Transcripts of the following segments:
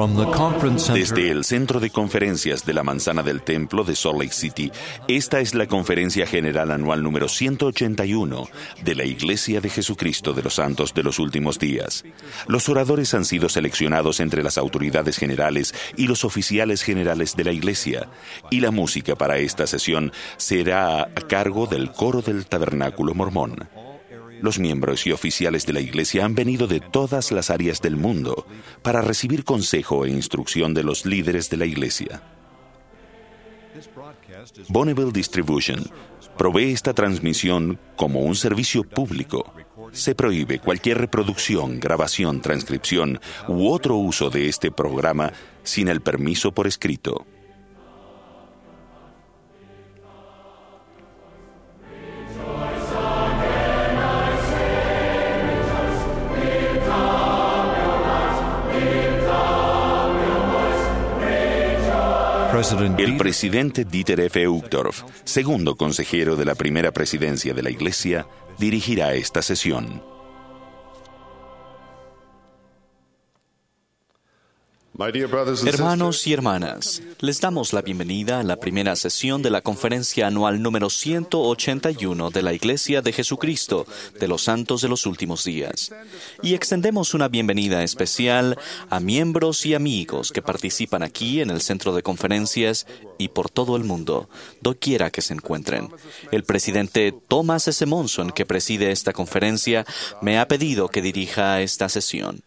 Desde el Centro de Conferencias de la Manzana del Templo de Salt Lake City, esta es la Conferencia General Anual número 181 de la Iglesia de Jesucristo de los Santos de los Últimos Días. Los oradores han sido seleccionados entre las autoridades generales y los oficiales generales de la Iglesia, y la música para esta sesión será a cargo del coro del Tabernáculo Mormón. Los miembros y oficiales de la Iglesia han venido de todas las áreas del mundo para recibir consejo e instrucción de los líderes de la Iglesia. Bonneville Distribution provee esta transmisión como un servicio público. Se prohíbe cualquier reproducción, grabación, transcripción u otro uso de este programa sin el permiso por escrito. El presidente Dieter F. Uchtdorf, segundo consejero de la primera presidencia de la Iglesia, dirigirá esta sesión. Hermanos y hermanas, les damos la bienvenida a la primera sesión de la conferencia anual número 181 de la Iglesia de Jesucristo de los Santos de los Últimos Días. Y extendemos una bienvenida especial a miembros y amigos que participan aquí en el centro de conferencias y por todo el mundo, doquiera que se encuentren. El presidente Thomas S. Monson, que preside esta conferencia, me ha pedido que dirija esta sesión.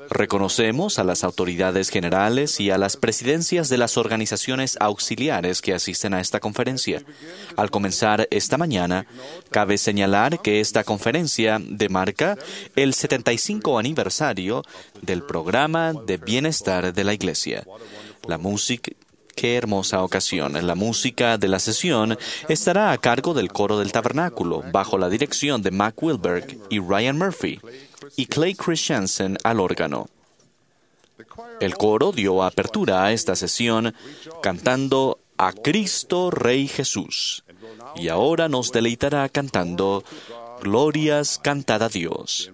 Reconocemos a las autoridades generales y a las presidencias de las organizaciones auxiliares que asisten a esta conferencia. Al comenzar esta mañana, cabe señalar que esta conferencia demarca el 75 aniversario del programa de bienestar de la Iglesia. La música. Qué hermosa ocasión. La música de la sesión estará a cargo del coro del tabernáculo, bajo la dirección de Mac Wilberg y Ryan Murphy, y Clay Christensen al órgano. El coro dio apertura a esta sesión cantando a Cristo Rey Jesús, y ahora nos deleitará cantando Glorias cantad a Dios.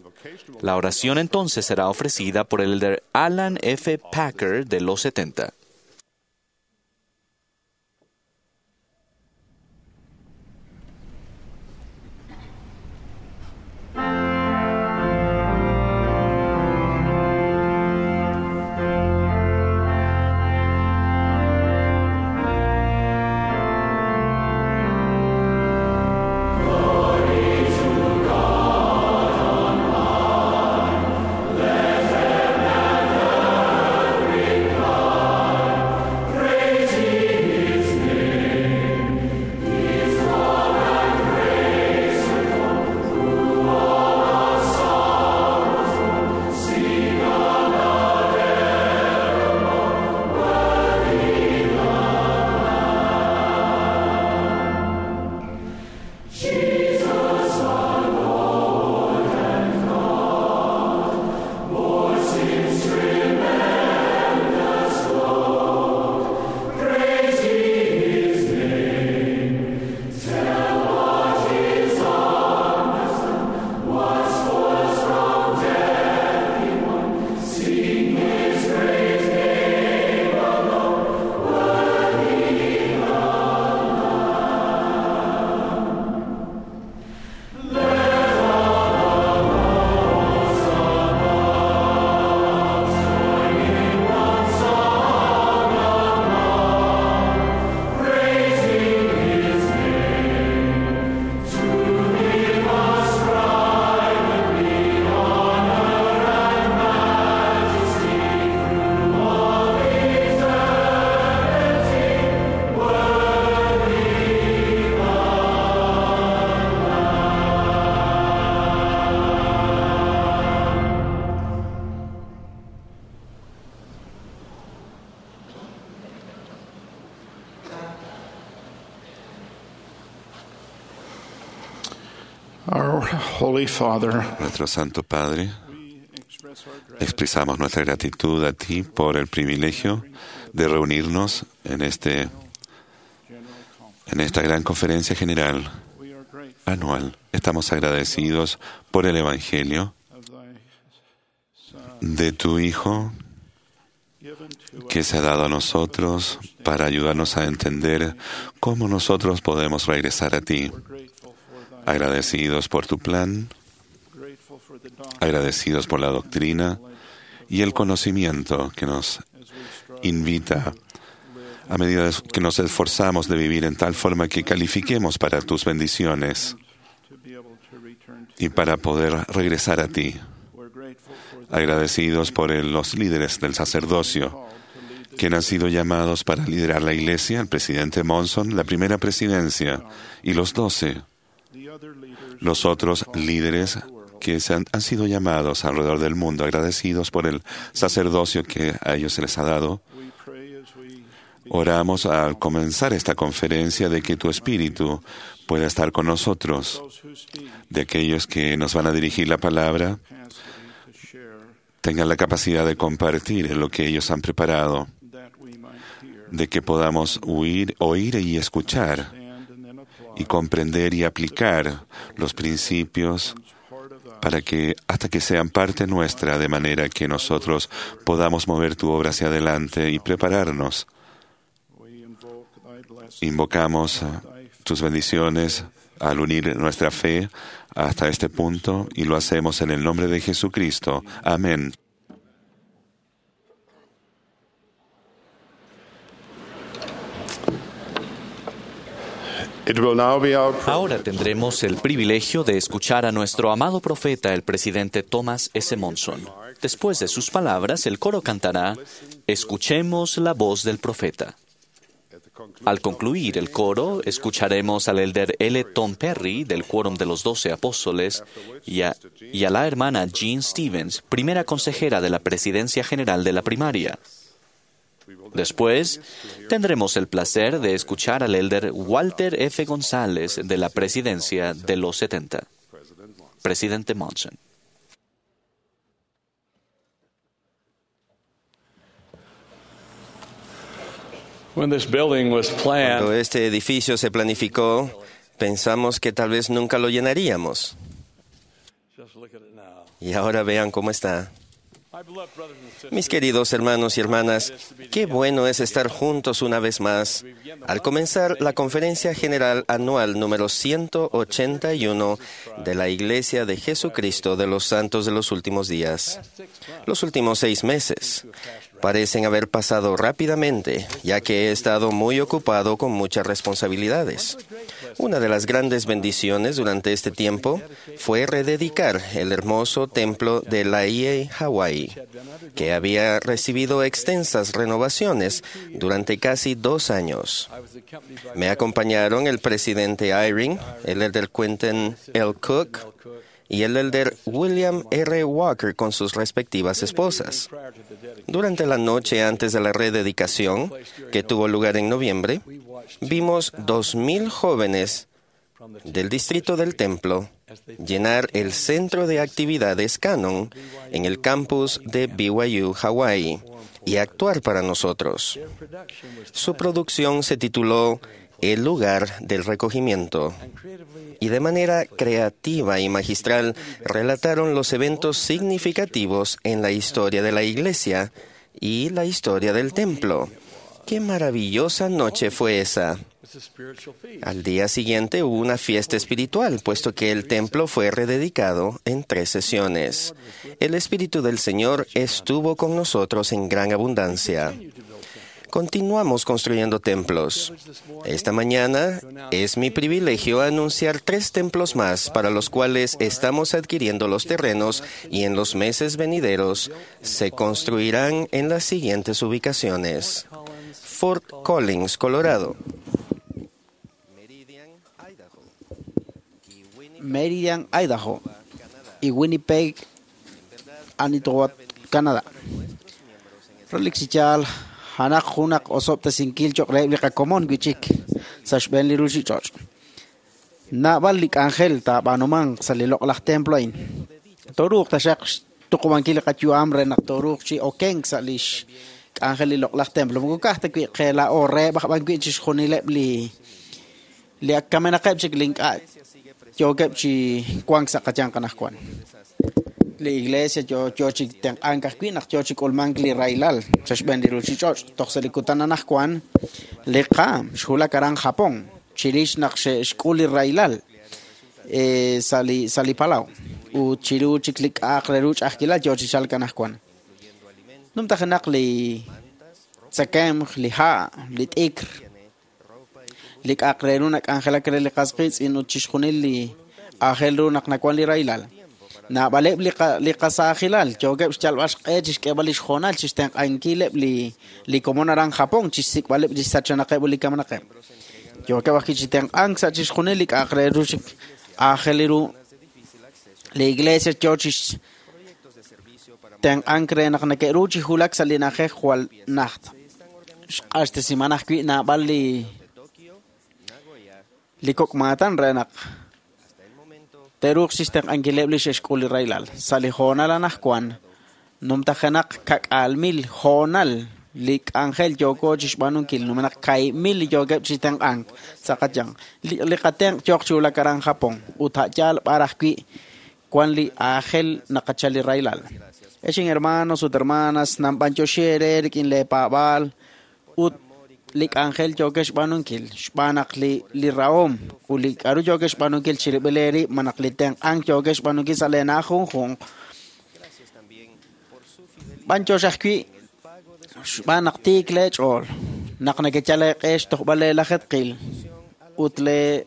La oración entonces será ofrecida por el elder Alan F. Packer de los 70. Nuestro Santo Padre, expresamos nuestra gratitud a ti por el privilegio de reunirnos en esta gran conferencia general anual. Estamos agradecidos por el Evangelio de tu Hijo que se ha dado a nosotros para ayudarnos a entender cómo nosotros podemos regresar a ti. Agradecidos por tu plan, agradecidos por la doctrina y el conocimiento que nos invita a medida que nos esforzamos de vivir en tal forma que califiquemos para tus bendiciones y para poder regresar a ti. Agradecidos por los líderes del sacerdocio, quienes han sido llamados para liderar la iglesia, el presidente Monson, la primera presidencia y los 12. Los otros líderes que se han sido llamados alrededor del mundo, agradecidos por el sacerdocio que a ellos se les ha dado. Oramos al comenzar esta conferencia de que tu Espíritu pueda estar con nosotros, de aquellos que nos van a dirigir la palabra, tengan la capacidad de compartir lo que ellos han preparado, de que podamos oír y escuchar y comprender y aplicar los principios para que hasta que sean parte nuestra, de manera que nosotros podamos mover tu obra hacia adelante y prepararnos. Invocamos tus bendiciones al unir nuestra fe hasta este punto y lo hacemos en el nombre de Jesucristo. Amén. Ahora tendremos el privilegio de escuchar a nuestro amado profeta, el presidente Thomas S. Monson. Después de sus palabras, el coro cantará Escuchemos la voz del profeta. Al concluir el coro, escucharemos al elder L. Tom Perry del Quórum de los 12 Apóstoles y a la hermana Jean Stevens, primera consejera de la Presidencia General de la Primaria. Después, tendremos el placer de escuchar al elder Walter F. González de la Presidencia de los 70. Presidente Monson. Cuando este edificio se planificó, pensamos que tal vez nunca lo llenaríamos. Y ahora vean cómo está. Mis queridos hermanos y hermanas, qué bueno es estar juntos una vez más al comenzar la Conferencia General Anual número 181 de la Iglesia de Jesucristo de los Santos de los Últimos Días. Los últimos 6 meses parecen haber pasado rápidamente, ya que he estado muy ocupado con muchas responsabilidades. Una de las grandes bendiciones durante este tiempo fue rededicar el hermoso templo de Laie, Hawái, que había recibido extensas renovaciones durante casi 2 años. Me acompañaron el presidente Eyring, el elder Quentin L. Cook y el elder William R. Walker con sus respectivas esposas. Durante la noche antes de la rededicación, que tuvo lugar en noviembre, vimos 2,000 jóvenes del distrito del templo llenar el centro de actividades Canon en el campus de BYU, Hawái, y actuar para nosotros. Su producción se tituló El lugar del recogimiento, y de manera creativa y magistral relataron los eventos significativos en la historia de la iglesia y la historia del templo. ¡Qué maravillosa noche fue esa! Al día siguiente hubo una fiesta espiritual, puesto que el templo fue rededicado en 3 sesiones. El Espíritu del Señor estuvo con nosotros en gran abundancia. Continuamos construyendo templos. Esta mañana es mi privilegio anunciar 3 templos más para los cuales estamos adquiriendo los terrenos y en los meses venideros se construirán en las siguientes ubicaciones: Fort Collins, Colorado; Meridian, Idaho; y Winnipeg, Manitoba, Canadá. Relik chichal hanak junak osobta sinkil choq reheb li qakomon wichik sa xb'een li ruchich'och'. Naab'al li k'anjel taab'aanumanq sa' li loq'laj templo a'in. Toruuq taxaq xtuqub'ankil li qayu'am re naq toruuq chi okenk sa' lix k'anjel li loq'laj templo. Moko ka'aj ta wi' qe laa'o reheb' aj b'an wi' chixjunileb' li ak kamenaqeb' chik li ink'a' yookeb' chi wank sa' qayanq anaqwan. Li iglesia yo chi tenq'ank ajwi' naq yo chi k'ulmank li rahilal sa' xb'een li ruuchich'och'. Toj sa' li kutan anaqwan li qaam xwulak aran Japón chirix naq xe'xk'ul li rahilal sa' li palaw ut chiru chik li k'a'aq re ru ch'a'ajkilal yo chi chalk anaqwan. Numtajenaq li tzakemq, li ha', li t'ikr, li k'a'aq re ru nak'anjelak re li qas qiitz'in ut chixjunil li aajel ru naq nawan li rahilal. Naab'aleb' li qasaajilal yookeb' xyalb'al xq'e chixk'eeb'al li xhoonal chixtenq'ankileb' li komon aran Japón chixsik'b'aleb' li xsachanaqeb' ut li kamenaqeb'. Yookeb' ajwi' chi tenq'ank sa' chixjunil li k'a'aq re ru chik aajel ru. Li iglesia yo chixtenq'ank re naq neke'ru chi wulak sa' li na'ajej jwal najt. Xq'axtesiman ajwi' naab'al li kok' maatan re naq te'ruuq chixtenq'ankileb' li xe'xk'ul li rahilal. Sa' li hoonal anaqwan numtajenaq 10,000 hoonal li k'anjel yooko chixb'aanunkil, numenaq 2,000 li yookeb' chi tenq'ank sa' qayanq. Li qatenq' yooq chi wulak aran Japón ut a' yaal b'ar ajwi' wan li aajel naqachal li rahilal. Ex hermanos ut hermanas, nanb'anyoxi eere rik'in leepaab'aal ut li k'anjel yookex xb'aanunkil, xb'aan naq li rahom ut li k'a'ru yookex xb'aanunkil chirib'il eerib', malaj li tenq'ank yookex xb'aanunkil sa' leena'aj junjunq. B'anyox ajwi' xb'aan naq tiik leech'ool, naq nekeyal eeq'e xtojb'al leelajetqil ut lee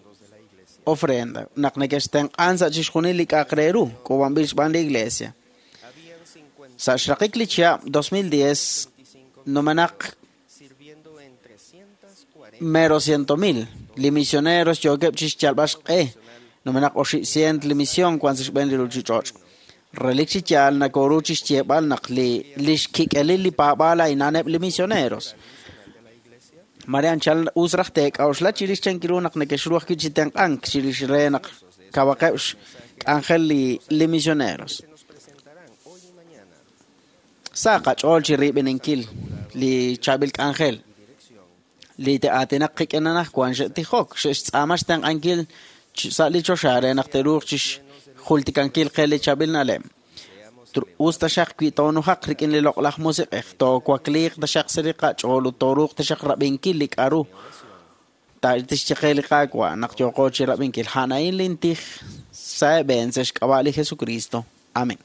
ofrenda, naq nekextenq'an sa' chixjunil li k'a'aq re ru k'uub'anb'il xb'aan li iglesia. Sa' xraqik li chihab' 2010 numenaq mero 100,000 li misioneros yookeb' chixyalb'al xq'e, numenaq 800 li misión wan sa' xb'een li ruuchich'och'. Relik chi yaal nakoru chixyeeb'al naq li xkik'elil li paab'aal a'inaneb' li misioneros. Mare anchal us raj teek'a'uxla chirix chankiru naq nekexru ajwi' chi tenq'ank chirix re naq kawaqeb' xk'anjel li misioneros. Sa' qach'ool chi riib'ininkil li chaab'il k'anjel li te'aatinaq qik'in anaqwan xe'tijok, xe'xtz'aama xtenq'ankil sa' li choxa re naq te'ruuq chixjultikankil qe li chaab'il na'leb'. Us taxaq wi toonujaq rik'in li loq'laj musiq'ej, toowakliiq taxaq sa' li qach'ool ut tooruuq taxaq rab'inkil li k'a'ru tixye qe li Qaawa' naq yooqo chi rab'inkil. A'an lintij sa' eeb'een sa' xk'ab'a' li Jesucristo. Amén.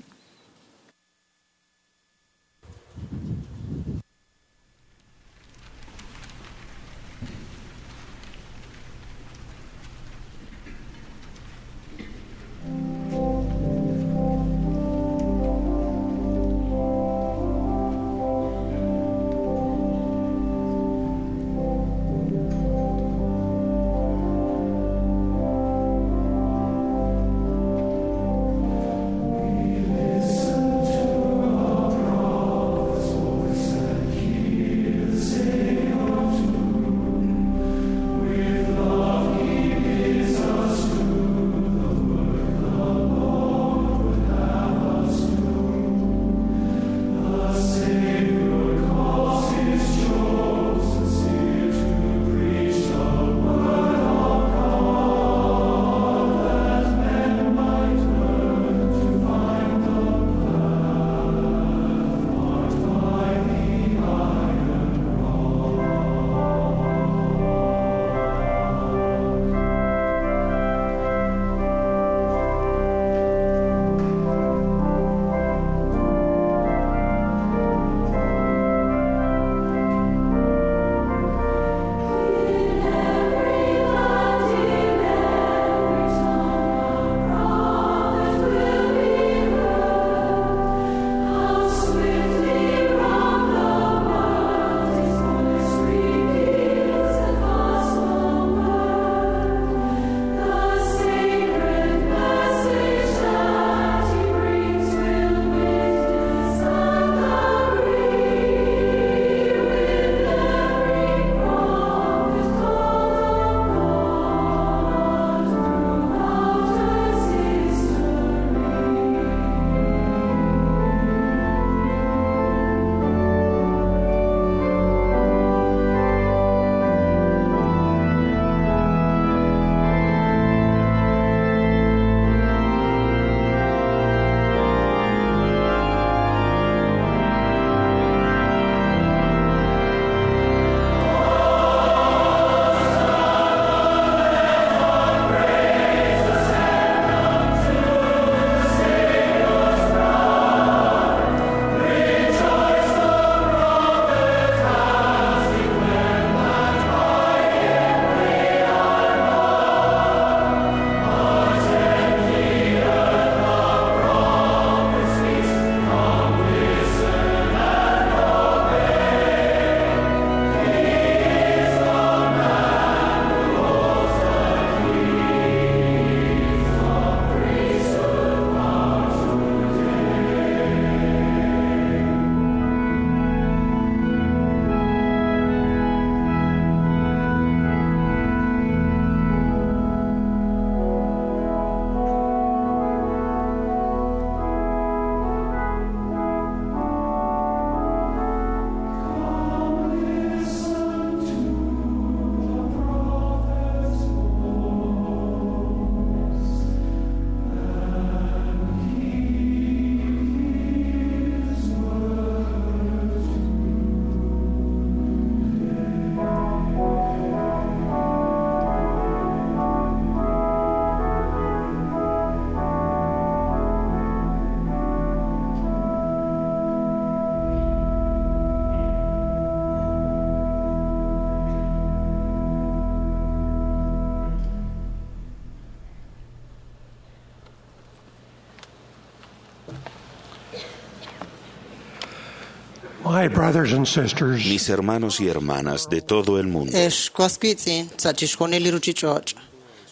My brothers and sisters, Mis hermanos y hermanas de todo el mundo, Ex was wiitz'in sa' chixjunil li ruchich'och'.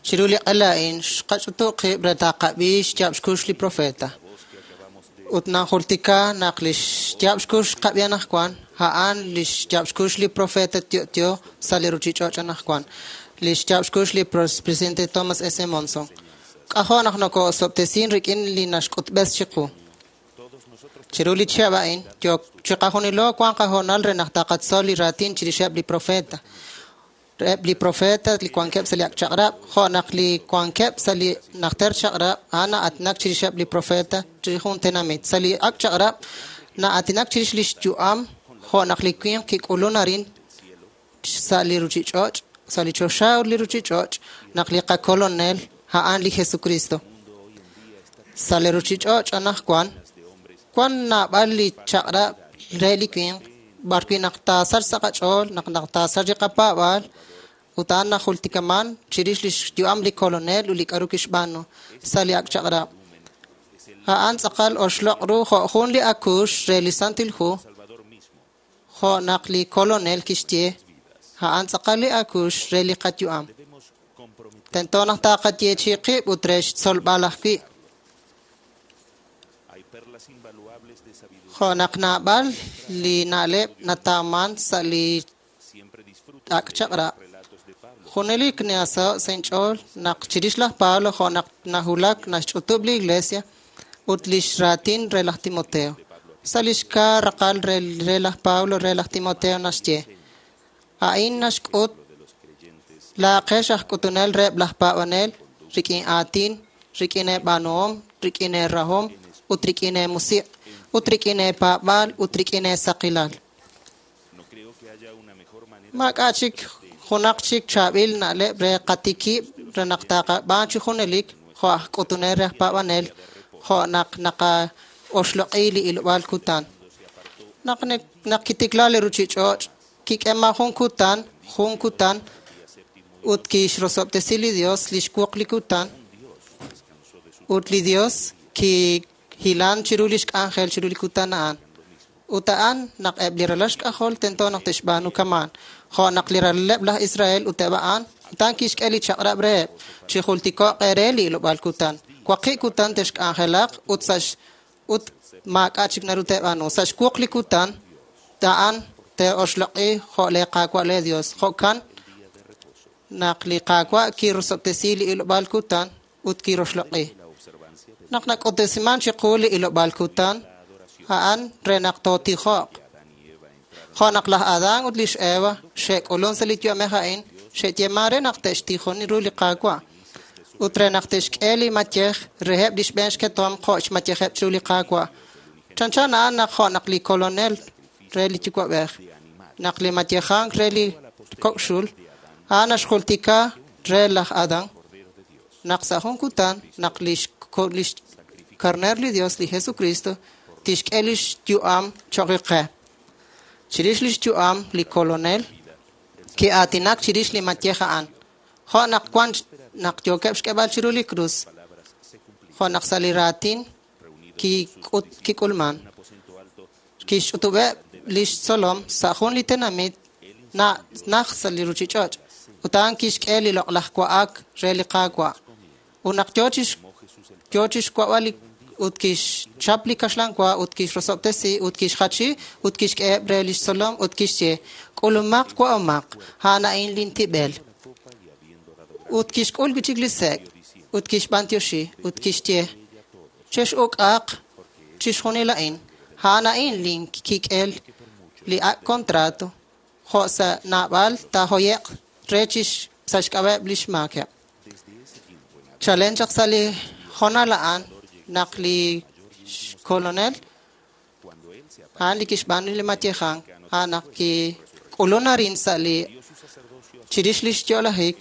Chiru li q'ela a'in xqach'utu' qib' re taqab'i xyaab' xkux li profeta. Ut najultika naq li xyaab' xkux xqab'i anaqwan, a'an li xyaab' xkux li profeta Tiotio sa' li ruchich'och' anaqwan. Li xyaab' xkux li presidente Thomas S. Monson. K'ajo' naq noko'osob'tesin rik'in li naxk'utb'es chiqu. Chiru li chihab' a'in, yo chiqajunilo wan qahoonal re naq taqatzol li raatin chirixeb' li profeta. Eb' li profeta li wankeb' sa' li ak' chaq'rab', jo' naq li wankeb' sa' li najter chaq'rab', a'an na'aatinak chirixeb' li profeta chirix jun tenamit. Sa' li ak' chaq'rab', na'aatinak chirix li xyu'am, jo' naq li winq kik'ulun arin sa' li ruchich'och', sa' li choxa ut li ruchich'och', naq li qakolonel a'an li Jesucristo. Sa' li ruchich'och' anaqwan, wan naab'al li chaq'rab' re li winq, b'ar wi' naq taasach sa' qach'ool, naq naq taasach li qapaab'aal, ut a'an najultikaman chirix li xyu'am li kolonel ut li k'a'ru kixb'aanu sa' li ak' chaq'rab'. A'an tz'aqal oxloq' ru jo' jun li akuux re li Santil Hu, jo' naq li kolonel kixye, a'an tz'aqal li akuux re li qayu'am. Tento naq taqayeechi qib' ut re xtzolb'al ajwi'. Jo' naq naab'al li na'leb' natawman sa' li ak' chaq'rab'. Junelik nasaho' sa' inch'ool naq chirix laj Pablo jo' naq nahulak naxch'utub' li iglesia ut lix raatin re laj Timoteo. Sa' lix kaa raqal re laj Pablo re laj Timoteo naxye, a'in naxk'ut laaqex aj k'utunel reheb' laj paab'anel rik'in aatin, rik'in eeb'aanuhom, rik'in eerahom, ut rik'in eemusiq', ut rik'in eepaab'aal, ut rik'in eesaqilal. Maak'a' chik junaq chik chaab'il na'leb' re qatikib' re naq taqab'aan chi junelik jo' aj k'utunel re aj paab'anel, jo' naq naqaoxloq'i li ilob'aal kutan. Naq naq kitikla li ruchich'och', kik'ema jun kutan, ut kixrosob'tesi li Dios li xwuq li kutan, ut li Dios kihilan chiru lix k'anjel chiru li kutan a'an. Ut a'an naq eb' li ralal xk'ajol tento naq te'xb'aanu kamaan. Jo' naq li ralaleb' laj Israel ut eb' a'an, utan kixk'e li chaq'rab' reheb', chi jultiko'q eere li ilob'aal kutan. Waqi' kutan te'xk'anjelaq ut ut maak'a' chik naru te'b'aanu. Sa' xwuq li kutan, a'an te'oxloq'i jo' le Qaawa' le Dios. Jo'kan naq li Qaawa' kirosob'tesi li ilob'aal kutan ut kiroxloq'i. Naq nak'utesiman chiqu li ilob'aal kutan, a'an re naq tootijo'q. Jo' naq laj Adán ut lix Eva xe'k'ulun sa' li yu'amej a'in, xe'yeeman re naq te'xtijoni ru li Qaawa'. Ut re naq te'xk'e li mayej reheb' li xb'een xketom jo' xmayejeb' chiru li Qaawa'. Chanchan a'an naq jo' naq li kolonel re li yuwa'b'ej, naq li mayejank re li kok'xul, a'an naxjultika re laj Adán, naq sa' jun kutan, naq lix karner li Dios, li Jesucristo, tixk'e lix yu'am cho'q qe. Chirix lix yu'am li kolonel, ki'aatinak chirix li mayej a'an. Jo' naq wan naq yookeb' xk'eb'al chiru li krus, jo' naq sa' li raatin kik'ulman. Kixch'utub'eb' lix tzolom sa' jun li tenamit naj sa' li ruchich'och', ut a'an kixk'e li loq'laj wa'ak re li Qaawa'. Ut naq yoo chixwa'b'al ut kixchap li kaxlan wa ut kixrosob'tesi ut kixjachi ut kixk'eheb' re lix tzolom ut kixye, k'ulumaq wa'omaq, a'an a'in lintib'el. Ut kixk'ul wi' chik li sek' ut kixb'antioxi ut kixye, chex'uk'aq chixjunil a'in, a'an a'in linkik'el li ak' contrato, jo' sa' naab'al taahoye'q re sa' xk'ab'a'eb' lix maakeb'. Chalen chaq sa' li jonal a'an naq li kolonel a'an li kixb'aanu li mayejank, a'an naq kik'ulun arin sa' li chirix lix yo'lajik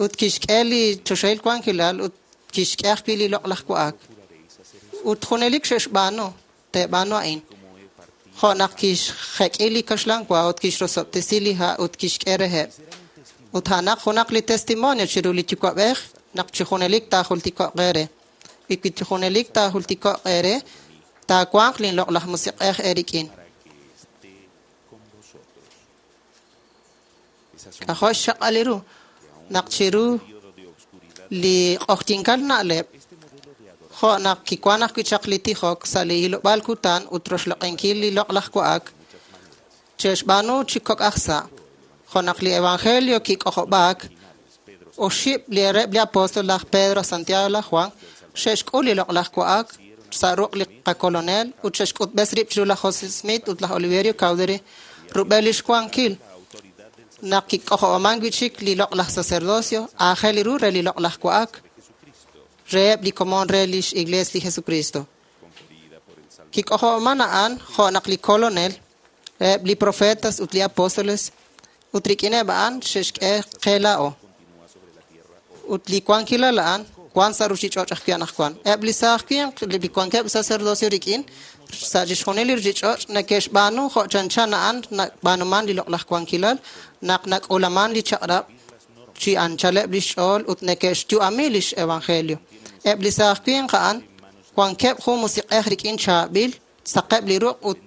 ut kixk'e li choxahil wankilal ut kixk'e ajwi' li loq'laj wa'ak. Ut junelik xe'xb'aanu, te'b'aanu a'in. Jo' naq kixjek'i li kaxlan wa ut kixrosob'tesi li ha' ut kixk'e reheb'. Ut a'anaq junaq li testimonio chiru li yuwa'b'ej naq chi junelik taajultiko'q eere. Y wi chi junelik taajultiko'q eere, taawanq linloq'laj musiq'ej eerik'in. K'ajo' xchaq'al ru naq chiru li q'oqyinkal na'leb', jo' naq kiwank ajwi' chaq li tijok sa' li hilob'aal kutan ut roxloq'inkil li loq'laj wa'ak, che'xb'aanu chi kok' aj sa'. Jo' naq li evangelio kik'ojob'aak, oxib' li reheb' li apóstol laj Pedro, Santiago, laj Juan, xe'xk'ul li loq'laj wa'ak sa' ruq' li qakolonel ut xe'xk'utb'es rib' chiru laj José Smith ut laj Oliverio Cowdery rub'el lix wankil naq kik'ojob'aman wi' chik li loq'laj sacerdocio aajel ru re li loq'laj wa'ak reheb' li komon re lix Iglees li Jesucristo. Kik'ojob'aman a'an jo' naq li kolonel, eb' li profetas ut li apóstoles ut rik'ineb' a'an xe'xk'e qe laa'o. Ut li wankilal a'an wan sa' ruchich'och' ajwi' anaqwan. Eb' li saaj winq li wankeb' sacerdocio rik'in sa' chixjunil li ruchich'och' neke'xb'aanu jo' chanchan a'an nab'aanuman li loq'laj wankilal naq nak'ulaman li chaq'rab' chi anchaleb' lix ch'ool ut neke'xyu'ami lix evangelio. Eb' li saaj winq a'an wankeb' jun musiq'ej rik'in chaab'il, saqeb' li ruq' ut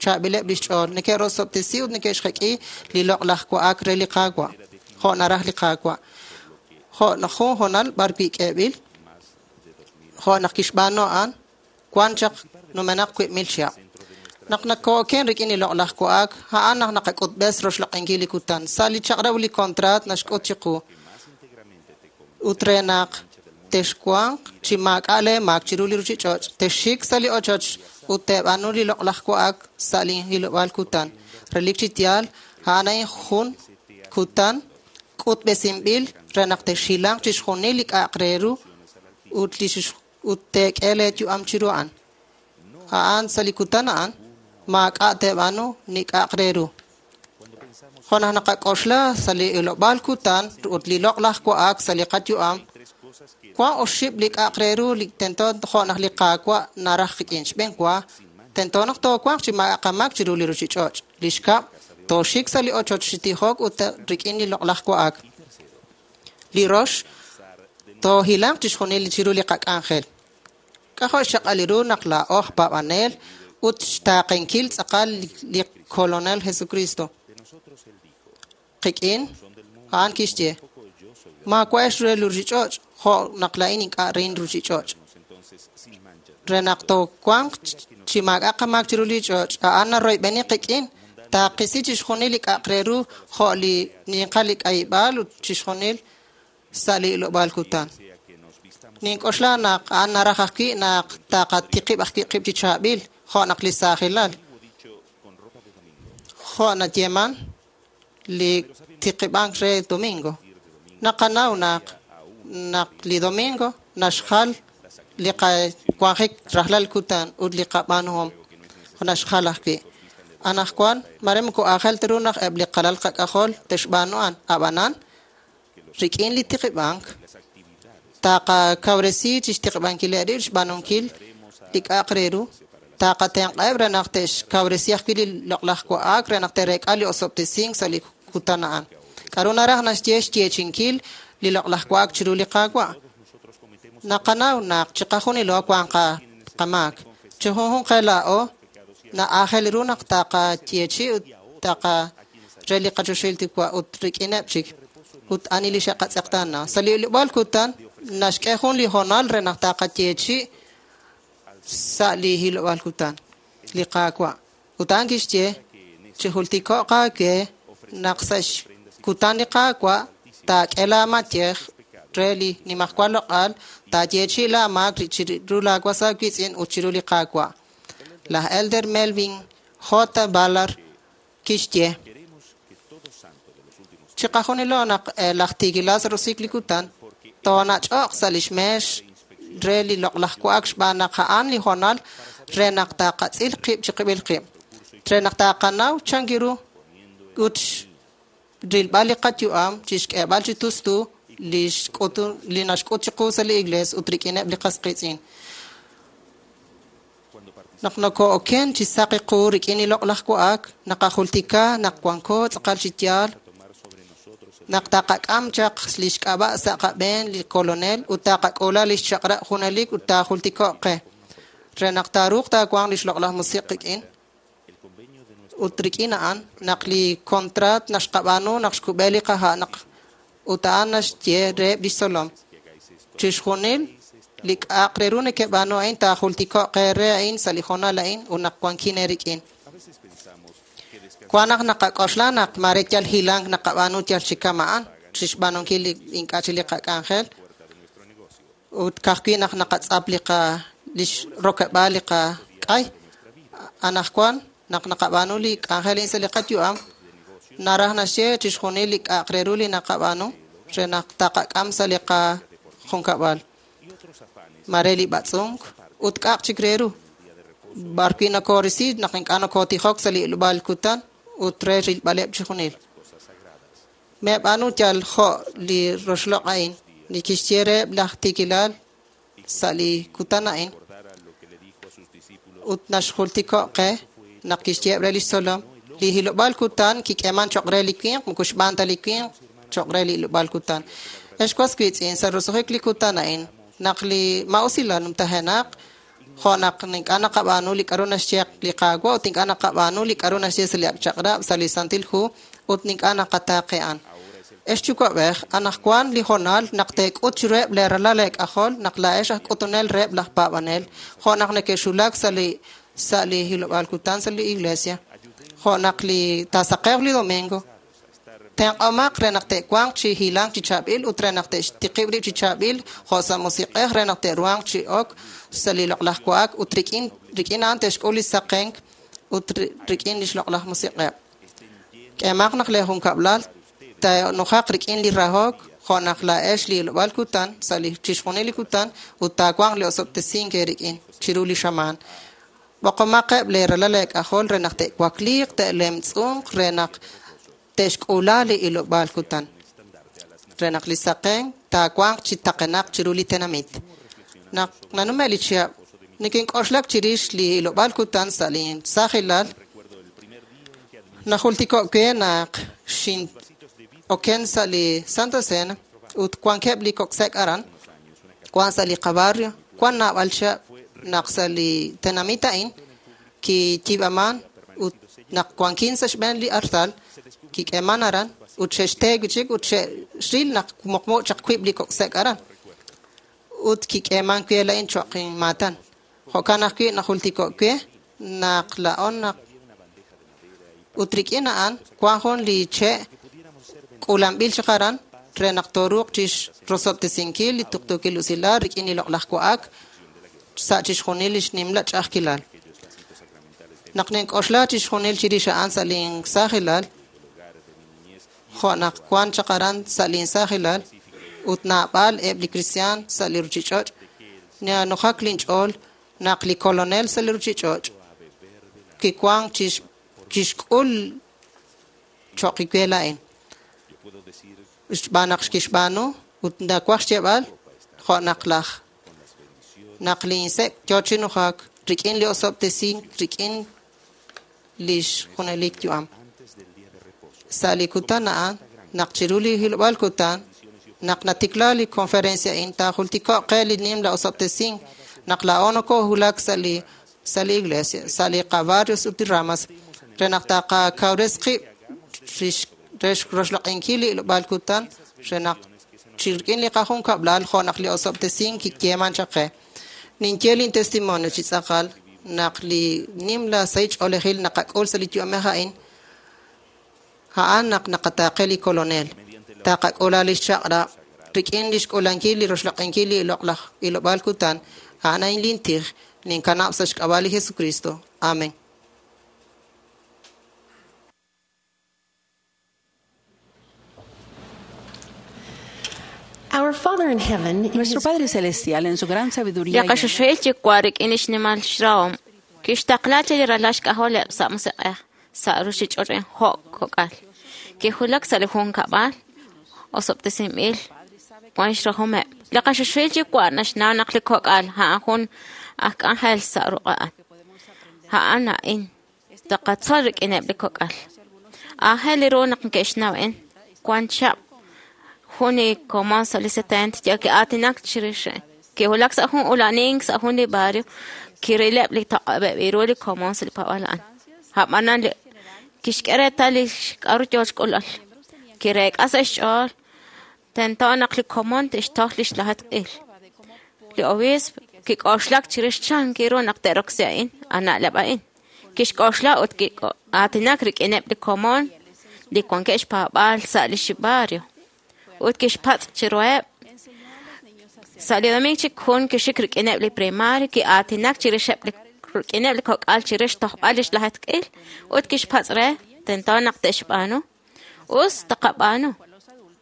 chaab'ileb' lix ch'ool. Neke'rosob'tesi ut neke'xjek'i li loq'laj wa'ak re li Qaawa', jo' naraj li Qaawa'. Jo' naq jun hoonal b'ar wi' k'eeb'il, jo' naq kixb'aanu a'an, wan chaq numenaq 2,000 chihab'. Naq nakooken rik'in li loq'laj wa'ak, a'an naq naqak'utb'es roxloq'inkil li kutan. Sa' li chaq'rab' li kontraat naxk'ut chiqu. Ut re naq texwanq chi maak'a' lee maak chiru li ruchich'och', texxik sa' li ochoch ut teeb'aanu li loq'laj wa'ak sa' li hilob'aal kutan. Relik chi yaal, a'an a'in jun kutan k'utb'esinb'il re naq texhilanq chixjunil li k'a'aq re ru ut li ut teek'e lee yu'am chiru a'an. A'an sa' li kutan a'an, maak'a' teeb'aanu ni k'a'aq re ru. Jo' naq naqak'oxla sa' li hilob'aal kutan ut li loq'laj wa'ak sa' li qayu'am, wan oxib' li k'a'aq re ru li tento jo' naq li Qaawa' naraj qik'in. Xb'een wa, tento naq toowanq chi maak'a' qamaak chiru li ruchich'och'. Li xkab', tooxik sa' li ochoch chi tijok ut rik'in li loq'laj wa'ak. Li rox, toohilanq chixjunil chiru li qak'anjel. K'ajo' xchaq'al ru naq laa'o aj paab'anel ut xtaaqenkil tz'aqal li kolonel Jesucristo. Qik'in, a'an kixye, maawa'ex re li ruchich'och' jo' naq laa'in ink'a' rin ruchich'och'. Re naq toowanq chi maak'a' qamaak chiru li ch'och', a'an naroyb'eni qik'in, taaqisi chixjunil li k'a'aq re ru jo' li ninqal li k'ayib'aal ut chixjunil sa' li ilob'aal kutan. Nink'oxla naq a'an naraj ajwi' naq taqatiqib' ajwi' qib' chi chaab'il, jo' naq li saajilal. Jo' nayeeman li tiqib'ank re domingo. Naqanaw naq naq li domingo naxjal li qawanjik rajlal kutan ut li qab'aanuhom naxjal ajwi'. Anaqwan mare moko aajel ta ru naq eb' li qalal qak'ajol te'xb'aanu a'an, ab'anan rik'in li tiqib'ank taqakawresi chixtiqib'ankileb' rib' xb'aanunkil li k'a'aq re ru, taqatenq'aheb' re naq te'xkawresi ajwi' li loq'laj wa'ak re naq te'reek'a li osob'tesink sa' li kutan a'an. K'aru naraj naxye xyeechinkil li loq'laj wa'ak chiru li Qaawa'? Naqanaw naq chiqajunilo wan qamaak. Chi junjunq qe laa'o na'aajel ru naq taqayeechi ut taqa re li qachoxahil Yuwa' ut rik'ineb' chik ut ani li xe'qatz'eqtaana. Sa' li ilob'aal kutan naxk'e jun li hoonal re naq taqayeechi sa' li hilob'aal kutan li Qaawa'. Ut a'an kixye chijultiko'q aawe naq sa' xkutan li Qaawa' taak'e laamayej re li nimajwal loq'al, taayeechi laamaak chiru laawas aawiitz'in ut chiru li Qaawa'. Laj Elder Melvin J. Ballard kixye chiqajunilo naq laj tiikilal sa' roso'jik li kutan toonach'oq sa' lix meex re li loq'laj wa'ak xb'aan naq a'an li hoonal re naq taqatz'il qib' chiqib'il qib', re naq taqanaw chan ru ut rilb'al li qayu'am chixk'eeb'al chi tustu li xk'utu li naxk'ut chiqu sa' li iglees ut rik'ineb' li qas qiitz'in. Naq nokoo'oken chi saqi qu rik'in li loq'laj wa'ak, naqajultika naq wanko tz'aqal chi yaal, naq taqak'am chaq lix k'ab'a' sa' qab'een li kolonel ut taqak'uula lix chaq'rab' junelik ut taajultiko'q qe, re naq taaruuq taawanq lix loq'laj musiq' qik'in. Ut rik'in a'an naq li kontraat naxqab'aanu naq xkub'e li qaha' naq ut a'an naxye reheb' lix tzolom. Chixjunil li k'a'aq re ru nekeb'aanu a'in taajultiko'q eere a'in sa' li hoonal a'in ut naq wankin eerik'in. Wan naq naqak'oxla naq mare yal hilank naqab'aanu yal chi kama'an chixb'aanunkil li ink'a' chi li qak'anjel ut ka'ajwi' naq naqatz'ap li qa lix rokeb'aal li qak'ay. Anaqwan naq naqab'aanu li k'anjel a'in sa' li qayu'am naraj naxye chixjunil li k'a'aq re ru li naqab'aanu re naq taqak'am sa' li qajunkab'al. Mare li b'atz'unk ut k'a'aq chik re ru. B'arwi' nokorisi naq ink'a' nokotijok sa' li ilob'aal kutan ut re rilb'aleb' chixjunil. Meeb'aanu yal jo' li roxloq' a'in li kixye reheb' laj tiikilal sa' li kutan a'in ut naxjultiko' qe naq kixyeheb' re lix tzolom li hilob'aal kutan kik'eeman choq' re li winq moko xb'aan ta li winq choq' re li hilob'aal kutan. Ex was wiitz'in sa' roso'jik li kutan a'in naq li ma'usilal numtajenaq jo' naq ink'a' naqab'aanu li k'a'ru naxye li Qaawa' ut ink'a' naqab'aanu li k'a'ru naxye sa' li ak' chaq'rab' sa' li Santil Hu ut ink'a' naqataaqe a'an. Ex yuwa'b'ej, anaqwan li hoonal naq teek'ut chiruheb' lee ralal eek'ajol naq laa'ex aj k'utunel reheb' laj paab'anel, jo' naq neke'xulak sa' li sa' li hilob'aal kutan sa' li iglesia, jo' naq li taasaqewq li domingo, tenq'omaq re naq te'wanq chi hilank chi chaab'il ut re naq te'xtiqib' rib' chi chaab'il jo' sa' musiq'ej re naq te'ruhanq chi ok sa' li loq'laj wa'ak ut rik'in rik'in a'an te'xk'ul li saqenk ut rik'in lix loq'laj musiq'eb'. K'eemaq naq lee junkab'lal taanujaq rik'in li rahok jo' naq laa'ex li hilob'aal kutan sa' li chixjunil li kutan ut taawanq li osob'tesink eerik'in chiru li xamaan. B'oqomaqeb' lee ralal eek'ajol re naq te'wakliiq, te'lemtz'unq re naq te'xk'uula li hilob'aal kutan. Re naq li saqen taawanq chi taqenaq chiru li tenamit. Naq nanume' li chihab', nikink'oxlak chirix li hilob'aal kutan sa' li saajilal, najultiko' we naq xin'oken sa' li Santa Cena ut wankeb' li kok' sek' aran, wan sa' li qabarrio, wan naab'al chihab' naq sa' li tenamit a'in kiyiib'aman ut naq wankin sa' xb'een li artal kik'eeman aran ut xe'xte wi' chik ut xe'xril naq muqmu chaq wiib' li kok' sek' aran ut kik'eeman we la'in cho'q inmaatan. Jo'kan ajwi' najultiko' we naq laa'on naq ut rik'in a'an wan jun li che' k'uulanb'il chaq aran re naq tooruuq chixrosob'tesinkil li tuqtuukil usilal rik'in li loq'laj wa'ak sa' chixjunil lix nimla ch'a'ajkilal. Naq nink'oxla chixjunil chirix a'an sa' linsaajilal, jo' naq wan chaq aran sa' linsaajilal ut naab'al eb' li kristiaan sa' li ruchich'och', nanujak linch'ool naq li kolonel sa' li ruchich'och' kiwank chixk'ul cho'q we la'in. Xb'aan naq kixb'aanu ut nawaj xyeeb'al jo' naq laj naq linsek' yo chi nujak rik'in li osob'tesink rik'in lix junelik yu'am. Sa' li kutan a'an, naq chiru li hilob'aal kutan, naq natikla li conferencia a'in taajultiko'q qe li nimla osob'tesink naq laa'o nokohulak sa' li sa' li iglesia, sa' li qabarrios ut li ramas, re naq taqakawres qib' re roxloq'inkil li hilob'aal kutan, re naq chi rik'in li qajunkab'lal jo' naq li osob'tesink kiyeeman chaq qe. Ninye lin testimonio chi tz'aqal naq li nimla sahil ch'oolejil naqak'ul sa' li yu'amej a'in, a'an naq naqataaqe li kolonel. Taqak'uula lix chaq'rab' rik'in lix k'uulankil li roxloq'inkil li loq'laj hilob'aal kutan, a'an a'in lin tij, ninkanab' sa' xk'ab'a' li Jesucristo. Amen. Our Father in heaven, in Nuestro His Padre Celestial, en su gran Li sabiduría y qaxuxuhil yuwa' rik'in lix nimal xrahom kixtaqla chi li ralal xk'ajoleb' sa' musiq'ej sa' ruchich'och' jo' kok'al. Kijulak sa' li junkab'al osob'tesinb'il wan xrahomeb'. Li qaxuxuhil yuwa' naxnaw naq li kok'al a'an jun aj k'anjel sa' ruq'a'an. A'an a'in taqatzol rik'ineb' li kok'al. Aajel ru naq neke'xnaw a'in wan chab' jun li komon sa' li 70 yal ki'aatinak chirix a'in. Kiwulak sa' jun ula'nink sa' jun li barrio kirileb' li taq'ab'eb' ru li komon sa' li paab'aal a'an. A'b'anan li Kixk'e reetal li k'aru yo xk'ulb'al. Kireek'a sa' xch'ool tento naq li komon te'xtoj li xlajeetq'il. Li obiisp kik'oxlak chirix chan kiru naq te'roksi a'in, a na'leb' a'in. Kixk'oxla ut ki'aatinak rik'ineb' li komon li wankeb' xpaab'aal sa' li barrio ut kixpatz' chiruheb'. Sa' li domingo chik jun kixik rik'ineb' li primario ki'aatinak chirixeb' li rik'ineb' li kok'al chirix xtojb'al li xlajeetq'il ut kixpatz' re tento naq te'xb'aanu. Us taqab'aanu.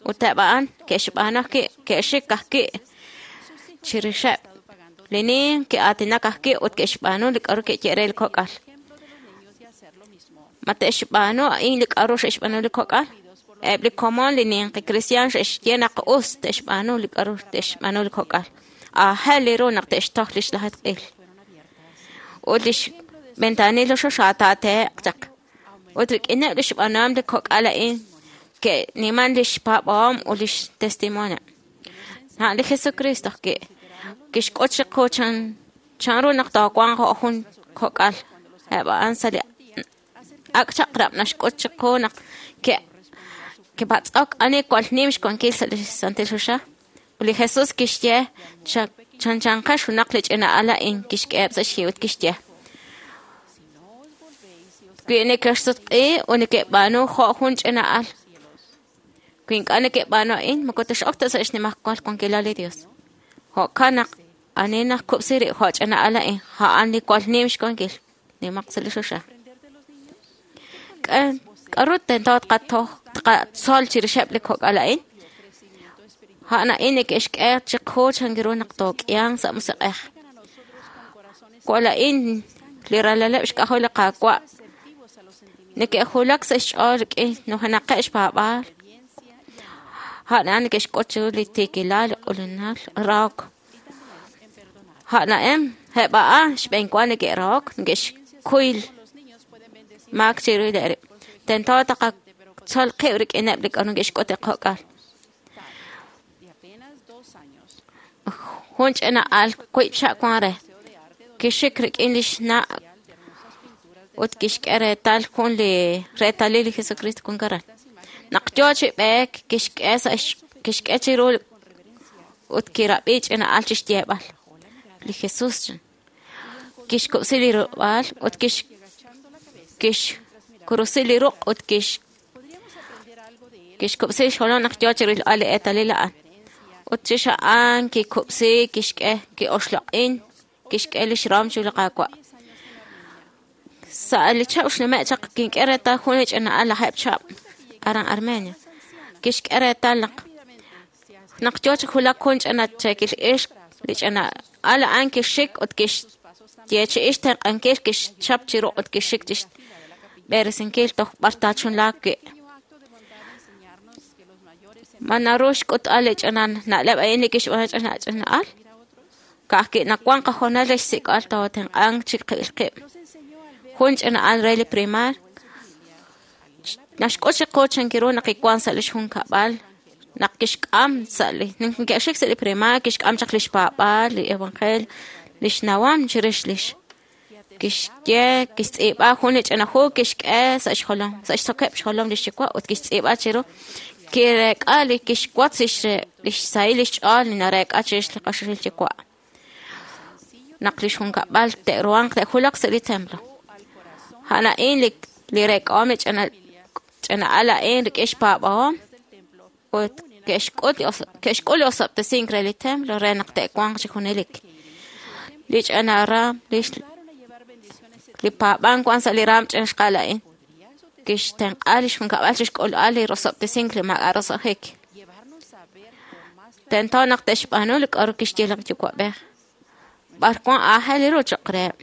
Ut eb' a'an ke'xb'aanu ajwi' ke'xik ajwi' chirixeb' li ninq ki'aatinak ajwi' ut ke'xb'aanu li k'aru ke'ye re li kok'al. Ma te'xb'aanu a'in li k'aru xe'xb'aanu li kok'al? Eb' li komon li ninqi kristiaan xe'xye naq us te'xb'aanu li k'aru te'xb'aanu li kok'al. Aajel li ru naq te'xtoj li xlajeetq'il. Ut li xventanil li xoxataatehe'q chaq. Ut rik'ineb' li xb'aanuhom li kok'al a'in ke'niman li xpaab'ahom ut li xtestimonio. A'an li Jesucristo ajwi' kixk'ut chiqu chanru naq toowanq jo' jun kok'al. Eb' a'an sa' li ak' chaq'rab' naxk'ut chiqu naq ke'patz'ok ani jwal nim xwankil sa' li Santil Choxa. Ut li Jesús kixye chanchanqex junaq li ch'ina al a'in kixk'eheb' sa' xyi ut kixye: Wi nekexsutq'i ut neke'b'aanu jo' jun ch'ina al, wi ink'a' neke'b'aanu a'in, moko tex'ok ta sa' xnimajwal wankilal li Dios. Jo'kan naq ani najkub'si rib' jo' ch'ina al a'in, a'an li jwal nim xwankil, nimaq sa' li choxa. K'aru tento tqatzol chirixeb' li kok'al a'in? A'an a'in neke'xk'e chiqu chan ru naq took'ihanq sa' musiq'ej. Jwal a'in li ralaleb' xk'ajol li Qaawa' neke'julak sa' xch'ool rik'in nujenaqeb' xpaab'aal. A'an a'an neke'xk'ut chiru li tiikilal, li q'ulinal, rahok. A'an a'in eb' a'an xb'eenwa neke'rahok, neke'xkuy maak chiru li rib'. Tento taqatzol qib' rik'ineb' li k'aru neke'xk'ut li kok'al. Jun ch'ina al wiib' xa' wan re. Kixik rik'in li xna' ut kixk'e reetal jun li reetalil li Jesucristo wan aran. Naq yo chi b'eek kixk'e chiru ut kirab'i ch'ina al chi xyeeb'al. Li Jesús kixkub'si li rub'aal ut kixkurusi li ruq' ut kixkub'si xjolom naq yo chi rilb'al li eetalil a'an. Ut chix a'an kikub'si kixk'e ki'oxloq'in kixk'e li xrom chiru li Qaawa'. Sa' li chab' xnume' chaq kink'e reetal jun li ch'ina al lajeeb' chab' aran Armenia. Kixk'e reetal naq yo chi wulak jun ch'ina cheekil ixq li ch'ina al a'an kixik ut kixyeechi'i xtenq'ankil kixchap chi ruq' ut kixik chi xb'eresinkil toj b'ar taachunlaaq wi'. Ma naru xk'utb'al li ch'ina na'leb' a'in li kixb'aanu ch'ina al? Ka'ajwi' nawank qahoonal re xsik'b'al tootenq'anq chi qib'il qib'. Jun ch'ina al re li primar naxk'ut chiqu chan ru naq kiwank sa' li xjunkab'al naq kixk'am sa' li neke'xik sa' li primar kixk'am chaq li xpaab'aal li evangelio li xnawam chirix lix kixye kixtz'iib'a jun li ch'ina hu kixk'e sa' xjolom sa' xsokeb' xjolom li xyuwa' ut kixtz'iib'a chiru kireek'a li kixwotz li xsahil li xch'ool li nareek'a chirix li qaxil yuwa' naq li xjunkab'al te'ruhanq te'julaq sa' li templo. A'an a'in li reek'ahom li ch'ina al a'in rik'in xpaab'ahom ut ke'xk'ul li osob'tesink re li templo re naq te'wanq chi junelik. Li ch'ina raam li paab'ank wan sa' li raam ch'ina xqal a'in kixtenq'a li xjunkab'al chi xk'ulb'al li rosob'tesink li maak'a' roso'jik. Tento naq te'xb'aanu li k'aru kixye li yuwa'b'ej. B'ar wan aajel ru cho'q reheb'.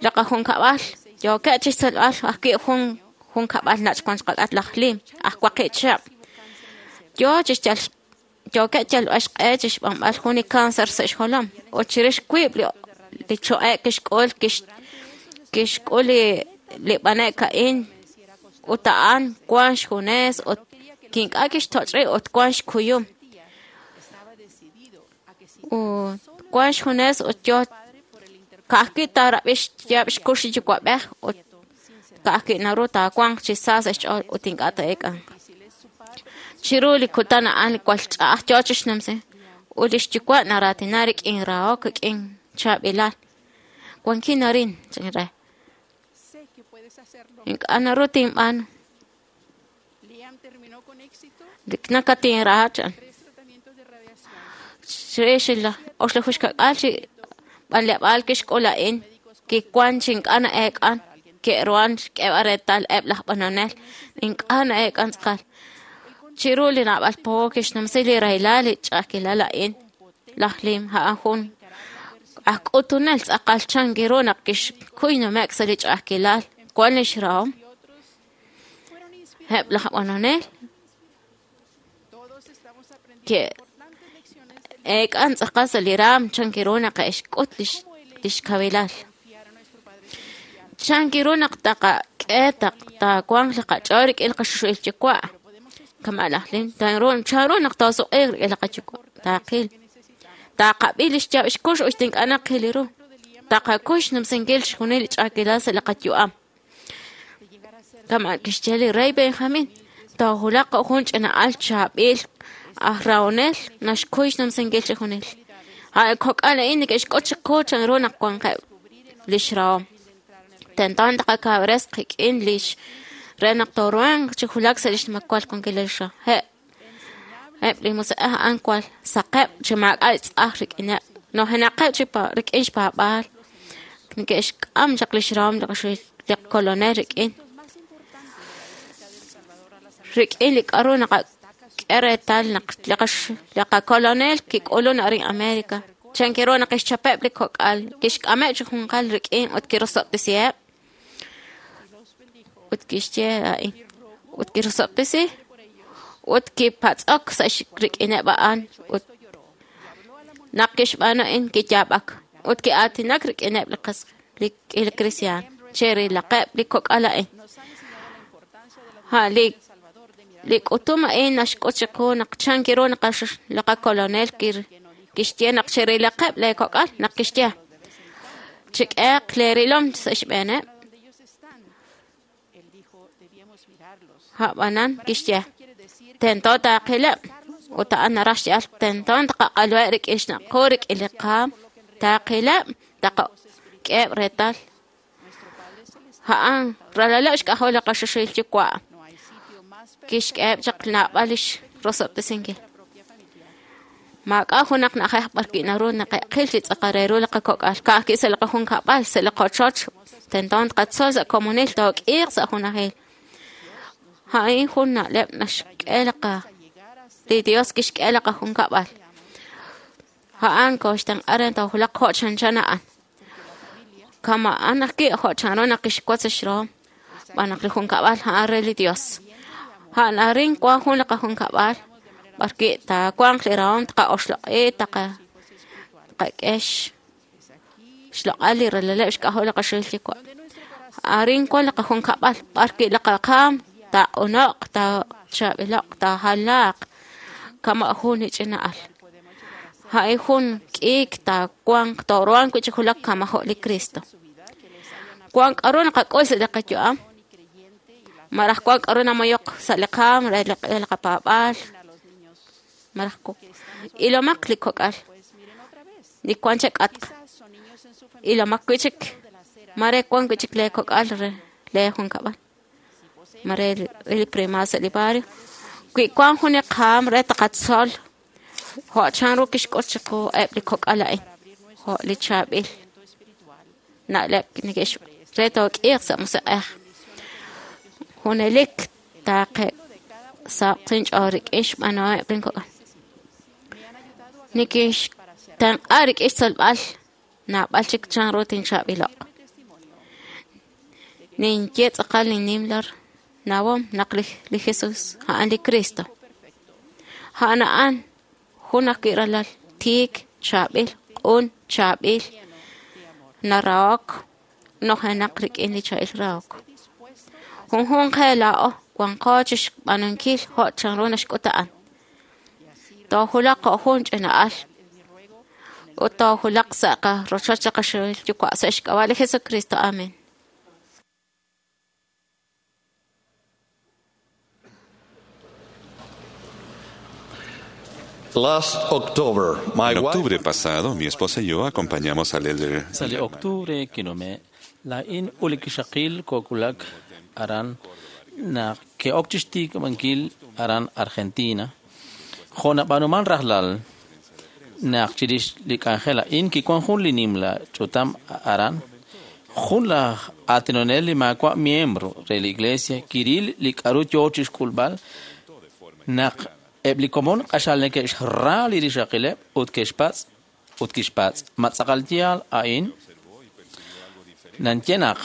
Li qajunkab'al yookeb' chi xtzolb'al ajwi' jun junkab'al nach' wan xqak'at laj Lim, aj waqib' chihab'. Yo chi yookeb' yalb'al xq'e chi xb'anb'al jun li cáncer sa' xjolom ut chirix wiib' li cho'e' kixk'ul kixk'ul li b'ane'k a'in ut a'an wan xjunes ut kink'a' kixtoch' rib' ut wan xkuyum. Ut wan xjunes ut yo ka'ajwi' taarab'i xyaab' xkux li yuwa'b'ej ut Ka'ajwi' naru taawanq chi sa sa' xch'ool ut ink'a' taa'eek'anq. Chiru li kutan a'an jwal ch'a'aj yoo chixnumsi, ut lix yuwa' naraatina rik'in rahok, rik'in chaab'ilal. Wankin arin, chan re. Ink'a' naru tinb'aanu. Nakatinraha, chan. Chirix li 8 chi b'anleb'aal kixk'ul a'in, kiwan chi ink'a' na'eek'an, ke'ruhan xk'eeb'al reetal eb' laj b'anonel, ink'a' na'eek'an tz'aqal. Chiru li naab'al po kixnumsi li rahilal li ch'a'ajkilal a'in. Laj Lim a'an jun aj k'utunel tz'aqal chan ru naq kixkuy nume'k sa' li ch'a'ajkilal wan lix rahom. Eb' laj b'anonel ke'eek'an tz'aqal sa' li raam chan ru naq xk'ut lix kawilal. Chan ru naq taqak'e taawanq li qach'ool rik'in li qaxuxu'il yuwa'. Kama' laj Lim, chan ru naq taasuq'iiq rik'in li qayuwa' taaqil. Taqab'i lix yaab' xkux ut ink'a' naqil ru. Taqakuy xnumsinkil chixjunil li ch'a'ajkilal sa' li qayu'am. Kama' kixye li rey Benjamin, toojulaq jo' jun ch'ina'al chaab'il aj rahonel naxkuy xnumsinkil chixjunil. A' kok'al a'in neke'xk'ut chiqu chan ru naq wanqeb' lix rahom. Tento taqakawres qik'in lix re naq tooruhanq chi julak sa' lix nimajwal wankilal lix rahom. Eb' li musiq'ej a'an jwal saqeb' chi maak'a' xtz'aj rik'ineb', nojenaqeb' chi rik'in xpaab'aal, neke'xk'am chaq lix rahom li Kolonel rik'in. Rik'in li k'a'ru naqak'e reetal naq li qakolonel kik'ulun arin América. Chan ru naq kixchapeb' li kok'al, kixk'ameb' chi junqal rik'in ut kirosob'tesiheb'. Ut kixye a'in, ut kirosob'tesi, ut kipatz'ok sa' rik'ineb' a'an ut naq kixb'aanu a'in kiyaab'ak ut ki'aatinak rik'ineb' li kristiaan cherilaqeb' li kok'al a'in. Li k'utum a'in naxk'ut chiqu naq chan ru naq li qakolonel kixye naq cherilaqeb' lee kok'al naq kixye chik'eeq lee rilom sa' xb'eeneb'. A'b'anan kixye tento taaqileb' ut a'an naraj xye'al tento taqaq'aluheb' rik'in xnaq' qu rik'in li qaam taaqileb' taqak'eheb' reetal. A'an ralaleb' xk'ajol li qaxuxu'il yuwa' kixk'eheb' chaq naab'al lix rosob'tesinkil. Maak'a' junaq na'ajej b'arwi' naru naqe'qil chi tz'aqal re ru li qakok'al ka'ajwi' sa' li qajunkab'al sa' li qochoch tento tqatzol sa' komonil took'iiq sa' junajil. A'in jun na'leb' naxk'e li Dios kixk'e li qajunkab'al. A'an kooxtenq'a re toojulaq jo' chanchan a'an. Kama'an ajwi' jo' chanru naq kixwotz xrahom xb'aan naq li junkab'al a'an re li Dios. A'an arin wan jun li qajunkab'al b'arwi' taawanq li rahom taqa'oxloq'i taqak'e xloq'al li ralaleb' xk'ajol li qaxuxu'il yuwa'. Arin wan li qajunkab'al b'arwi' li qaqaam taaq'uno'q, taachaab'ilo'q, taajalaaq kama' jun li ch'ina'al. A'in jun k'iik taawanq tooruhanq wi' chi julak kama' jo' li Cristo. Wan k'a'ru naqak'ul sa' li qayu'am, malaj wan k'a'ru namoyok sa' li qaam re li qapaab'aal, malaj ilomaq li kok'al li wan chak'atq, ilomaq wi' chik mare wan wi' chik lee kok'al re lee junkab'al, mare li prima sa' li barrio. Wi wan jun li qaam re taqatzol jo' chan ru kixk'ut chiqu eb' li kok'al a'in, jo' li chaab'il na'leb' neke'x re took'iiq sa' musiq'ej. Junelik taaqe' saq inch'ool rik'in xb'aanuhomeb' lin kok'al. Nikinxtenq'a rik'in xtzolb'al naab'al chik chan ru tinchaab'ilo'q. Ninye tz'aqal linnimla nawom naq li Jesus a'an li Cristo. A'an a'an jun ajwi' ralal tiik, chaab'il, q'un, chaab'il, narahok, nojenaq rik'in li chaab'il rahok. Junjunq qe laa'o wanqo chixb'aanunkil jo' chanru naxk'ut a'an. Toojulaq jo' jun ch'ina'al ut toojulaq sa' qarochoch li qaxuxu'il yuwa' sa' xk'ab'a' li Jesucristo. Amen. Last October, my En wife octubre pasado, mi esposa y yo acompañamos al elder Sa' li octubre kinume', laa'in ut li kixaqil kookulak aran naq ke'ok chixtikib'ankil aran Argentina. Jo' nab'aanuman rajlal naq chirix li k'anjel a'in kiwan jun li nimla ch'utam aran, jun laj aatinonel li maawa' miembro re li iglesia kiril li k'aru yoo chixk'ulb'al naq eb' li komon q'axal neke'xra li rixaqileb' ut ke'xpatz' ut kixpatz' ma tz'aqal yaal a'in nanye naq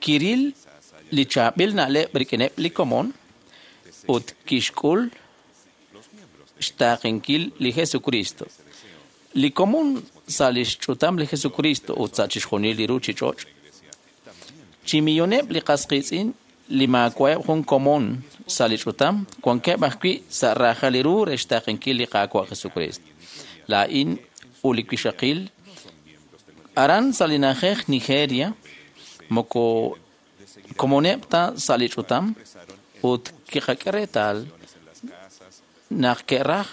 kiril li chaab'il na'leb' rik'ineb' li komon ut kixk'ul xtaaqenkil li Jesucristo. Li komon sa' lix ch'utam li Jesucristo ut sa' chixjunil li ruchich'och'. Chi milloneb' li qas qiitz'in li maawa'eb' jun komon sa' li ch'utam wankeb' ajwi' sa' raajal li ru re xtaaqenkil li Qaawa' Jesucristo. Laa'in ut li wixaqil aran sa' li na'ajej Nigeria moko komoneb' ta sa' li ch'utam ut kiqak'e reetal naq ke'raj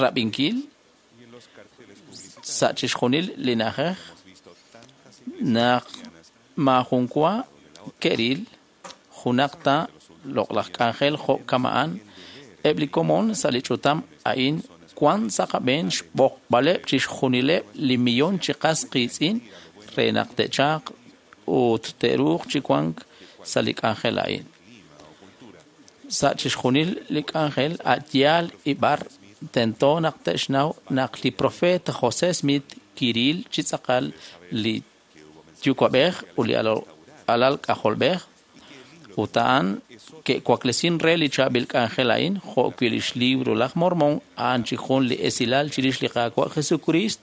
rab'inkil sa' chixjunil li na'ajej naq maajun wa ke'ril junaq ta loq'laj k'anjel jo' kama'an eb' li komon sa' li ch'utam a'in wan sa' qab'een xb'oqb'aleb' chixjunileb' li millon chi qas qiitz'in re naq te'chalq ut te'ruuq chi wank sa' li k'anjel a'in. Sa' chixjunil li k'anjel a' yaal ib'ar tento naq te'xnaw naq li profeet José Smith kiril chi tz'aqal li yuwa'b'ej ut li alal k'ajolb'ej ut a'an ke'waklesin re li chaab'il k'anjel a'in jo' wi' lix libro laj Mormon a'an chi jun li esilal chirix li Qaawa' Jesucrist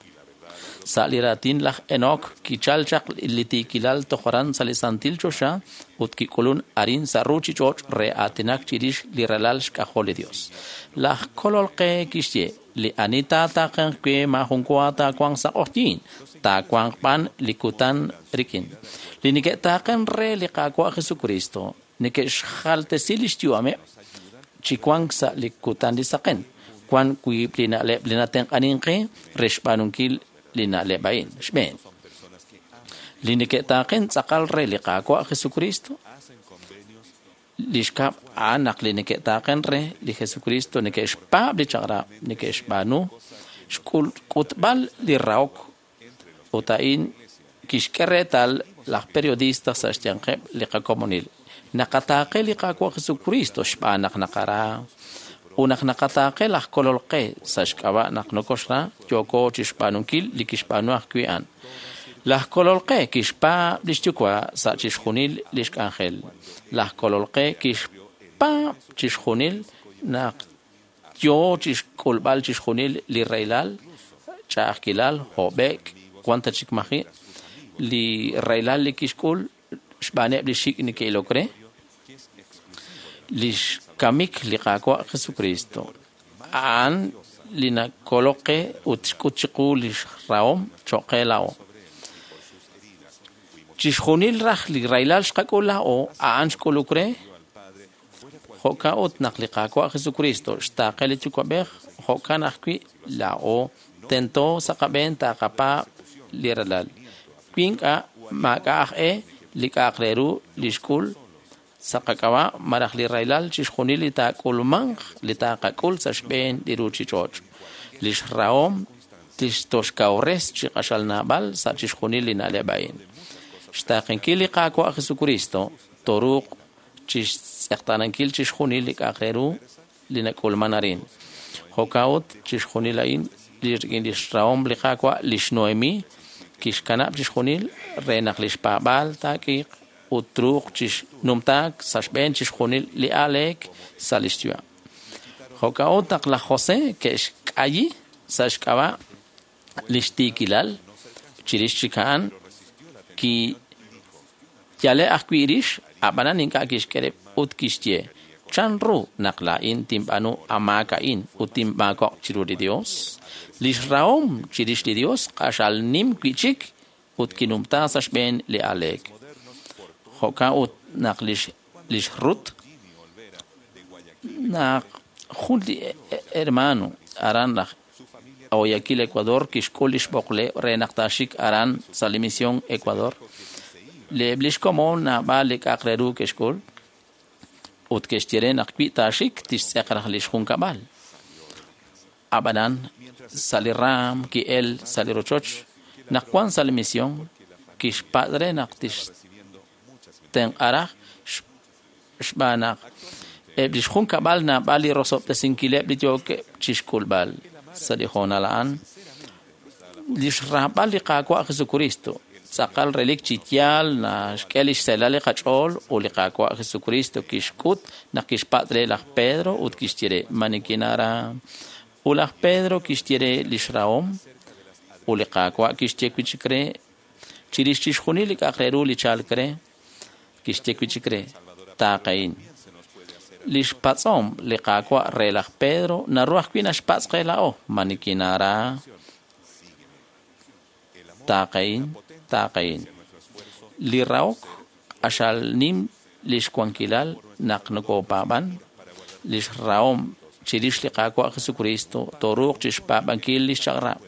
sa' li raatin laj Enoch kichal chaq li tiikilal toj aran sa' li santil choxa ut kik'ulun arin sa' ruchich'och' re aatinak chirix li ralal xk'ajol li Dios. Laj Kolol qe kixye li ani taataaqenq we maajun wa taawanq sa' q'oqyiin, taawanq b'an li kutan rik'in. Li neke'taaqen re li Qaawa' Jesucristo neke'xjaltesi lix yu'ameb' chi wank sa' li kutan li saqen. Wan wiib' li na'leb' li natenq'anin qe re xb'aanunkil li na'leb' a'in. Xb'een, li neke'taaqen tz'aqal re li Qaawa' Jesucristo li xkab' a'an naq li neke'taaqen re li Jesucristo neke'xpaab' li chaq'rab' neke'xb'aanu xk'utb'al li rahok ut a'in kixk'e reetal laj periodista sa' xyanqeb' li qakomonil. Naqataaqe li Qaawa' Jesucristo xb'aan naq naqara ut naq naqataaqe laj Kolol qe sa' xk'ab'a' naq nokoxra yooko chixb'aanunkil li kixb'aanu ajwi' a'an. Laj Kolol qe kixpaab' lix yuwa' sa' chixjunil lix k'anjel. Laj Kolol qe kixpaab' chixjunil naq yoo chixk'ulb'al chixjunil li rahilal, ch'a'ajkilal, hob'e'k, wan ta chik maji', li rahilal li kixk'ul xb'aaneb' li xik' neke'ilok re, lix kamik li Qaawa' Jesucristo. A'an li nakolok qe ut xk'ut chiqu lix rahom choq' qe laa'o. Chixjunil raj li rahilal xqak'ul laa'o a'an xk'uluk re jo'kan ut naq li Qaawa' Jesucristo xtaaqe li Yuwa'b'ej jo'kan ajwi' laa'o tento sa' qab'een taaqapaab' li ralal. Wi ink'a' maak'a' aj e li k'a'aq re ru li xk'ul sa' qak'ab'a' malaj li rahilal chixjunil li taak'ulmanq li taaqak'ul sa' xb'een li ruchich'och'. Lix rahom tixtoxkawres chi q'axal naab'al sa' chixjunil li na'leb' a'in. Xtaaqenkil li Qaawa' Jesucristo toruuq chixtz'eqtaanankil chixjunil li k'a'aq re ru li nak'ulman arin. Jo'kan ut chixjunil a'in rik'in lix rahom li Qaawa' lix Noemi kixkanab' chixjunil re naq lix paab'aal taak'iiq ut truuq chixnumtaak sa' xb'een chixjunil li aaleek sa' lix yu'am. Jo'kan ut naq laj José ke'xk'ayi sa' xk'ab'a' lix tiikilal chirix chik a'an kiyale ajwi' rix ab'anan ink'a' kixk'e rib' ut kixye chan ru naq laa'in tinb'aanu amaak a'in ut tinmaako'q chiru li Dios. Lix rahom chirix li Dios q'axal nim wi'chik ut kinumta sa' xb'een li aaleek. Jo'kan ut naq lix Rut naq Jun li hermano aran laj Guayaquil, Ecuador, kixk'ul lix b'oqleb' re naq taaxik aran sa' li misión Ecuador. Eb' lix komon naab'al li k'a'aq re ru ke'xk'ul ut ke'xye re naq wi taaxik tixtz'eq raj lix junkab'al. Ab'anan sa' li raam ki'el sa' li rochoch naq wan sa' li misión kixpatz' re naq tixtenq'a raj xb'aan naq eb' lix junkab'al naab'al li rosob'tesinkileb' li yookeb' chixk'ulb'al sa' li hoonal a'an. Lix raab'al li Qaawa' Jesucristo tz'aqal relik chi yaal naxk'e lix seelal li qach'ool ut li Qaawa' Jesucristo kixk'ut naq kixpatz' re laj Pedro ut kixye re ma nikinara. Ut laj Pedro kixye re lix rahom ut li Qaawa' kixye wi' chik re chirix chixjunil li k'a'aq re ru li chalk re kixye wi' chik re taaqehin. Lix patz'om li Qaawa' re laj Pedro naru ajwi' naxpatz' qe laa'o ma nikinara. Taaqehin, taaqehin. Li rahok q'axal nim lix wankilal naq nokopaab'an. Lix rahom chirix li Qaawa' Jesucristo tooruuq chixpaab'ankil lix chaq'rab'.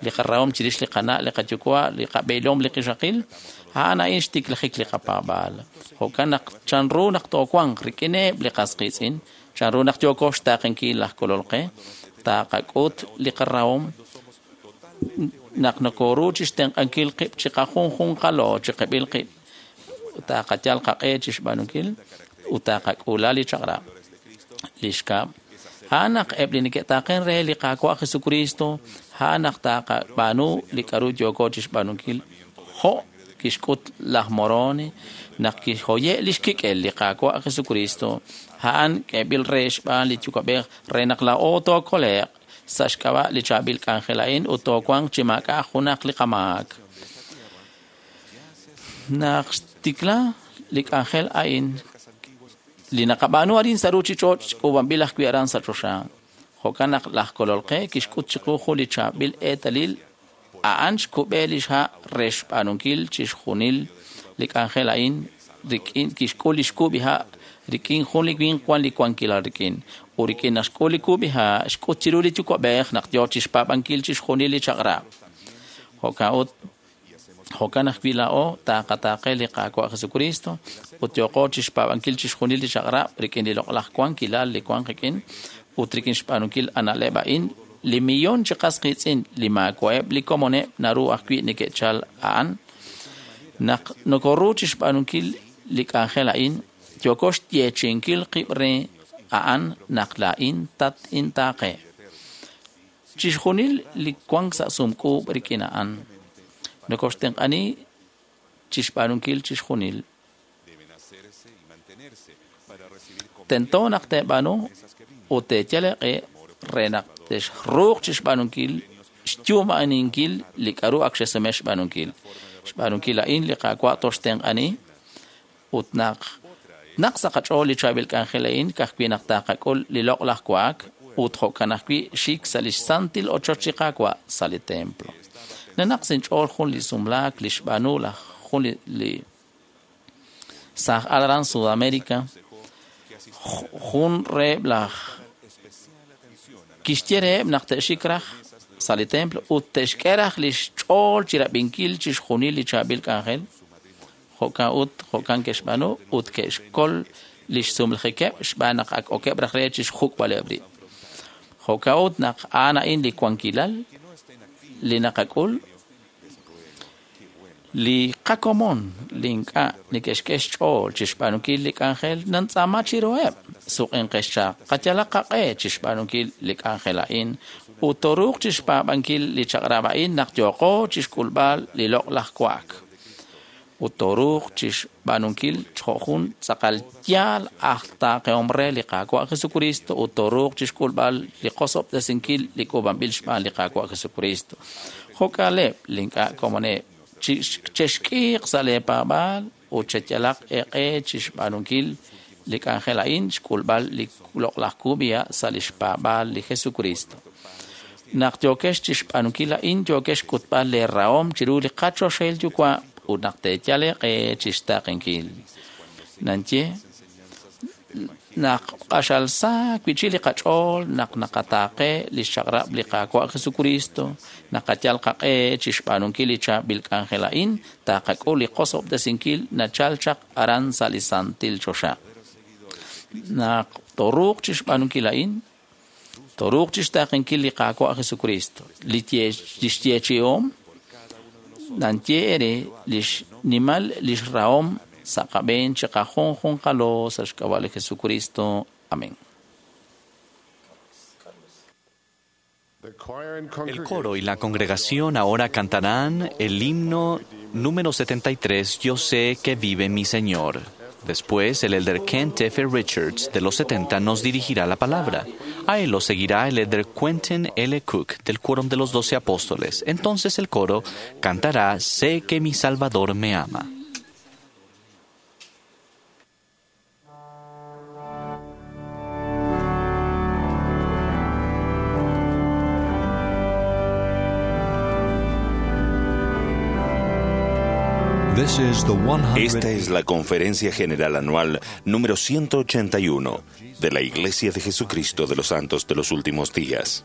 Li qarahom chirix li qana', li qayuwa', li qab'eelom, li qixaqil, a'an a'in xtiklajik li qapaab'aal. Jo'kan naq chanru naq toowanq rik'ineb' li qas qiitz'in, chanru naq yooko xtaaqenkil laj Kolol qe, taqak'ut li qarahom naq nokoru chixtenq'ankil qib' chiqajunjunqalo chiqib'il qib', taqayal qaq'e chixb'aanunkil ut taqak'uula li chaq'rab'. Li xkab', a'an naq eb' li neke'taaqen re li Qaawa' Jesucristo, a'an naq taqab'aanu li k'a'ru yooko chixb'aanunkil jo' kixk'ut laj Moroni naq kixhoye' lix kik'el li Qaawa' Jesucristo, a'an k'eeb'il re xb'aan li Yuwa'b'ej re naq laa'o tookole'q sa' xk'ab'a' li chaab'il k'anjel a'in ut toowanq chi maak'a' junaq li qamaak. Naq xtikla li k'anjel a'in li naqab'aanu arin sa' ruuchich'och' k'uub'anb'il ajwi' aran sa' choxa. Jo'kan naq laj Kolol qe kixk'ut chiqu jun li chaab'il eetalil a'an xkub'e lix ha' re xb'aanunkil chixjunil li k'anjel a'in rik'in kixk'ul lix kub'iha' rik'in jun li winq wan li wankilal rik'in. Ut rik'in naq xk'ul li kub'iha' xk'ut chiru li Yuwa'b'ej naq yoo chixpaab'ankil chixjunil li chaq'rab'. Jo'kan ut jo'kan ajwi' laa'o taqataaqe li Qaawa' Jesucristo ut yooqo chixpaab'ankil chixjunil li chaq'rab' rik'in li loq'laj wankilal li wan qik'in ut rik'in xb'aanunkil ana'leb' a'in li millón chi qas qiitz'in li maawa'eb' li komoneb' naru ajwi' neke'chal a'an. Naq nokoru chixb'aanunkil li k'anjel a'in yooko xyeechi'inkil qib' re a'an naq laa'in tat-intaaqe. Chixjunil li wank sa' sumk'uub' rik'in a'an nokoxtenq'ani chixb'aanunkil chixjunil. Tento naq teeb'aanu ut teeyal eeq'e re naq texruuq chixb'aanunkil xyu'ma'aninkil li k'a'ru ak xesume xb'aanunkil. Xb'aanunkil a'in li Qaawa' toxtenq'ani ut naq naq sa' qach'ool li chaab'il k'anjel a'in ka'ajwi' naq taqak'ul li loq'laj wa'ak ut jo'kan ajwi' xik sa' lix santil ochoch li Qaawa' sa' li templo. Nanaq sinch'ool jun li sumlaak li xb'aanu laj jun li saaj aran Sudamérica jun reheb' laj kixye reheb' naq te'xik raj sa' li templo ut te'xk'e raj lix ch'ool chirab'inkil chixjunil li chaab'il k'anjel. Jo'kan ut jo'kan ke'xb'aanu ut ke'xkol lix sumlajikeb' xb'aan naq ak okeb' raj re chixjuk'b'aleb' rib'. Jo'kan ut naq a'an a'in li wankilal li naqak'ul li qakomon li ink'a' neke'xk'e xch'ool chixb'aanunkil li k'anjel nantz'aama chiruheb' suq'inqex chaq qayalaq qaq'e chixb'aanunkil li k'anjel a'in ut tooruuq chixpaab'ankil li chaq'rab' a'in naq yooqo chixk'ulb'al li loq'laj wa'ak. Ut tooruuq chixb'aanunkil jo' jun tz'aqal yaal aj taaqehom re li Qaawa' Jesucristo ut tooruuq chixk'ulb'al li qosob'tesinkil li k'uub'anb'il xb'aan li Qaawa' Jesucristo. Jo'ka'aleb' li ink'a' komoneb' chexk'iiq sa' lee paab'aal ut cheyalaq eeq'e chixb'aanunkil li k'anjel a'in xk'ulb'al li loq'laj kub'iha' sa' lix paab'aal li Jesucristo. Naq yookex chixb'aanunkil a'in yookex xk'utb'al lee rahom chiru li qachoxahil Yuwa' ut naq teeyal eeq'e chixtaaqenkil. Nanye Naq q'axal sa wi'chik li qach'ool naq naqataaqe li xchaq'rab' li Qaawa' Jesucristo, naqayal qaq'e chi xb'aanunkil li chaab'il k'anjel a'in, taqak'ul li qosob'tesinkil nachal chaq aran sa' li santil choxa. Naq toruuq chi xb'aanunkil a'in, toruuq chi xtaaqenkil li Qaawa' Jesucristo, li xyeechi'om nanye ere li xnimal li xrahom sa' qab'een chi qajunjunqalo sa' xk'ab'a' li Jesucristo. Amén. El coro y la congregación ahora cantarán el himno número 73, Yo sé que vive mi Señor. Después, el elder Kent F. Richards de los 70 nos dirigirá la palabra. A él lo seguirá el elder Quentin L. Cook del Quórum de los 12 Apóstoles. Entonces el coro cantará Sé que mi Salvador me ama. Esta es la Conferencia General Anual número 181 de la Iglesia de Jesucristo de los Santos de los Últimos Días.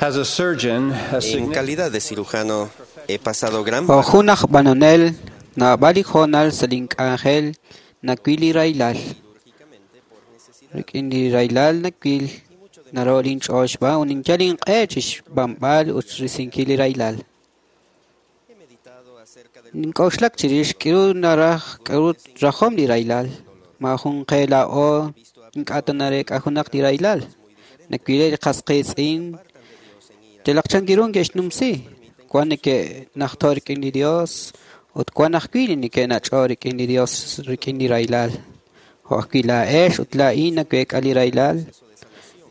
As a surgeon, a En significant calidad de cirujano, he pasado gran Jo' jun aj b'anonel, naab'al li hoonal sa' link'anjel nawil li rahilal. Rik'in li rahilal nawil, naro linch'ool xb'aan ut ninyal inq'e chi xb'anb'al ut xrisinkil li rahilal. Nink'oxlak chirix k'aru naraj k'aru rajom li rahilal. Maajun qe laa'o ink'a' ta nareek'a junaq li rahilal. Nawileb' li qas qiitz'in yalaq chan ru neke'xnumsi. Wan neke'najto' rik'in li Dios ut wan ajwi' li neke'nach'o rik'in li Dios rik'in li rahilal. Jo' ajwi' laa'ex ut laa'in naweek'a li rahilal.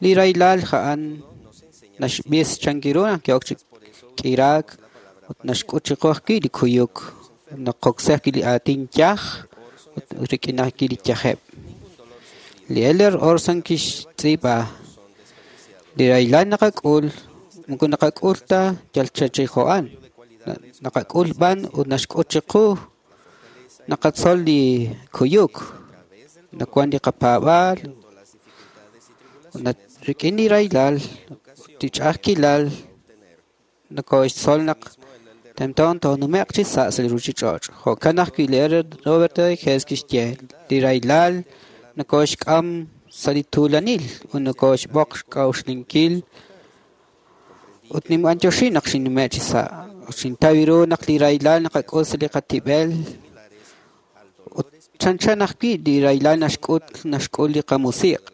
Li rahilal a'an naxb'is chan ru naq ke'ok chi k'iraak ut naxk'ut chiqu ajwi' li kuyuk. Naqoksi ajwi' li aatin yaj ut rik'in ajwi' li yajeb'. Li Elder Orson kixtz'iib'a li rahilal naqak'ul moko naqak'ul ta yal chachijo'an. Naqak'ul b'an ut naxk'ut chiqu naqatzol li kuyuk. Nawan li qapaab'aal ut rik'in li rahilal ut li ch'a'ajkilal nokoxtzol naq tento toonume'q chi sa' sa' li ruchich'och'. Jo'kan ajwi' li Elder Robert Hess kixye li rahilal nokoxk'am sa' li tuulanil ut nokoxb'oq xk'a'uxlinkil ut ninb'antioxi naq xinnume' chi sa'. Ut xintaw ru naq li rahilal naqak'ul sa' li qatib'el ut chanchan ajwi' li rahilal naxk'ut naxk'ul li qamusiq'.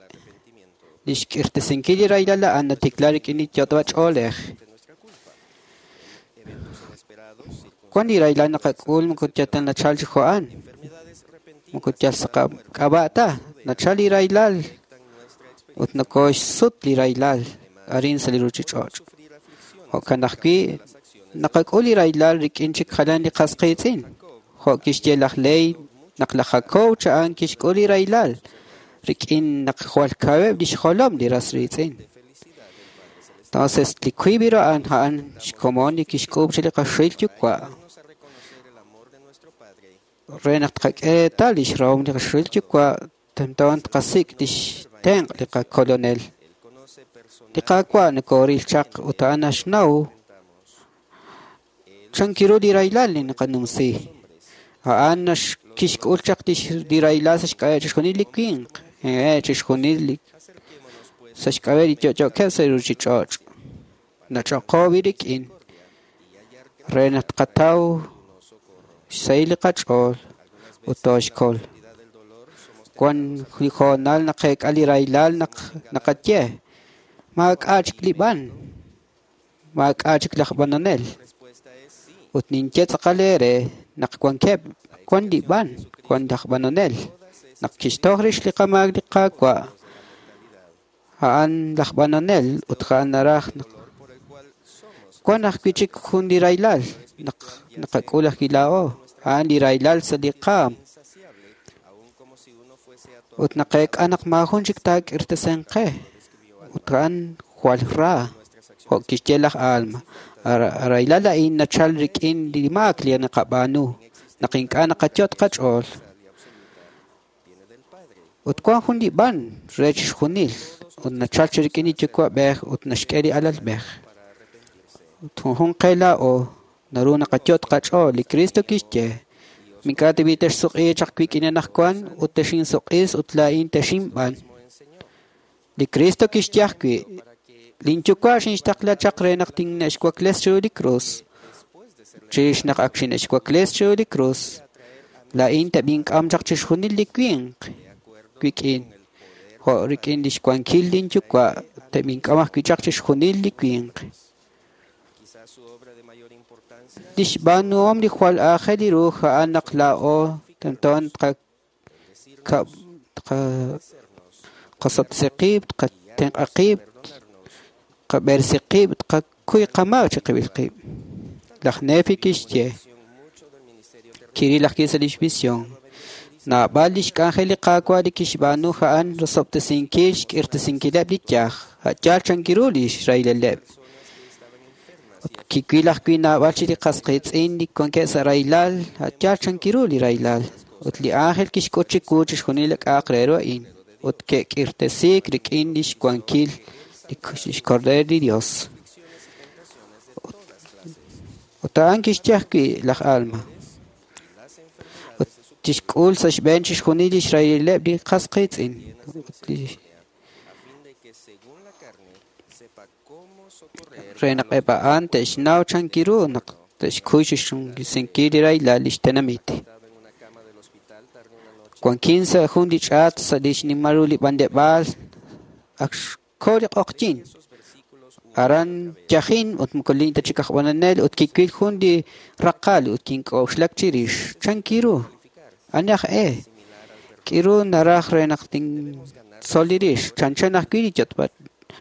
Li xk'irtesinkil li rahilal a'an natikla rik'in li yot'b'a ch'oolej. Wan li rahilal naqak'ul moko yal ta nachal chi jo'an. Moko yal sa' qak'ab'a' ta. Nachal li rahilal ut nokoxsut li rahilal arin sa' li ruchich'och'. Jo'kan ajwi' naqak'ul li rahilal rik'in chik jalan li qas qiitz'in. Jo' kixye laj Ley naq laj Jacob a'an kixk'ul li rahilal rik'in naq jwal kaweb' lix jolom li ras riitz'in. Entonces, li wiib' a'an a'an xkomon li kixk'uub' chi li qaxil yuwa'. Re naq tqak'e reetal lix rahom li qaxil yuwa' tento tqasik' lix tenq' li qakolonel. Li Qaawa' nokoril chaq ut a'an naxnaw chan ru li rahilal li naqanumsi. A'an kixk'ul chaq li rahilal sa' xk'ab'a' chixjunil li winq, chixjunil li sa' xk'ab'a' li yo'yo'keb' sa' li ruchich'och'. Nach'oqo rik'in re naq tqataw xsahil li qach'ool ut tooxkol. Wan li hoonal naqeek'a li rahilal naq naqaye maak'a' chik li b'an, maak'a' chik laj b'anonel. Ut ninye tz'aqal eere naq wankeb' wan li b'an, wan laj b'anonel. Naq kixtoj rix li qamaak li Qaawa', a'an laj b'anonel ut a'an naraj naq wan ajwi' chik jun li rahilal naq naqak'ul ajwi' laa'o. A'an li rahilal sa' li qaam. Ut naqeek'a naq maajun chik taak'irtesen qe. Ut a'an jwal ra, jo' kixye laj Alma. Rahilal a'in nachal rik'in li maak li naqab'aanu, naq ink'a' naqayot' qach'ool. Ut wan jun li b'an re chixjunil, ut nachal chi rik'in li yuwa'b'ej ut naxk'e li alalb'ej. Ut junjun qe laa'o naru naqayot' qach'ool. Li Cristo kixye, mink'a' tib'i texsuq'i chaq wik'in anaqwan ut texinsuq'is ut laa'in texinb'an. Li Cristo kixye ajwi', linyuwa' xinxtaqla chaq re naq tinne'xwakles chiru li krus. Chirix naq ak xine'xwakles chiru li krus, laa'in teb'ink'am chaq chixjunil li winq wik'in. Jo' rik'in lix wankil linyuwa' teb'ink'am ajwi' chaq chixjunil li winq. Lix b'aanuhom li jwal aajel ru a'an naq laa'o tento tqasotsi qib', tqatenq'a qib', tqab'eresi qib', tqakuy qamaak chiqib'il qib'. Laj Nefi kixye, kiril ajwi' sa' lix visión. Naab'al lix k'anjel li Qaawa' li kixb'aanu a'an rosob'tesinkil xk'irtesinkileb' li yaj, a' yaal chan ru lix rahilaleb'. Ut kiwil ajwi' naab'al chi li qas qiitz'in li wankeb' sa' rahilal, a' yaal chan ru li rahilal. Ut li ángel kixk'ut chiwu chixjunil li k'a'aq re ru a'in. Ut ke'k'irtesiik rik'in lix wankil lix Cordero li Dios. Ut a'an kixye ajwi' laj Alma. Ut tixk'ul sa' xb'een chixjunil lix rahileb' li qas qiitz'in. Ut li re naq eb' a'an te'xnaw chankiru naq te'xkuy chixjunsinkil li rahilal lix tenamit. Wankin sa' jun li ch'aat sa' li xnimal ru li b'anleb'aal ak xko li q'oqyin. Aran yajin ut moko lin ta chik aj b'anonel ut kiwil jun li raqal ut kink'oxlak chirix chankiru ani aj e k'iru naraj re naq tintzol li rix chanchan ajwi' li yotb'al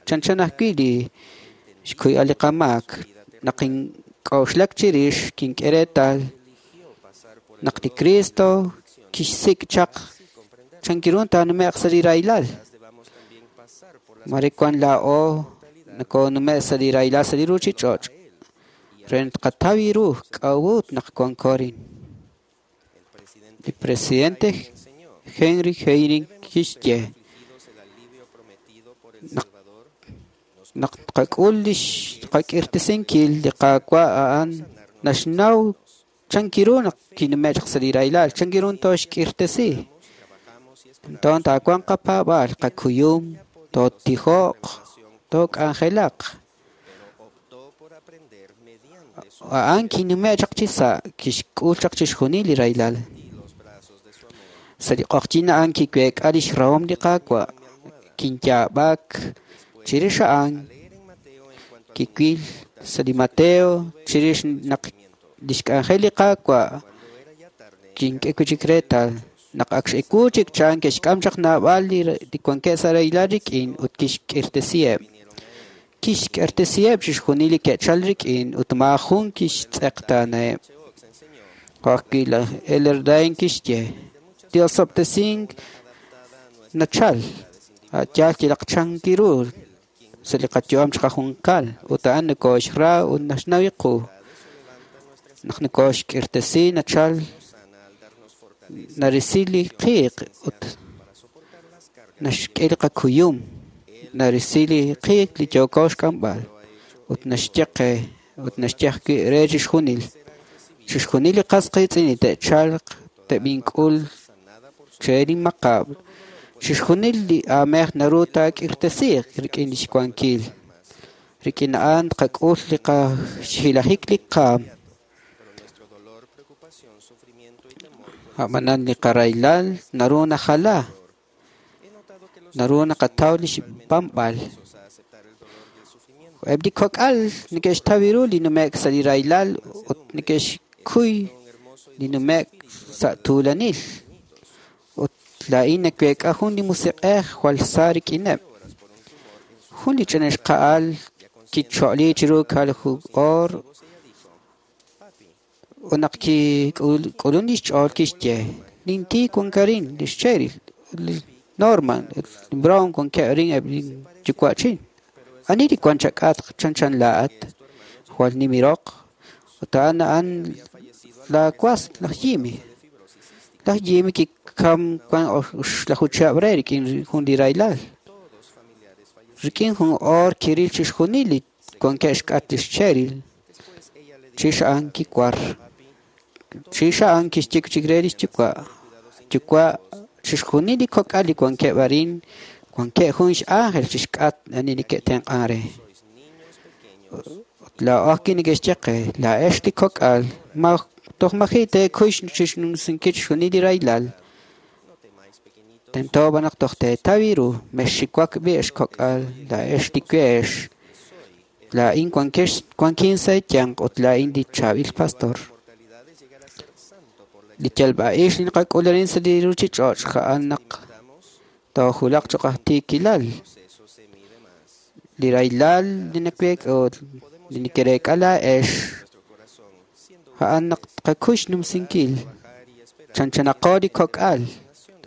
chanchan ajwi' li xkuyb'al li qamaak naq kink'oxlak chirix kink'e reetal naq li Cristo kixsik' chaq chankiru taanume'q sa' li rahilal. Mare wan laa'o nakonume' sa' li rahilal sa' li ruchich'och' re tqataw ru k'a'ut naq wanko arin. Li presidente Henry Eyring kixye naq tqak'ul lix qak'irtesinkil li Qaawa' a'an naxnaw chankiru naq kinume' chaq sa' li rahilal chankiru tooxk'irtesi. Enton taawanq qapaab'aal qakuyum tootijo'q took'anjelaq. A'an kinume' chaq chi sa' kixk'ul chaq chixjunil li rahilal. Sa' li q'oqyin a'an kiweek'a lix rahom li Qaawa' kinyaab'ak chirix a'an kiwil sa' li Mateo chirix naq lix k'anjel li Qaawa' kink'e wi' chik reetal naq ak x'ewu chik chan ke'xk'am chaq naab'al li wankeb' sa' rahilal rik'in ut kixk'irtesiheb'. Kixk'irtesiheb' chixjunil li ke'chal rik'in ut maajun kixtz'eqtaanaheb'. Jo' ajwi' laj Elder Dane kixye li osob'tesink nachal a' yaal yalaq chankiru sa' li qayu'am chiqajunqal ut a'an nokoxra ut naxnaw qu. Naq nokoxk'irtesi nachal narisi li qiiq ut naxk'e li qakuyum narisi li qiiq li yooko xk'amb'al ut naxye qe ut naxye ajwi' re chixjunil. Chixjunil li qas qiitz'in li te'chalq te'b'ink'ul che li maqab' chixjunil li aamej naru taak'irtesiiq rik'in lix wankil. Rik'in a'an tqak'ul li qaxhilajik li qaam. A'b'anan li qarahilal naru najala naru naqataw lix b'anb'al. Eb' li kok'al neke'xtaw ru li nume'k sa' li rahilal ut neke'xkuy li nume'k sa' tuulanil. Ut laa'in naweek'a jun li musiq'ej jwal sa rik'ineb'. Jun li ch'ina xqa'al kicho'li chiru kalju oor ut naq kik'ulun lix ch'ool kixye nintiik wankarin lix Cheryl li Norman li Brown wankeb' arin eb' li yuwa'chin. Ani li wan chak'atq chanchan laa'at jwal nimiroq ut a'an a'an laawas laj Jimmy. Laj Jimmy kikam wan oxlaju chihab' re rik'in jun li rahilal. Rik'in jun oor kiril chixjunil li wankeb' xk'at lix Cheryl. Chix a'an kiwar. Chix a'an kixye chik re lix yuwa'. Yuwa' chixjunil li kok'al li wankeb' arin wankeb' jun x'ángel chixk'at ani neke'tenq'an re. Ut laa'o ajwi' neke'xye qe laa'ex li kok'al ma toj maji' teekuy chixnumsinkil chixjunil li rahilal. Tento b'an naq toj teetaw ru mexxiwak b'i' ex kok'al laa'ex li weex. Laa'in wankin sa' eeyanq ut laa'in li chaab'il pastor. Li yalb'a'ix li naqak'ul arin sa' li ruchich'och' a'an naq toojulaq choq' aj tiikilal. Li rahilal li naweek'a ut li neke'reek'a laa'ex a'an naq tqakuy xnumsinkil. Chanchanaqo li kok'al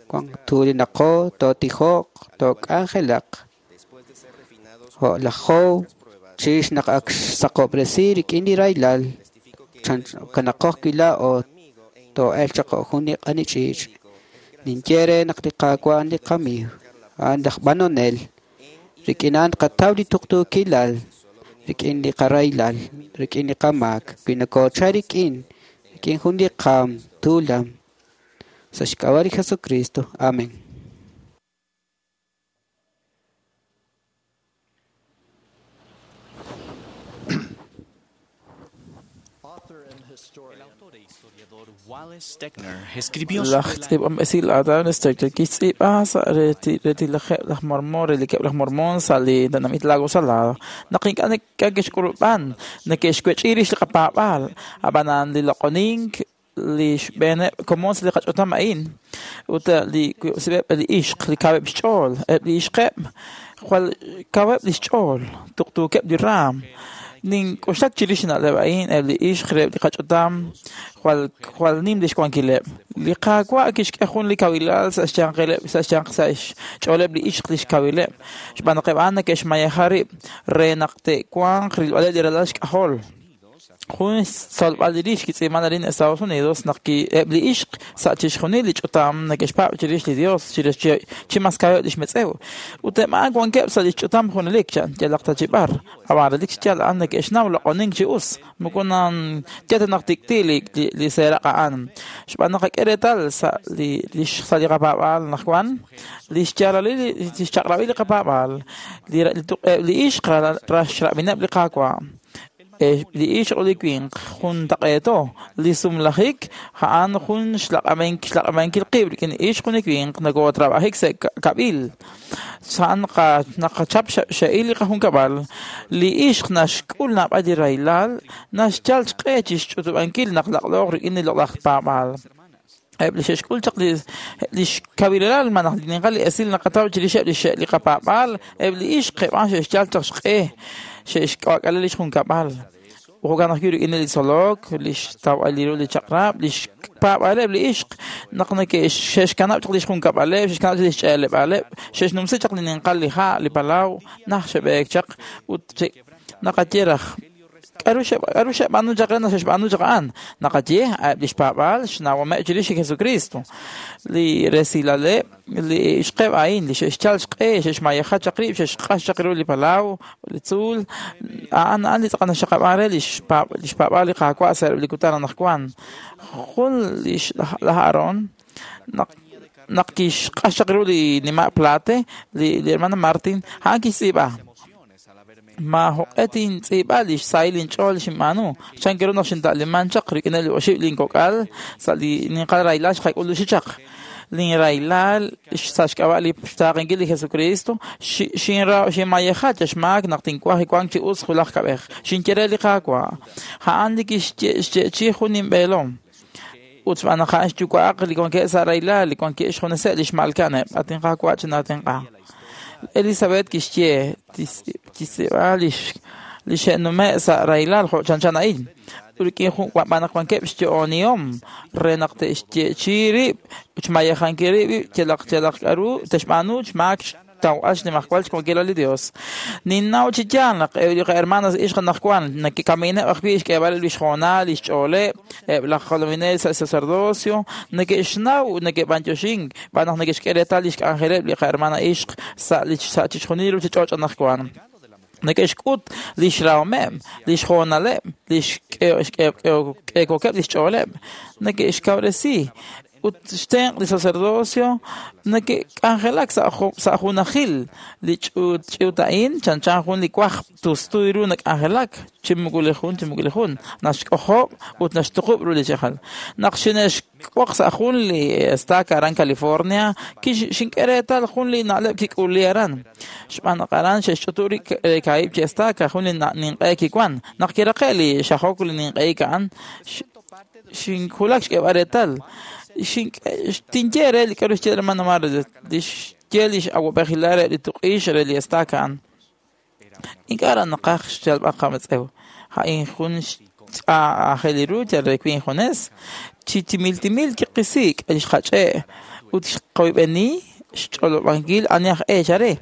wan tuulinaqo tootijo'q took'anjelaq. Jo' laj Job chirix naq ak xsaqob'resi rik'in li rahilal kanaqo ajwi' laa'o too'elq chaq jo' jun li q'ani ch'iich'. Ninye re naq li Qaawa' a'an li qamiiw, a'an laj b'anonel. Rik'in a'an tqataw li tuqtuukilal. rik'in li qarahilal, rik'in li qamaak, wi nokoochal rik'in, rik'in jun li qaam tuulam. Sa' xk'ab'a' li Jesucristo. Amén. Laj tz'iib'anb'esil Adam Stegner kixtz'iib'a sa' retilajeb' laj Mormon relikeb' laj Mormon sa' li tenamit Lago Salado. Naq ink'a' neke'xk'ulub'an, neke'xwech'i rix li qapaab'aal, ab'anan li loq'onink li xb'eeneb' komon sa' li qach'utam a'in ut li eb' li ixq li kaweb' xch'ool, eb' li ixqeb' jwal kaweb' li xch'ool, tuqtuukeb' li raam. Nink'oxlak chirix na'leb' a'in eb' li ixq reheb' li qach'utam jwal jwal nim lix wankileb'. Li Qaawa' kixk'e jun li kawilal sa' xyanqileb' sa' xyanq sa' xch'ooleb' li ixq lix kawileb'. Xb'aan naq eb' a'an neke'xmayeja rib' re naq te'wanq rilb'aleb' li ralal xk'ajol. Jun xtzolb'al li rix kitz'iib'an arin Estados Unidos naq eb' li ixq sa' chixjunil li ch'utam neke'xpaab' chirix li Dios chirix chi mas kaweb' lix metz'ew. Ut eb' a'an wankeb' sa' lix ch'utam junelik chan yalaq ta chi b'ar. Ab'an relik xyaal a'an neke'xnaw loq'onink chi us. Moko nan yal ta naq tik'ti li seeraq' a'an. Xb'aan naq qak'e reetal sa' li sa' li qapaab'aal anaqwan, li xyaalalil li xchaq'rab'il li qapaab'aal, li ixq raxrab'ineb' li Qaawa'. Li ixq ut li winq juntaq'eeto li sumlajik a'an jun xlaq'ab'ankil qib' rik'in ixq ut li winq nokotrab'ajik sa' kab'il. A'an naqachap xe'il li qajunkab'al. Li ixq naxk'ul naab'al li rahilal, naxyal xq'e chi xch'utub'ankil naq laq'looq rik'in li loq'laj paab'aal. Eb' li xe'xk'ul chaq li xkawilal malaj li ninqal li esil naqataw chirixeb' li li qapaab'aal, eb' li ixq eb' a'an xe'xyal chaq xq'e xe'xk'ak'ale li xjunkab'al. Jo'kan ajwi' rik'in li tzolok, li xtawb'al ru li chaq'rab', li xpaab'aaleb' li ixq naq xe'xkanab' chaq li xjunkab'aleb', xe'xkanab' chaq li xch'eeleb'aaleb', xe'xnumsi chaq li ninqal li ha', li palaw, naj xe'b'eek chaq ut naqaye raj k'aru xe'b'aanu chaq re naq xe'xb'aanu chaq a'an. Naqaye eb' li xpaab'aal xnawomeb' chirix li Jesucristo. Li resilaleb' li ixqeb' a'in li xe'xyal xq'e, xe'xmayeja chaq rib', xe'xq'ax chaq ru li palaw, li tzuul, a'an a'an li tz'aqal naxxaqab'an re li xpaab'aal li Qaawa' sa' li kutan anaqwan. Jun li laj Aarón naq kixq'ax chaq ru li nima' Plate, li hermana Martin, a'an kixtz'iib'a. Ma joq'e tintz'iib'a li xsahil inch'ool xinb'aanu. Chan ru naq xinta'liman chaq rik'in li oxib' linkok'al sa' li ninqal rahilal xqak'uluxi chaq. Linrahilal sa' xk'ab'a' li xtaaqenkil li Jesucristo xinmayeja chaxmaak naq tinwaj wank chi us julaj kab'ej. Xinye re li Qaawa'. A'an li kixye'chi jun inb'eelom. Ut xb'aan naq a'an xyuwa'aq li wankeb' sa' rahilal, li wankeb' xjuneseb' li xmalka'aneb'. At inQaawa' chinatenq'a. Elizabeth kixye kixtz'iib'a li xe'nume' sa' rahilal jo' chanchan a'in. Rik'in jun b'aan naq wankeb' xyo'onihom re naq te'xye'chi rib', xmayejankil rib' yalaq yalaq k'aru te'xb'aanu xmaak xtawb'al xnimajwal xwankilal li Dios. Ninnaw chi yaal naq eb' li qahermanas ixq anaqwan neke'kamineb' ajwi' xk'eeb'aleb' li xhoonal, li xch'ooleb', eb' laj jolominel sa' sacerdocio neke'xnaw neke'b'antioxink b'aan naq neke'xk'e reetal li xk'anjeleb' li qahermana ixq sa' li sa' chixjunil ruchich'och' anaqwan. Neke'xk'ut li xrahomeb', li xhoonaleb', li xk'eekokeb' li xch'ooleb', neke'xkawresi ut xtenq' li sacerdocio neke'k'anjelak sa' junajil li ch'uut a'in chanchan jun li waj tustu ru nak'anjelak chi moko li jun chi moko li jun naxk'ojob' ut naxtuqub' ru li chajal. Naq xine'xk'oq sa' jun li estaca aran California, xink'e reetal jun li na'leb' kik'uli aran. Xb'aan naq aran xe'xch'utu rib' kaahib' chi estaca jun li ninq'e kiwan. Naq kiraqe' li xajok li ninq'ehik a'an, xinwulak xk'eeb'al reetal. Tinye re li k'aru xye hermano Mar li xye li x'awab'ejilal re li tuq'ix re li estaca a'an. Ink'a' ra naqaj xyalb'al qametz'ew. A'in jun aajel ru yal re wi' injunes. Chi timil timil kiqisik' li xqach'e' ut xqoyb'eni xch'olob'ankil ani aj eech are.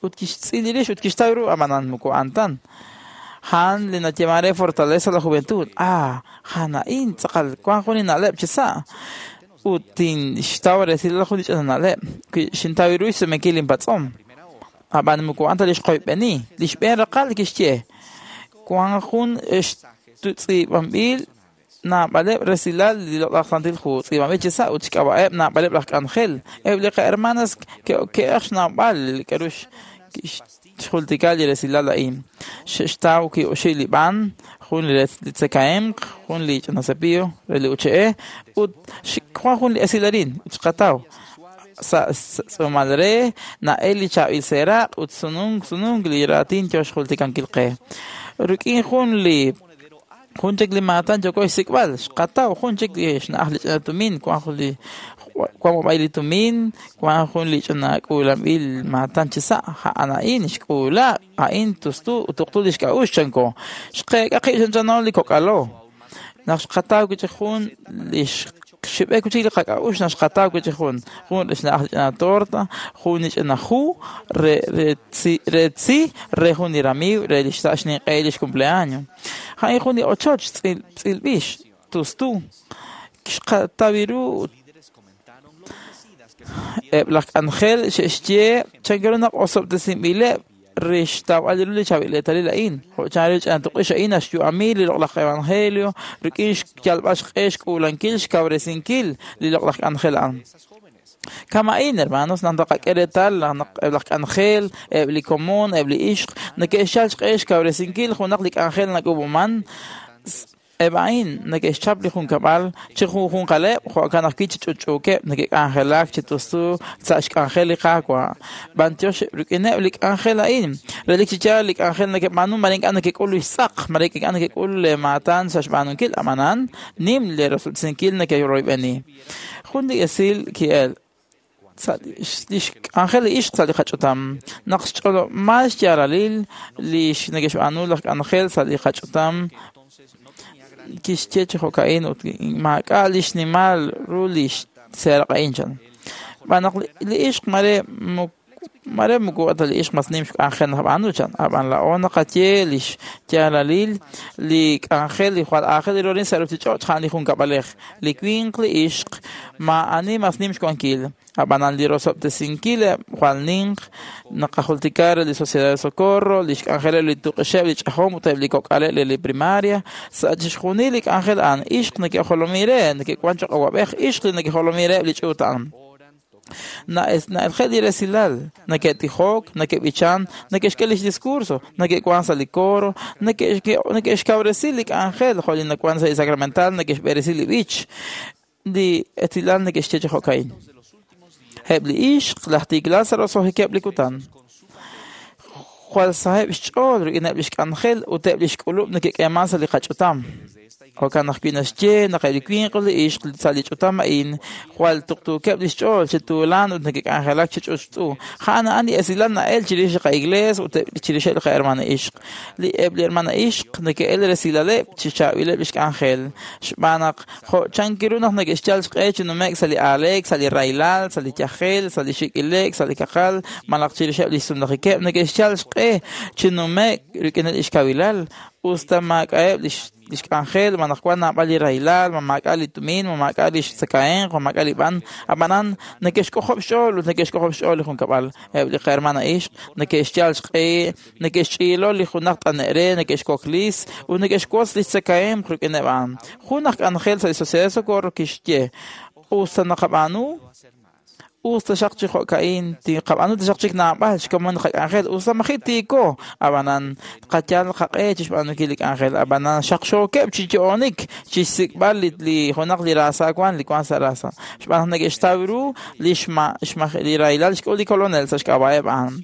Ut kixtz'il rix ut kixtaw ru ab'anan moko a'an tan. Han li nayeeman re Fortaleza la Juventud. Ah, han a'in tz'aqal wank jun li na'leb' chi sa'. Ut tinxtaw resilal jun li ch'ina na'leb'. Wi xintaw ru xsumenkil inpatz'om. Ab'an moko a'an ta li xqoyb'eni. Li xb'een raqal kixye. Wan jun tz'iib'anb'il naab'aleb' resilal li loq'laj Santil Hu, tz'iib'anb'il chi sa' ut xk'ab'a'eb' naab'aleb' laj k'anjel. Eb' li qahermanas ke'oke'aj xnawb'al k'a'ru xjultika li resilal a'in. Xe'xtaw ki'oxi li b'an, jun li tzekahemq, jun li ch'ina cepillo re li uche'e, ut wan jun li esil arin, ut xqataw. Sa' tz'uumal re na'el li chaab'il seeraq' ut sununk sununk li raatin yo xjultikankil qe. Rik'in jun li jun chik li maatan yooko xsik'b'al, xqataw jun chik li xna'aj li ch'ina tumin, wan jun li wan b'ab'ay li tumin, wan jun li ch'ina k'uulanb'il maatan chi sa', a'an a'in xk'uula, a'in tustu ut tuqtu li xk'a'uxl chanko. Xqeek'a qib' chanchano li kok'alo. Naq xqataw wi' chik jun li xib'ek wi' chik li qak'a'uxl naq xqataw wi' chik jun jun li xna'aj li ch'ina torta, jun li ch'ina hu re re tzi re tzi re jun li ramiiw re li xsa' xninq'e li xcumpleaños. A'in jun li ochoch tz'il tz'ilb'ix tustu. Xqataw ru eb' laj k'anjel xe'xye chankiru naq osob'tesinb'ileb' re xtawb'al ru li chaab'il eetalil a'in. Jo' chanru li ch'ina tuq'ix a'in naxyu'ami li loq'laj evangelio rik'in xyalb'al xq'e xk'uulankil xkawresinkil li loq'laj k'anjel a'an. Kama'in, hermanos, naq taqak'e reetal naq eb' laj k'anjel, eb' li komon, eb' li ixq, neke'xyal xq'e xkawresinkil junaq li k'anjel nak'uub'aman, eb' a'in neke'xchap li junkab'al chi junjunqaleb' jo'kan ajwi' chi ch'utch'uukeb' neke'k'anjelak chi tustu sa' xk'anjel li Qaawa'. B'antiox rik'ineb' li k'anjel a'in, relik chi yaal li k'anjel neke'b'aanu mare ink'a' nekek'ul li xtz'aq, mare ink'a' nekek'ul le maatan sa' xb'aanunkil, ab'anan nim le rosob'tesinkil neke'royb'eni. Jun li esil ki'el sa' li xk'anjel li ixq sa' li qach'utam. Naq xch'olob'mal xyaalalil li neke'xb'aanu laj k'anjel sa' li qach'utam kixye chi jo'ka'in ut maak'a' li xnimal ru li xseeraq a'in chan. Xb'aan naq li ixq mare mare moko ta li ixq mas nim xk'anjel nab'aanu chan. Ab'an laa'o naqaye li xyaalalil li k'anjel li jwal aajel ru sa' ruuchich'och' a'an li junkab'alej. Li winq li ixq maa'ani mas nim xwankil. Ab'anan li rosob'tesinkil jwal ninq naqajultika re li Sociedad de Socorro, li xk'anjeleb' li tuq'ixeb' li ch'ajom ut eb' li kok'aleb' li primaria. Sa' chixjunil li k'anjel a'an ixq neke'jolomi re, neke'wan choq' awab'ej ixq li neke'jolomi re eb' li ch'uut a'an. Na'elje' li resilal, neke'tijok, neke'b'ichan, neke'xk'e lix discurso, neke'wan sa' li coro, neke'xkawresi li k'anjel, jo' li nawan sa' li sacramental, neke'xb'eresi li b'ich. Li esilal neke'xye chi jo'ka'in. Eb' li ixq laj tiikilal sa' roso'jikeb' li kutan. Jwal saheb' xch'ool rik'ineb' li xk'anjel ut eb' li xk'ulub' neke'k'eeman sa' li qach'utam. Jo'kan ajwi' naxye naq eb' li winq ut li ixq sa' li ch'utam a'in jwal tuqtuukeb' li xch'ool chi tuulan ut neke'k'anjelak chi ch'utch'u. A'an a'an li esilal na'el chirix li qa'iglees ut chirixeb' li qahermana ixq. Li eb' li hermana ixq neke'el resilaleb' chi chaab'ileb' li xk'anjel. Xb'aan naq jo' chankiru naq neke'xyal xq'e chi nume'k sa' li aaleek, sa' li rahilal, sa' li yajel, sa' li xik'ile'k, sa' li kaqal, malaj chirixeb' li xsumlajikeb' neke'xyal xq'e chi nume'k rik'ineb' li xkawilal, usta maak'a'eb' li xk'anjel, ma naq wan naab'al li rahilal, ma maak'a' li tumin, ma maak'a' li xtzakahemq, ma maak'a' li b'an. Ab'anan neke'xk'ojob' xch'ool ut neke'xk'ojob' xch'ool li junkab'al. Eb' li qahermana ixq neke'xyal xq'e, neke'xch'iilo li junaq t'ane' re, neke'xkoklis ut neke'xwotz li xtzakahemq rik'ineb' a'an. Jun aj k'anjel sa' li Sociedad de Socorro kixye, usta naqab'aanu, usta xaq chi jo'ka'in, tiqab'aanu taxaq chik naab'al xkomon qak'anjel, usta maji' tiiko, ab'anan qayal qaq'e chi xb'aanunkil li k'anjel, ab'anan xaqxookeb' chi yo'onik chi xsik'b'al li junaq li raasa wan, li wan sa' raasa. Xb'aan naq neke'xtaw ru li li rahilal xk'ul li kolonel sa' xk'ab'a'eb' a'an.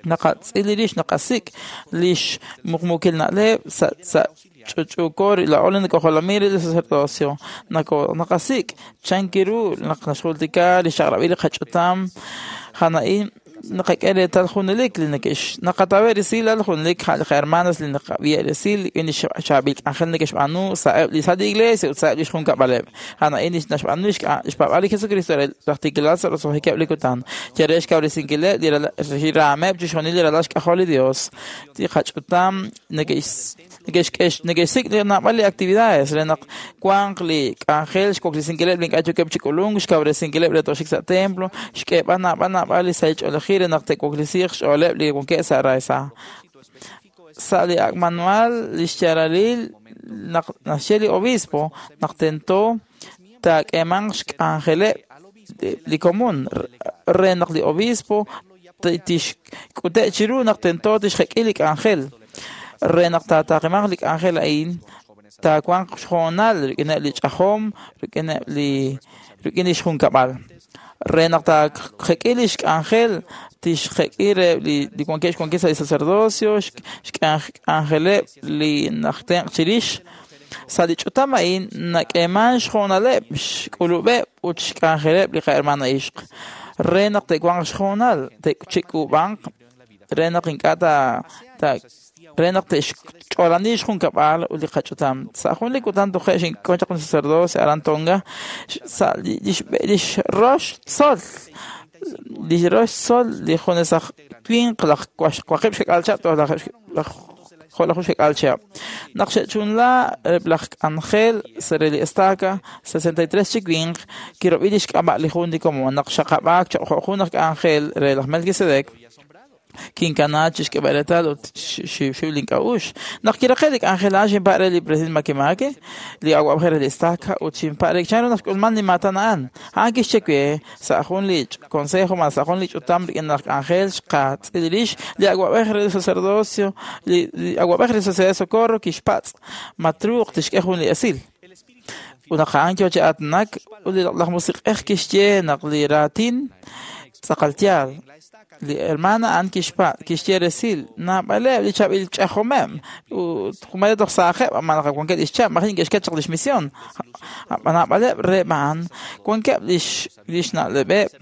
Naqatz'il rix, naqasik' li xmuqmuukil na'leb' sa' ch'utch'uuko laa'o li nakojolomi re li sacerdocio. Naqasik' chankiru naq naxjultika li xchaq'rab'il li qach'utam a'an naqak'e reetal junelik li neke'x naqatawe' resilal junelik li qahermanas li naqab'i resil rik'in li chaab'il k'anjel neke'xb'aanu sa'eb' li sa' li iglesia ut sa'eb' li xjunkab'aleb'. A'an a'in naxb'aanu xpaab'al li Jesucristo re laj tiikilal sa' roso'jikeb' li kutan. Yal re xkawresinkileb' li raameb' chixjunil li ralal xk'ajol li Dios. Li qach'utam neke'xsik' naab'al li actividades re naq wanq li k'anjel xwaklesinkileb' li ink'a' yookeb' chi k'ulunk, xkawresinkileb' re toxik sa' templo, xk'eeb'al naab'al naab'al li sahil ch'oolejil re naq te'waklesiiq xch'ooleb' li wankeb' sa' raasa. Sa' li ak' manual li xyaalalil naq naxye li obispo naq tento taak'eemanq xk'anjeleb' li komon re naq li obispo tixk'ute' chiru naq tento tixjek'i li k'anjel. Re naq taataaqimanq li k'anjel a'in, taawanq xhoonal rik'ineb' li ch'ajom, rik'ineb' li rik'in lix junkab'al. Re naq taajek'i lix k'anjel, tixjek'i reheb' li wankeb' xwankil sa' li sacerdocio, xk'anjeleb' li naj tenq' chirix. Sa' li ch'utam a'in nak'eeman xhoonaleb', xk'ulub'eb' ut xk'anjeleb' li qahermana ixq. Re naq te'wanq xhoonal, te'chik'ub'anq, re naq ink'a' ta re naq te'xch'oolani xjunkab'al ut li qach'utam. Sa' jun li kutan toje' xink'on chaq jun sacerdocio aran Tonga, sa' lix rox tzol, li rox tzol li junes aj winq laj waqib' xkak'al chihab' toj laj jo'laju xkak'al chihab'. Naq xe'chunla eb' laj k'anjel sa' re li estaca, 63 chi winq kirob'i lix k'ab'a' li jun li komon naq xaqab'aak choq' jo' jun aj k'anjel re laj Melquisedec, kinkana chixk'eb'al reetal ut xiwxiw link'a'uxl. Naq kiraqe' li k'anjel a'an xinpa' re li president Makemake, li awa'b'ej re li estaca, ut xinpa' re chanru naq xk'ulman li maatan a'an. A'an kixye we sa' jun li consejo malaj sa' jun li ch'utam rik'in laj k'anjel xqatz'il rix li awa'b'ej re li sacerdocio, li awa'b'ej re li Sociedad de Socorro kixpatz' ma truuq tixk'e jun li esil. Ut naq a'an yoo chi aatinak, ut li Loq'laj Musiq'ej kixye naq li raatin tz'aqal yaal. Li hermana a'an kixye resil naab'aleb' li chaab'il ch'ajomeb' ut jumare toj saajeb' ab'an naq wankeb' lix chab' maji neke'xket chaq lix misión. Naab'aleb' reheb' a'an wankeb' lix na'leb'eb'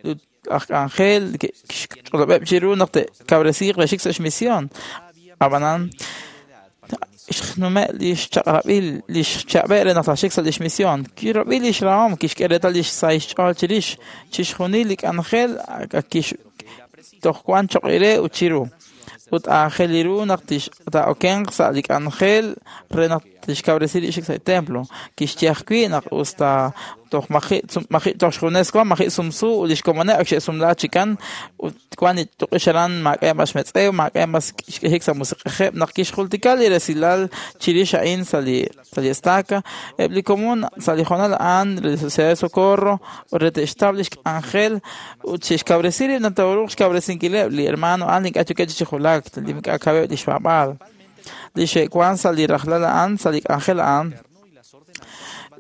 ut aj k'anjel kixch'olob'eb' chiru naq te'kawresiiq re xik sa' xmisión. Ab'anan xnume' lix chaq'rab'il lix chab'e' re naq taaxik sa' lix misión. Kirob'i lix rahom, kixk'e reetal lix sahil xch'ool chirix chixjunil li k'anjel toj wan choq' re ut chiru. Ut aajel ru naq taa'okenq sa' li k'anjel re naq tixkawresi li xik sa' li templo. Kixye ajwi' naq us ta toj maji' toj xjunes wan, maji' sumsu ut lix komoneb' ak xe'sumla chikan ut wan li tuq'ix aran maak'a' mas xmetz'ew, maak'a' mas xk'ehik sa' musiq'ejeb' naq kixjultika li resilal chirix a'in sa' li estaca. Eb' li komon sa' li hoonal a'an re li Sociedad de Socorro re te'xtaw lix k'anjel ut xe'xkawresi rib' naq taaruuq xkawresinkileb' li hermano a'an li ink'a' yookeb' chi julak, li ink'a' kaweb' lix paab'aal. Li xe'wan sa' li rajlal a'an, sa' li k'anjel a'an,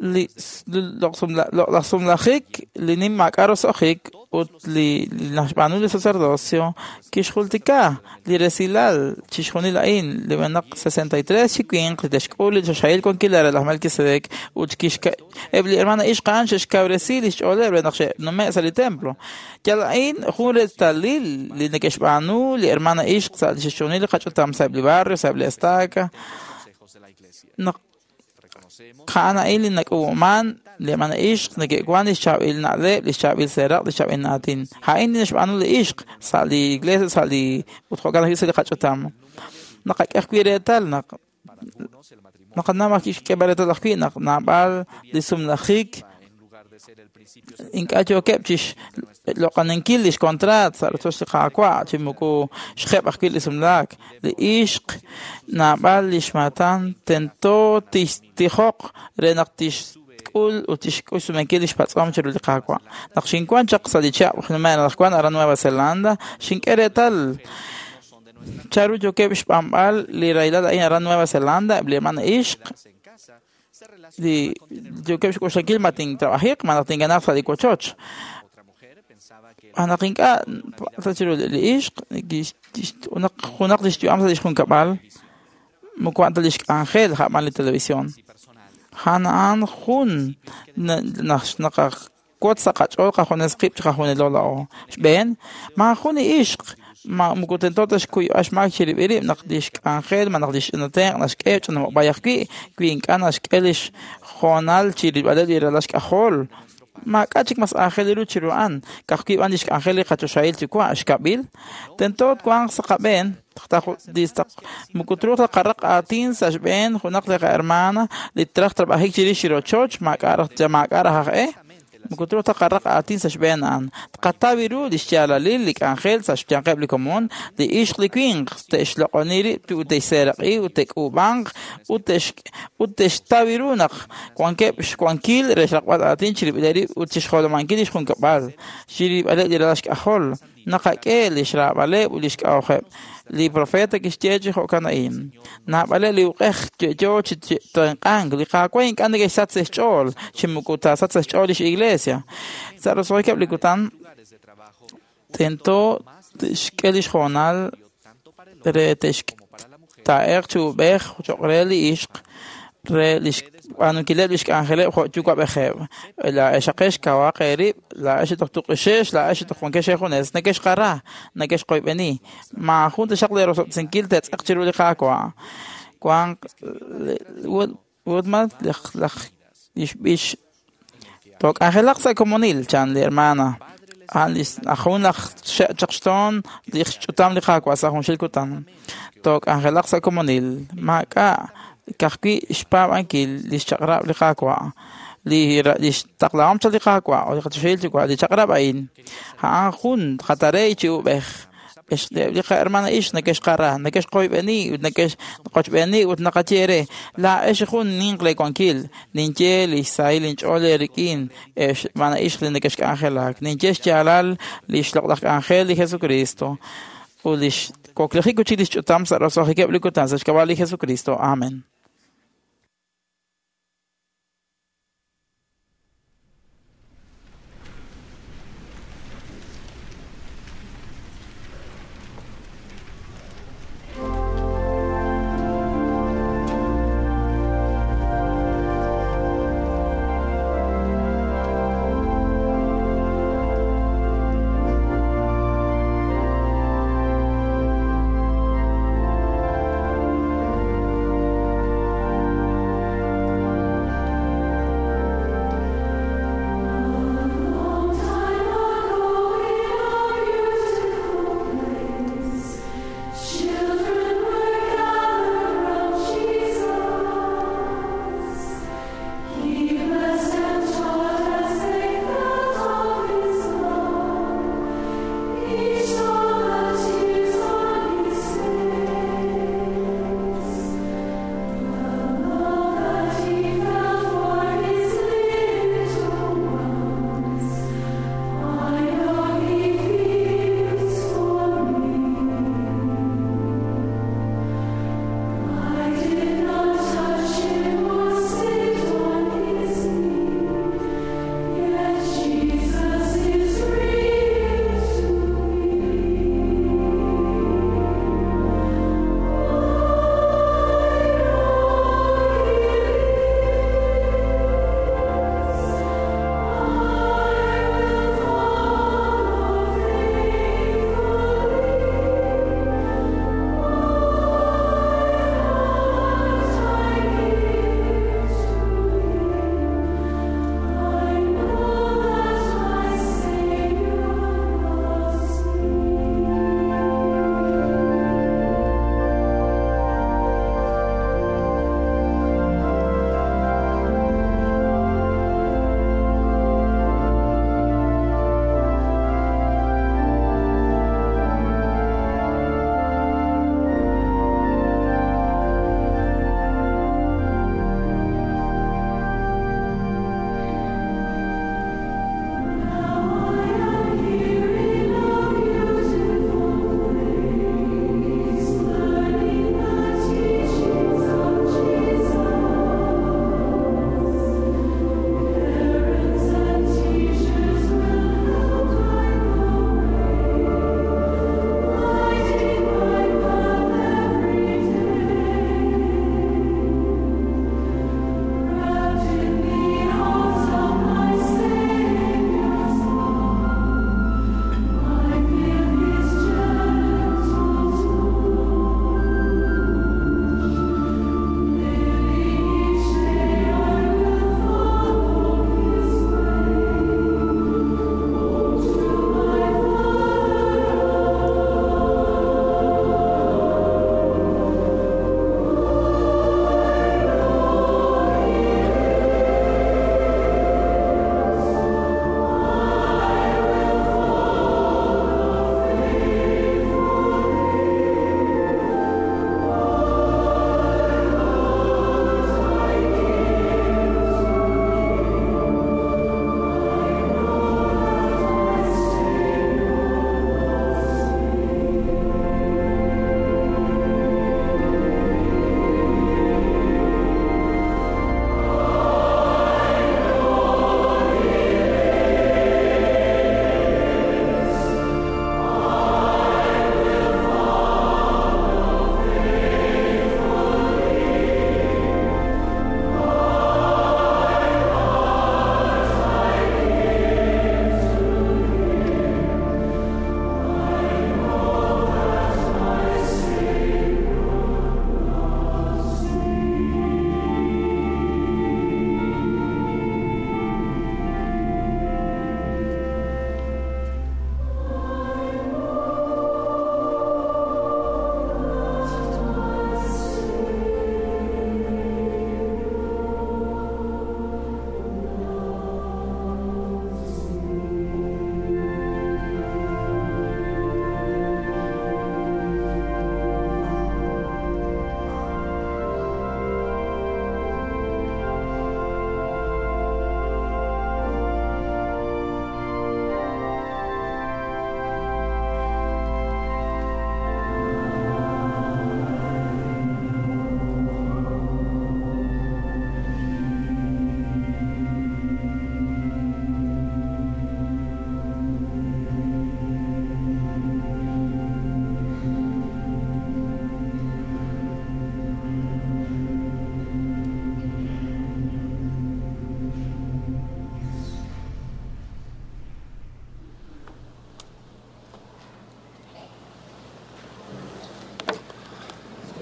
li loq'laj sumlajik, li nim maak'a' roso'jik ut li naxb'aanu li sacerdocio kixjultika li resilal chixjunil a'in li b'enaq 63 chi winq li te'xk'ul li choxahil wankilal re laj Melquisedec ut eb' li hermana ixq a'an xe'xkawresi lix ch'ooleb' re naq xe'nume' sa' li templo. Yal a'in jun reetalil li neke'xb'aanu li hermana ixq sa' chixjunil li qach'utam sa'eb' li barrio, sa'eb' li estaca. Naq a'an a'in li nak'uub'man li hermana ixq neke'wan lix chaab'il na'leb', lix chaab'il seeraq', lix chaab'il naatin. A'in li naxb'aanu li ixq sa' li iglesia, sa' li ut jo'kan ajwi' sa' li qach'utam. Naqak'e ajwi' reetal naq naqanaw ajwi' xk'eeb'al reetal ajwi' naq naab'al li sumlajik ink'a' yookeb' chixloq'aninkil lix contrat sa' rochoch li Qaawa' chi moko xjeb' ajwi' li sumlaak. Li ixq naab'al lix maatan tento tixtijoq re naq tixk'ul ut tixk'ul xsumenkil lix patz'om chiru li Qaawa'. Naq xinwan chaq sa' li chihab' nume' anaqwan aran Nueva Zelanda, xink'e reetal chanru yookeb' xb'anb'al li rahilal a'in aran Nueva Zelanda eb' li hermana ixq li yookeb' xk'oxlankil ma tintrabajiq ma naq tinkanaaq sa' li wochoch. Naq ink'a' sa' chiru li ixq junaq lix yu'am sa' lix junkab'al moko a'an ta lix k'anjel ja'b'an li televisión. A'an a'an jun naqawotz sa' qach'ool qajunes qib' chiqajunilo laa'o. Xb'een, maajun li ixq moko tento ta xkuyb'al xmaak chirib'il rib' naq lix k'anjel ma naq lix ch'inatenq' naxk'e ch'inamob'ay ajwi' wi ink'a' naxk'e lix hoonal chirilb'aleb' li ralal xk'ajol. Maak'a' chik mas aajel ru chiru a'an, ka'ajwi' b'an lix k'anjel li qachoxahil yuwa' xkab'il. Tento twanq sa' qab'een moko truuq ta qaraq aatin sa' xb'een junaq li qahermana li traj trab'ajik chirix li rochoch maak'a' raj aj e. Moko truuq taqaraq aatin sa' xb'een a'an. Tqataw ru li xyaalalil li k'anjel sa' xyanqeb' li komon, li ixq li winq te'xloq'oni rib' ut te'xseeraq'i ut te'k'uub'anq ut te'xtaw ru naq wankeb' xwankil re xraqb'al aatin chirib'ileb' rib' ut chixjolomankil li xjunkab'al, chirib'aleb' li ralal xk'ajol. Naqak'e li xraab'aleb' ut li xk'a'uxeb'. Li profeta kixye chi jo'kan a'in. Naab'aleb' li uq'ej yo'yo chi tenq'ank. Li Qaawa' ink'a' neke'xsach sa' xch'ool, chi moko taasach sa' xch'ool lix iglesia. Sa' roso'jikeb' li kutan, tento te'xk'e lix hoonal re taa'eq chi ub'ej cho'q re li ixq re lix b'aanunkileb' lix k'anjeleb' jo' yuwa'b'ejeb'. Laa'exaqex kawaq eerib', laa'ex toj tuq'ixex, laa'ex toj wankex eejunes, nekexqara, nekexqoyb'eni. Maajun taxaq leerosob'tesinkil te'tz'aq chiru li Qaawa'. Wanq Woodman laj lix b'ix took'anjelaq sa' komonil, chan li hermana. A'an lix ajun laj xe'chaqxtoon li xch'utam li Qaawa' sa' junxil kutan. Took'anjelaq sa' komonil. Maak'a' ka'ajwi' xpaab'ankil li xchaq'rab' li Qaawa'. Li xtaqlahom chaq li Qaawa' ut li qachoxahil Yuwa' li chaq'rab' a'in. A'an jun qatarey chi ub'ej. Li qahermana ix nekexqara, nekexqoyb'eni ut nekexqochb'eni ut naqaye re laa'ex jun ninq leewankil. Ninye li xsahil inch'ool eerik'in hermana ix li nekexk'anjelak. Ninye xyaalal li xloq'laj k'anjel li Jesucristo ut li xwaklejik ut li xch'utam sa' roso'jikeb' li kutan sa' xk'ab'a' li Jesucristo. Amen.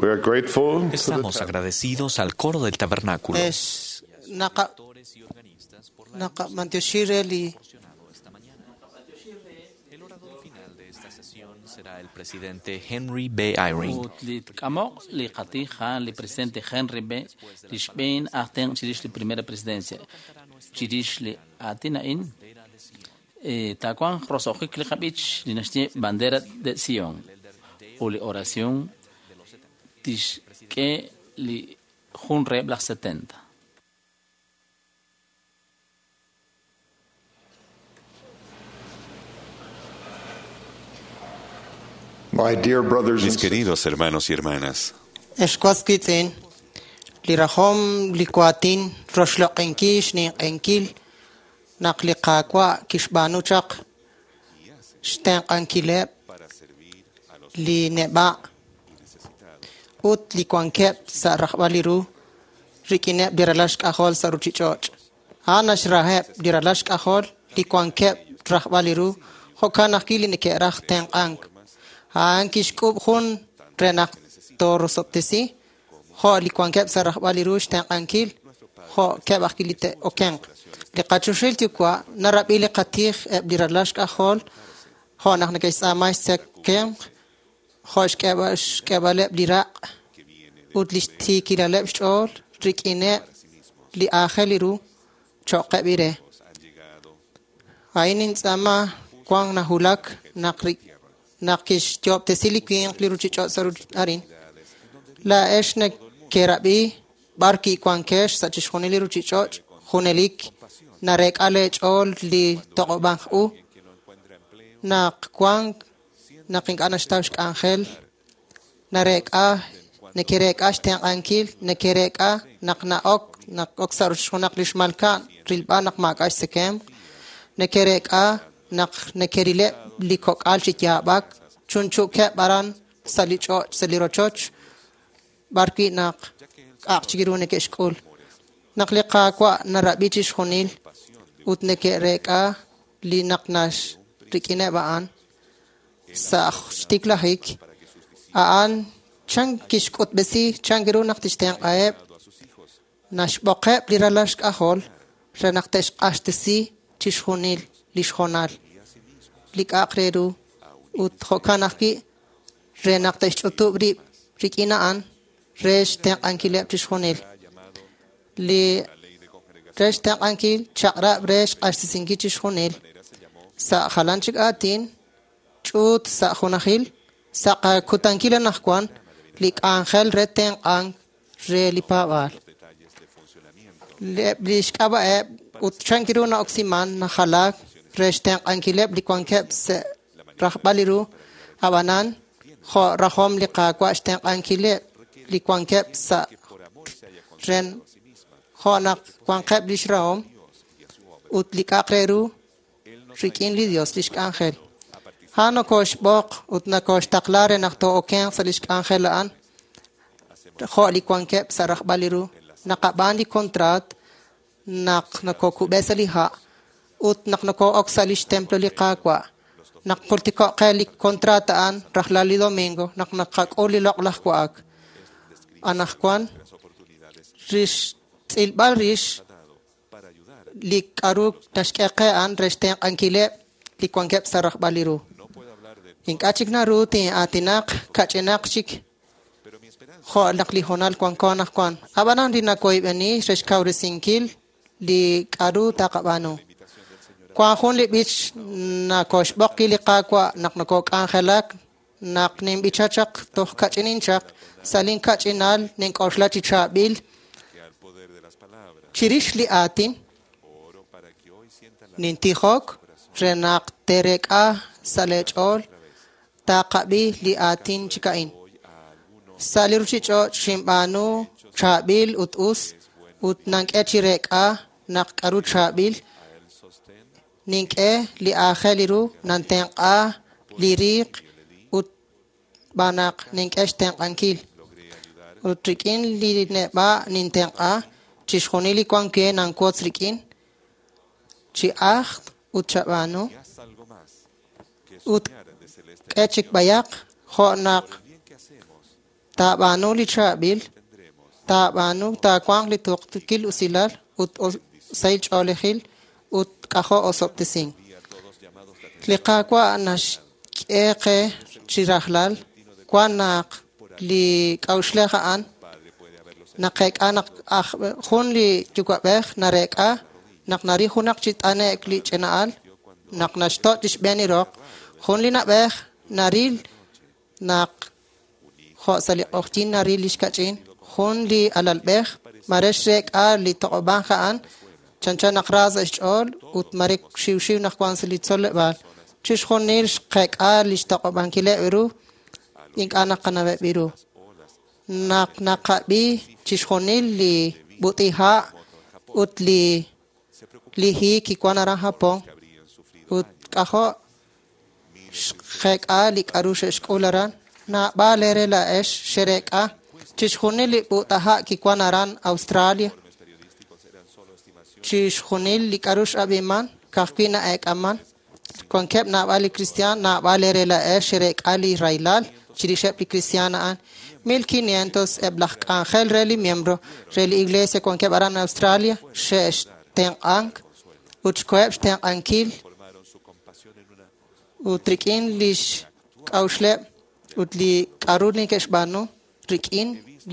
Estamos agradecidos al coro del tabernáculo. Es naqa naqamantioxi re li El orador final de esta sesión será el presidente Henry B. Eyring. Ut li tk'amoq li qatij a'an li presidente Henry B. Li xb'een aj tenq' chirix li primera presidencia. Chirix li aatin a'in, taawanq roso'jik li qab'ich li naxye Bandera de Sion ut li oración tixk'e li jun reheb' laj 70. My dear brothers Mis and queridos hermanos y hermanas, Ex was wiitz'in, li rajom li waatin roxloq'inkil xninq'enkil naq li Qaawa' kixb'aanu chaq xtenq'ankileb' li neb'a' ut li wankeb' sa' rajb'al li ru rik'ineb' li ralal xk'ajol sa' ruchich'och'. A'an naxraheb' li ralal xk'ajol li wankeb' rajb'al li ru, jo'kan ajwi' li neke'raj tenq'ank. A'an kixk'ub' jun re naq toorosob'tesi, jo' li wankeb' sa' rajb'al li ru xtenq'ankil, jo' keb' ajwi' li te'okenq. Li qachoxahil yuwa' narab'i li qatij eb' li ralal xk'ajol, jo' naq neke'xtz'aama xtzekemq, jo' xk'eeb'aleb' li raq' ut li xtiikilaleb' xch'ool rik'ineb' li aajel li ru cho'qeb' ire. A'in nintz'aama wank najulak naq kixyoob'tesi li winq li ruchich'och' sa' arin. Laa'ex nekerab'i b'ar kiwankex sa' chixjunil li ruchich'och' junelik nareek'a leech'ool li toq'ob'ank u naq wank naq ink'a' naxtaw xk'anjel nareek'a nekereek'a xtenq'ankil nekereek'a naq na'ok naq ok sa' junaq li xmalka'n rilb'al naq maak'a' xtzekemq nekereek'a naq nekerileb' li kok'al chi yaab'ak chunchu'keb' aran sa' li ch'och' sa' li rochoch b'ar wi' naq k'a'aq chik ru neke'xk'ul. Naq li Qaawa' narab'i chixjunil ut neke'reek'a li naq nax rik'ineb' a'an sa' xtiklajik, a'an chan kixk'utb'esi chan ru naq tixtenq'aheb' naxb'oqeb' li ralal xk'ajol re naq te'xq'axtesi chixjunil li xjonal li k'a'aq re ru ut jo'kan ajwi' re naq te'xch'utub' rib' rik'in a'an re xtenq'ankileb' chixjunil. Li re xtenq'ankil chaq'rab' re xq'axtesinkil chixjunil sa' jalan chik aatin ch'uut sa' junajil sa' qakutankil anaqwan li k'anjel re tenq'ank re li paab'aal. Eb' li xk'ab'a'eb' ut chan ru na'oksiman najalaak re xtenq'ankileb' li wankeb' sa' rajb'al li ru ab'anan jo' rajom li Qaawa' xtenq'ankileb' li wankeb' sa' ren jo' naq wanqeb' li xrahom ut li k'a'aq re ru rik'in li Dios li xk'anjel. A'an nokoxb'oq ut nokoxtaqla re naq too'okenq sa' li xk'anjel a'an jo' li wankeb' sa' rajb'al li ru. Naqab'aan li kontraat naq nokokub'e sa' li ha' ut naq noko'ok sa' li xtemplo li Qaawa'. Naq jultiko'q qe li kontraat a'an rajlal li domingo naq naqak'ul li loq'laj wa'ak. Anaqwan rix tz'ilb'al rix li k'aru naxk'e qe a'an re xtenq'ankileb' li wankeb' sa' rajb'al li ru. Ink'a' chik naru tin'aatinaq kach'inaq chik jo' naq li hoonal wanko anaqwan. Ab'anan li nakoyb'eni re xkawresinkil li k'aru taqab'aanu. Wank jun li b'ich nakoxb'oq wi' li Qaawa' naq nokok'anjelak naq ninb'icha chaq toj kach'inin chaq sa' linkach'inal nink'oxla chi chaab'il chirix li aatin nintijok re naq teerek'a sa' leech'ool taqab'i li aatin chik a'in. Sa' li ruchich'och' xinb'aanu chaab'il ut us ut nank'e chi reek'a naq k'aru chaab'il nink'e li aajel li ru nantenq'a li riiq ut b'anaq nink'e xtenq'ankil. Ut rik'in li neb'a' nintenq'a chixjunil li wank we nanwotz rik'in chi ajt ut chab'aanu ut k'e chik b'ayaq jo' naq Taab'aanu li chaab'il, taab'aanu taawanq li tuqtuukil usilal ut sahil ch'oolejil ut k'ajo' osob'tesink. Li Qaawa' naxk'e qe chi rajlal wan naq li k'a'uxlej a'an naqeek'a naq jun li yuwa'b'ej nareek'a naq naril junaq chi t'ane'k li ch'ina'al naq naxtoch' li xb'een li roq, jun li na'b'ej naril naq jo' sa' li q'oqyink naril li xkach'in, jun li alalb'ej mare xreek'a li toq'ob'ank a'an chanchan naq ra sa' xch'ool ut mare xiwxiw naq wan sa' li tzoleb'aal. Chixjunil xqeek'a li xtoq'ob'ankileb' ru ink'a' naqanaweb' ru. Naq naqab'i chixjunil li b'ut'iha' ut li hiik kiwan aran Japón ut k'ajo' xqeek'a li k'aru xe'xk'ul aran, naab'al eere laa'ex xereek'a chixjunil li b'ut'aha' kiwan aran Australia, chixjunil li k'aru x'ab'iman ka'ajwi' na'eek'aman, wankeb' naab'al li kristiaan, naab'al eere laa'ex xereek'a li rahilal chirixeb' li kristiaan a'an. 1500 eb' laj k'anjel re li miembro re li iglesia wankeb' aran Australia xe'xtenq'ank ut xkoheb' xtenq'ankil ut rik'in lix k'a'uxleb' ut li k'aru neke'xb'aanu rik'in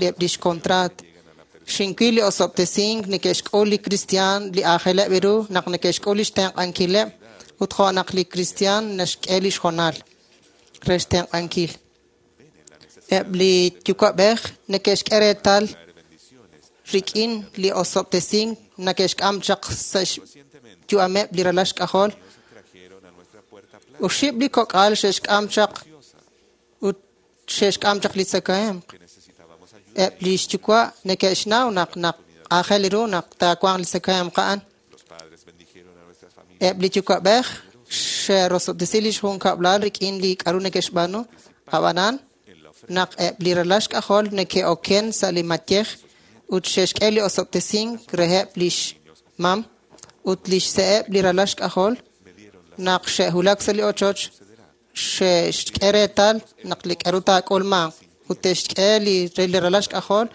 eb' lix kontraat. Xinwil li osob'tesink neke'xk'ul li kristiaan li aajeleb' ru naq neke'xk'ul lix tenq'ankileb' ut jo' naq li kristiaan naxk'e lix hoonal re xtenq'ankil. Eb' li yuwa'b'ej neke'xk'e reetal rik'in li osob'tesink neke'xk'am chaq sa' xyu'ameb' li ralal xk'ajol. Oxib' li kok'al xe'xk'am chaq ut xe'xk'am chaq li tzakahemq. Eb' li xyuwa' neke'xnaw naq naq aajel ru naq taawanq li tzakahemq a'an. Eb' li yuwa'b'ej xe'rosob'tesi li xjunkab'lal rik'in li k'aru neke'xb'aanu, ab'anan naq eb' li ralal xk'ajol neke'oken sa' li mayej ut xe'xk'e li osob'tesink reheb' lix mam ut lix se'eb' li ralal xk'ajol naq xe'wulak sa' li ochoch xe'xk'e reetal naq li k'aru taak'ulmanq ut te'xk'e li ralal xk'ajol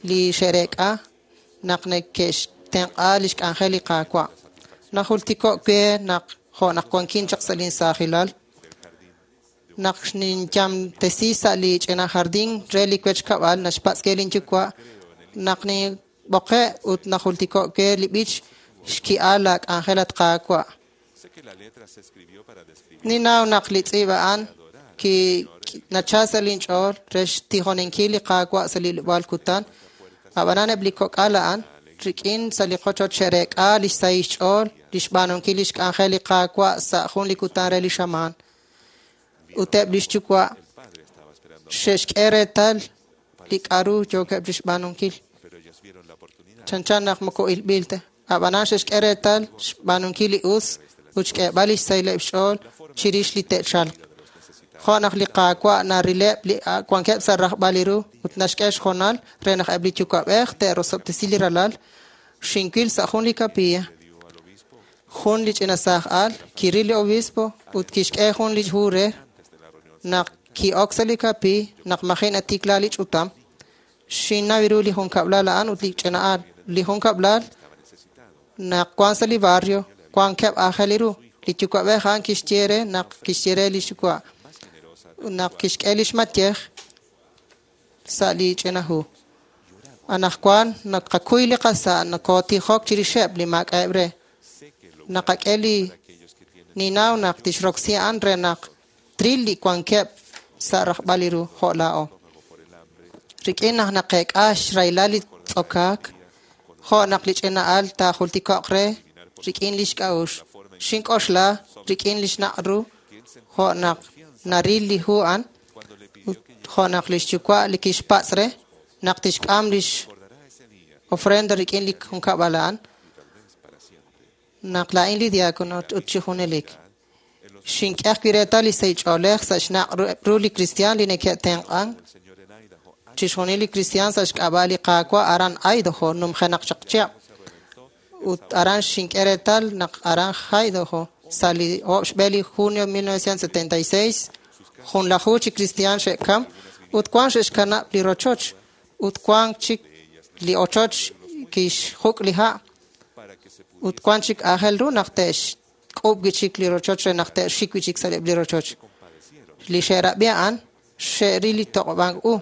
li xe'reek'a naq neke'xtenq'a li xk'anjel li Qaawa'. Najultiko' we naq jo' naq wankin chaq sa' linsaajilal naq ninyamtesi sa' li ch'ina jardín re li wech kab'al naxpatz' ke linyuwa' naq ninb'oqe' ut najultiko' we li b'ich xki'al la k'anjel at Qaawa'. Ninnaw naq li tz'iib' a'an nachal sa' linch'ool re xtijoninkil li Qaawa' sa' li ilob'aal kutan, ab'anan eb' li kok'al a'an rik'in sa' li qochoch xe'reek'a li xsahil xch'ool li xb'aanunkil li xk'anjel li Qaawa' sa' jun li kutan re li xamaan. Ut eb' li xyuwa' xe'xk'e reetal li k'aru yookeb' chi xb'aanunkil. Chanchan naq moko ilb'il ta. Ab'anan xe'xk'e reetal xb'aanunkil li us ut xk'eeb'al li xsahileb' xch'ool chirix li te'chalq. Jo' naq li Qaawa' narileb' li wankeb' sa' rajb'al li ru ut naxk'e xhoonal re naq eb' li yuwa'b'ej te'rosob'tesi li ralal, xinwil sa' jun li kapilla. Jun li ch'ina saaj al kiril li obispo ut kixk'e jun li hu re naq ki'ok sa' li kapi naq maji' natikla li ch'utam. Xinnaw ru li junkab'lal a'an ut li ch'ina al. Li junkab'lal naq wan sa' li barrio wankeb' aajel ru. Li yuwa'b'ej a'an kixye re naq kixye re li xyuwa' naq kixk'e li xmayej sa' li ch'ina hu. Anaqwan naqakuy li qasa' nakootijok chirixeb' li maak'a'eb' re. Naqak'e li ninaw naq tixroksi a'an re naq tril li wankeb' sa' rajb'al li ru jo' laa'o. Rik'in naq naqeek'a xrahilal li tz'okaak, jo' naq li ch'ina al taajultiko'q re rik'in li xk'a'uxl. Xink'oxla rik'in li xnaq' ru jo' naq naril li hu a'an ut jo' naq li xyuwa' li kixpatz' re naq tixk'am lix ofrenda rik'in li junkab'al a'an naq laa'in li diácono ut chi junelik. Xink'e ajwi' reetal li sahil ch'oolej sa' xnaq' ru li kristiaan li neke'tenq'ank chixjunil li kristiaan sa' xk'ab'a' li Qaawa' aran Idaho numjenaq chaq chihab'. Ut aran xink'e reetal naq aran Idaho sa' li 8 xb'e li junio 1976 junlaju chi kristiaan xe'kam Ut wank xe'xkanab' li rochoch ut wank chik li ochoch kixjuk' li ha' ut wank chik aajel ru naq te'xk'uub' wi' chik li rochoch re naq te'xik wi' chik sa' li rochoch. Li xe'rab'i a'an xe'ril li toq'ob'ank u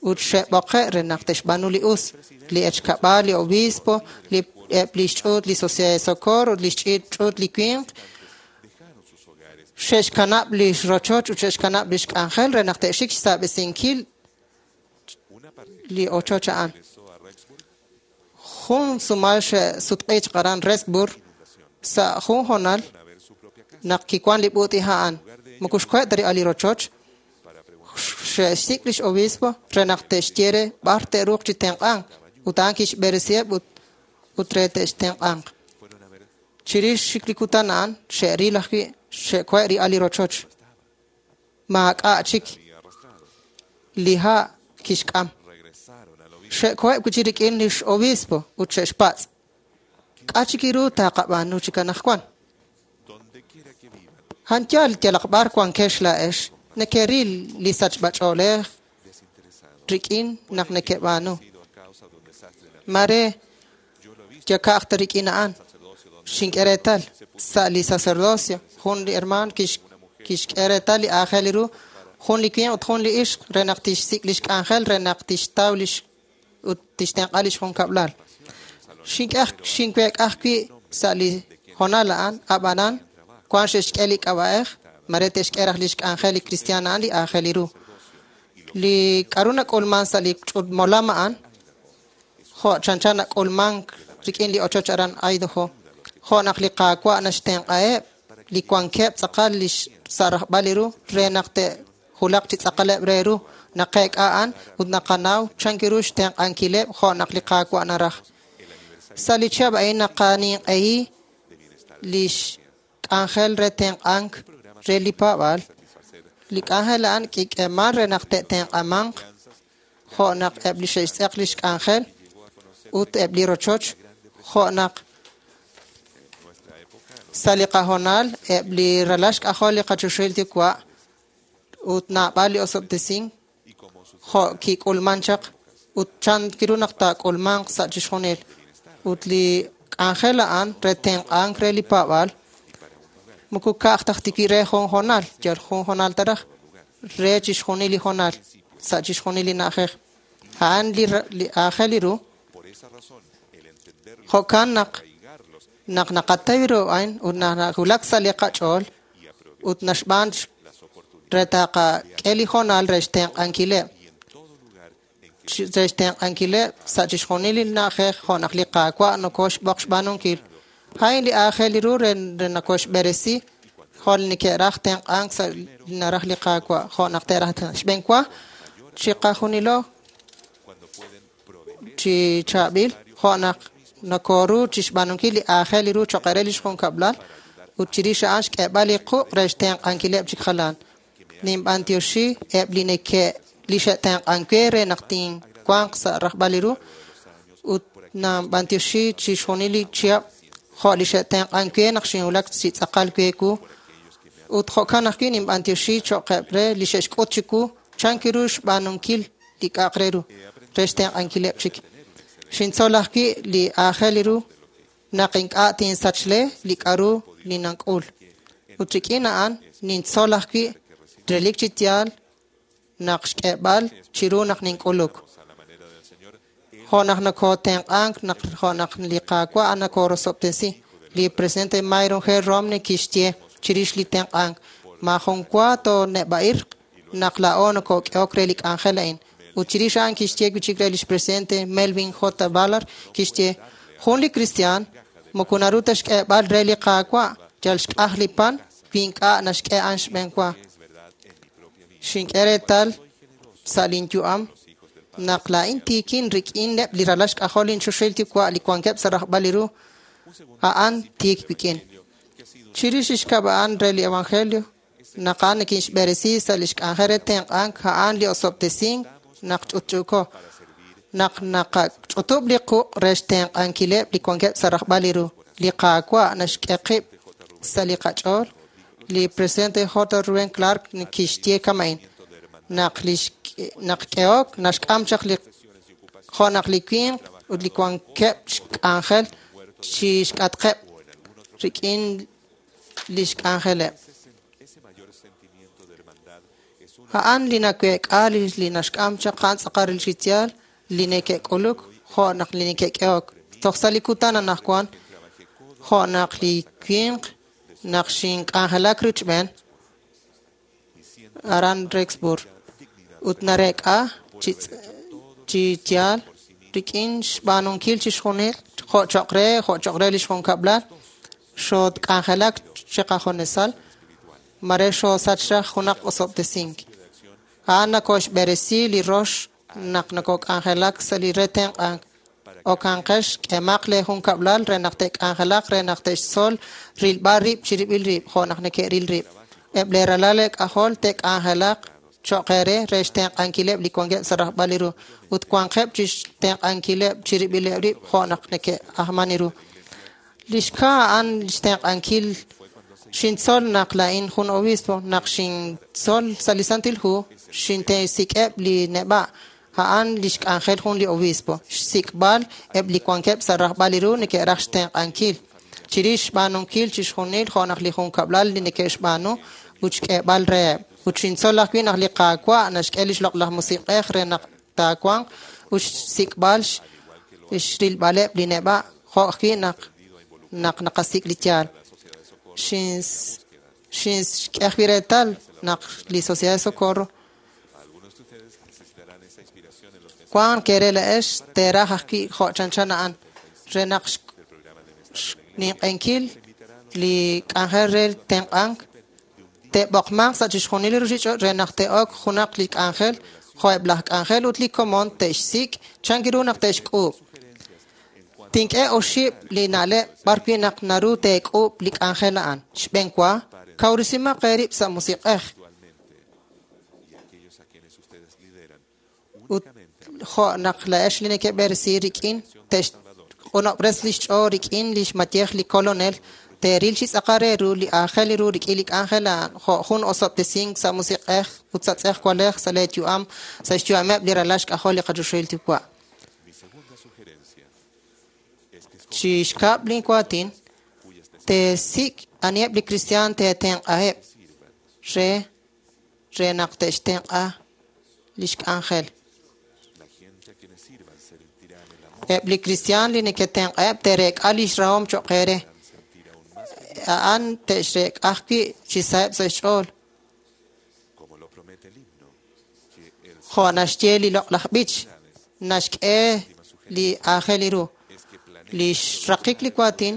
ut xe'b'oqe' re naq te'xb'aanu li us. Li echkab'al, li obispo, eb' li xch'uut li Sociedad de Socorro ut li xch'uut li winq xe'xkanab' li rochoch ut xe'xkanab' li xk'anjel re naq te'xik xsaab'esinkil li ochoch a'an. Jun sumal xe'sutq'i chaq aran Rexburg sa' jun hoonal naq kiwan li b'uut'iha' a'an. Moko xkoheb' ta li rochoch, xe'xsik' lix obispo re naq te'xye re b'ar te'ruuq chi tenq'ank ut a'an kixb'eresiheb' ut re te'xtenq'anq. Chirix xik li kutan a'an xe'ril ajwi' xe'kohe' ri'al li rochoch. Maak'a' chik li ha' kixk'am. Xe'koheb' wi' chik rik'in lix obispo ut xe'xpatz'. K'a' chik ru taqab'aanu chik anaqwan? Han yal yalaq b'ar wankex laa'ex nekeril li sachb'ach'oolej rik'in naq nekeb'aanu. Mare yaka'aj ta rik'in a'an. Xink'e reetal sa' li sacerdocio jun li hermaan kixk'e reetal li aajel ru jun li winq ut jun li ixq re naq tixsik' lix k'anjel re naq tixtaw lix ut tixtenq'a lix junkab'lal. Xinweek'a ajwi' sa' li hoonal a'an ab'anan wank xe'xk'e li k'ab'a'ej mare te'xk'e raj lix k'anjel li cristian a'an li aajel ru. Li k'aru nak'ulman sa' li molam a'an jo' chanchan nak'ulmank rik'in li ochoch aran Idaho. Jo' naq li Qaawa' naxtenq'aheb' li wankeb' tz'aqal li sa' rajb'al li ru re naq te'julaq chi tz'aqaleb' re ru naqeek'a a'an ut naqanaw chan ru xtenq'ankileb' jo' naq li Qaawa' naraj. Sa' li chihab' a'in naqaninq'ehi lix k'anjel re tenq'ank re li paab'aal. Li k'anjel a'an kik'eeman re naq te'tenq'amanq jo' naq eb' li xe'xtz'eq lix k'anjel ut eb' li rochoch jo' naq sa' li qahoonal eb' li ralal xk'ajol li qachoxahil yuwa' ut naab'al li osob'tesink jo' kik'ulman chaq ut chan kiru naq taak'ulmanq sa' chixjunil. Ut li k'anjel a'an re tenq'ank re li paab'aal moko ka'aj taj tikwi re jun hoonal, yal jun hoonal taraj re chixjunil li hoonal sa' chixjunil li na'ajej. A'an li aajel li ru. Jo'kan naq naq naqataw ru a'in ut nawulak sa' li qach'ool ut naxb'aan re taqak'e li hoonal re xtenq'ankileb' re xtenq'ankileb' sa' chixjunil li na'ajej jo' naq li Qaawa' nokoxb'oq xb'aanunkil. A'in li aajel li ru re nokoxb'eresi jo' li neke'raj tenq'ank sa' li naraj li Qaawa' jo' naq te'raj xb'enwa chiqajunilo chi chaab'il jo' naq nokoru chixb'aanunkil li aajel li ru cho'q re lix junkab'lal ut chirix a'an xk'eeb'al li quq' re xtenq'ankileb' chik jalan. Ninb'antioxi eb' li neke' li xe'tenq'ank we re naq tinwanq sa' rajb'al li ru ut nanb'antioxi chixjunil li chihab' jo' li xe'tenq'ank we naq xinwulak chi tz'aqal we wu ut jo'kan ajwi' ninb'antioxi cho'qeb' re li xe'xk'ut chiwu chan kiru xb'aanunkil li k'a'aq re ru re xtenq'ankileb' chik. Xintzol ajwi' li aajel li ru naq ink'a' tinsachle li k'aru li nank'ul. Ut rik'in a'an nintzol ajwi' relik chi yaal naq xk'eeb'al chiru naq nink'uluk. Jo' naq nokotenq'ank naq jo' naq li Qaawa' nakorosob'tesi. Li presidente Myron G. Romney kixye chirix li tenq'ank. Maajun wa tooneb'a'irq naq laa'o nokok'ehok re li k'anjel a'in. Ut chirix a'an kixye wi' chik re lix presidente Melvin J. Ballard kixye jun li cristian moko naru ta xk'eeb'al re li Qaawa' yal xk'aj li pan wi ink'a' naxk'e a'an xb'enwa. Xink'e reetal sa' linyu'am naq laa'in tiikin rik'ineb' li ralal xk'ajol linchoxahil yuwa' li wankeb' sa' rajb'al li ru a'an tiik wik'in. Chirix li xkab' a'an re li evangelio naq a'an nikinxb'eresi sa' lix k'anjel re tenq'ank a'an li osob'tesink naq ch'utch'uuko naq naqach'utub' li quq' re xtenq'ankileb' li wankeb' sa' rajb'al li ru. Li Qaawa' naxk'e qib' sa' li qach'ool. Li presidente J. Reuben Clark kixye kama'in. Naq li naq k'ehok naxk'am chaq li jo' naq li winq ut li wankeb' xk'anjel chi xk'atqeb' rik'in li xk'anjeleb'. A'an li naweek'a li naxk'am chaq a'an tz'aqal li yaal li neke'k'uluk jo' naq li neke'k'ehok. Toj sa' li kutan anaqwan jo' naq li winq naq xink'anjelak richb'een aran Rexburg ut nareek'a chi yaal rik'in xb'aanunkil chixjunil jo' choq' re li xjunkab'lal xootk'anjelak chiqajunesal mare xoosach raj junaq osob'tesink. A'an nakoxb'eresi li rox naq nakok'anjelak sa' li re tenq'ank. Okanqex k'emaq le junkab'lal re naq te'k'anjelaq re naq te'xtzol rilb'al rib' chirib'il rib' jo' naq neke'ril rib'. Eb' le ralal k'ajol te'k'anjelaq cho'q eere re xtenq'ankileb' li wankeb' sa' rajb'al li ru ut wanqeb' chi xtenq'ankileb' chirib'ileb' rib' jo' naq neke'ajman ru. Li xka a'an xtenq'ankil xintzol naq laa'in jun obispo naq xintzol sa' li Santil Hu xintesik'eb' li neb'a' a'an li xk'anjel jun li obispo xsik'b'al eb' li wankeb' sa' rajb'al li ru neke'raj xtenq'ankil chirix xb'aanunkil chixjunil jo' naq li junkab'lal li neke'xb'aanu ut xk'eeb'al reheb'. Ut xintzol ajwi' naq li Qaawa' naxk'e li xloq'laj musiq'ej re naq taawanq ut xsik'b'al xrilb'aleb' li neb'a' jo' ajwi' naq naqasik' li yaal. Xinxk'e ajwi' reetal naq li Sociedad de Socorro wank kere la'ex teeraj ajwi' jo' chanchan a'an re naq xninq'enkil li k'anjel re tenq'ank te'b'oqmanq sa' chixjunil li ruuchich'och' re naq te'ok junaq li k'anjel jo' eb' laj k'anjel ut li komon te'xsik' chan ru naq te'xk'uub'. Tink'e oxib' li na'leb' b'arwi' naq naru teek'uub' li k'anjel a'an. Xb'een wa, kawresimaq eerib' sa' musiq'ej. Ut jo' naq la'ex li neke'b'eresi rik'in te'xq'unob'res li xch'ool rik'in li xmayej li kolonel teeril chi tz'aqal re ru li aajel ru rik'in li k'anjel a'an jo' jun osob'tesink sa' musiq'ej ut sa' tz'ejwalej sa' lee yu'am sa' xyu'ameb' li ralal xk'ajol li qachoxahil Yuwa'. Chi xkab' lin waatin teesik' aniheb' li kristiaan teetenq'aheb' re naq te'xtenq'a li xk'anjel. Eb' li kristiaan li neke'tenq'aheb' teerek'a li xrahom cho'q eere. A'an te'xrek'a ajwi' chi saheb' sa' xch'ool. Jo' naxye li loq'laj b'ich, naxk'e li aajel ru. Li xraqik li waatin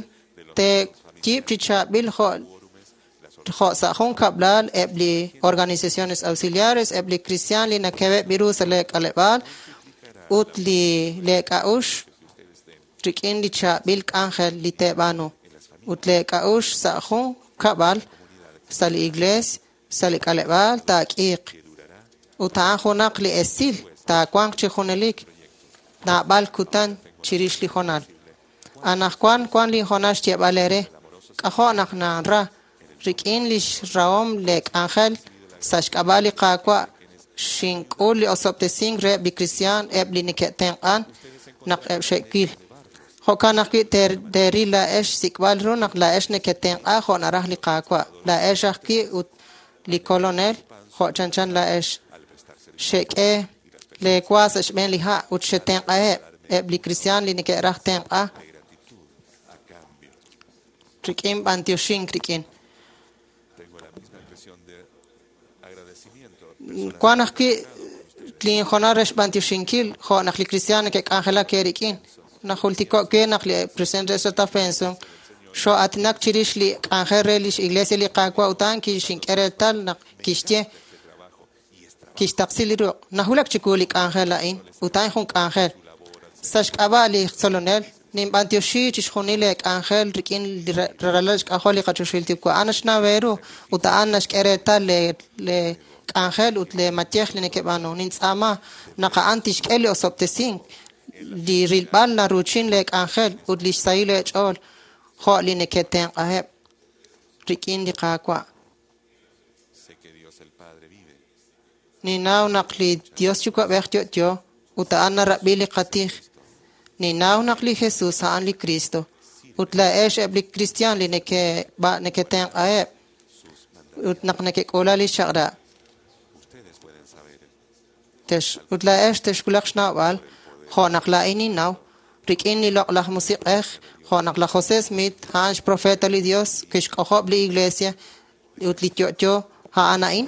teeyiib' chi chaab'il jo' sa' jun kab'lal eb' li organizaciones auxiliares, eb' li kristiaan li nakeb'eb' ru sa' lee k'aleb'aal ut li leek'a'ux rik'in li chaab'il k'anjel li teeb'aanu. Ut leek'a'ux sa' jun kab'al sa' li iglees sa' li k'aleb'aal taak'iiq. Ut a'an junaq li esil taawanq chi junelik naab'al kutan chirix li jonal. Anaqwan wan li jonal xyeeb'al eere k'ajo' naq nanra rik'in li xrahom leek'anjel sa' xk'ab'a' li Qaawa' xink'ul li osob'tesink reheb' li kristiaan eb' li neke'tenq'an naq eb' xe'wil. Jo'kan ajwi' teeril la'ex xsik'b'al ru naq la'ex neke'tenq'a jo' naraj li Qaawa'. La'ex ajwi' ut li kolonel jo' chanchan la'ex. Xek'e leewa sa' xb'een li ha' ut xetenq'aheb' eb' li kristiaan li neke'raj tenq'a rik'in b'antioxink rik'in. Wan ajwi' li jonal re xb'antioxinkil jo' naq li kristiaan neke'k'anjelak eerik'in. Najultiko' we naq li presidente Ezra Benson xoo'aatinak chirix li k'anjel re lix iglesia li Qaawa' ut a'an kixink'e reetal naq kixye kixtaqsi li ruq'. Najulak chiwu li k'anjel a'in ut a'in jun k'anjel. Sa' xk'ab'a' li tzolonel ninb'antioxi chixjunil li k'anjel rik'in li ralal xk'ajol li qachoxahil Yuwa'. A'an naxnaw eeru ut a'an naxk'e reetal le k'anjel ut le mayej li neke'b'aanu. Nintz'aama naq a'an tixk'e li osob'tesink li rilb'al naruuchin le k'anjel ut li xsahil eech'ool jo' li neke'tenq'aheb' rik'in li Qaawa'. Ninnaw naq li Dios Yuwa'b'ej yo'yo ut a'an narab'i li qatij. Ninnaw naq li Jesus a'an li Cristo ut laa'ex eb' li kristiaan li neketenq'aheb' ut naq nekek'uula li xchaq'rab'. Ut laa'ex texwulaq xnawb'al jo' naq laa'in ninnaw rik'in li loq'laj musiq'ej jo' naq laj José Smith a'an xprofeta li Dios kixk'ojob' li iglesia ut li yo'yo a'an a'in.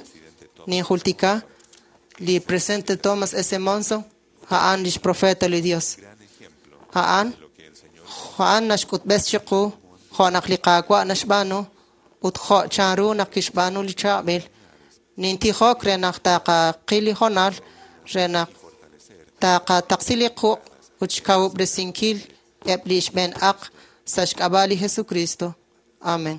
Ninjultika li presidente Thomas S. Monson a'an lix profeta li Dios. A'an naxk'utb'es chiqu jo' naq li Qaawa' naxb'aanu ut jo' chanru naq kixb'aanu li chaab'il. Nintijok re naq taqaqil li hoonal re naq taqataqsi li quq' ut xkawub'resinkil eb' li xb'een aq sa' xk'ab'a' li Jesucristo. Amen.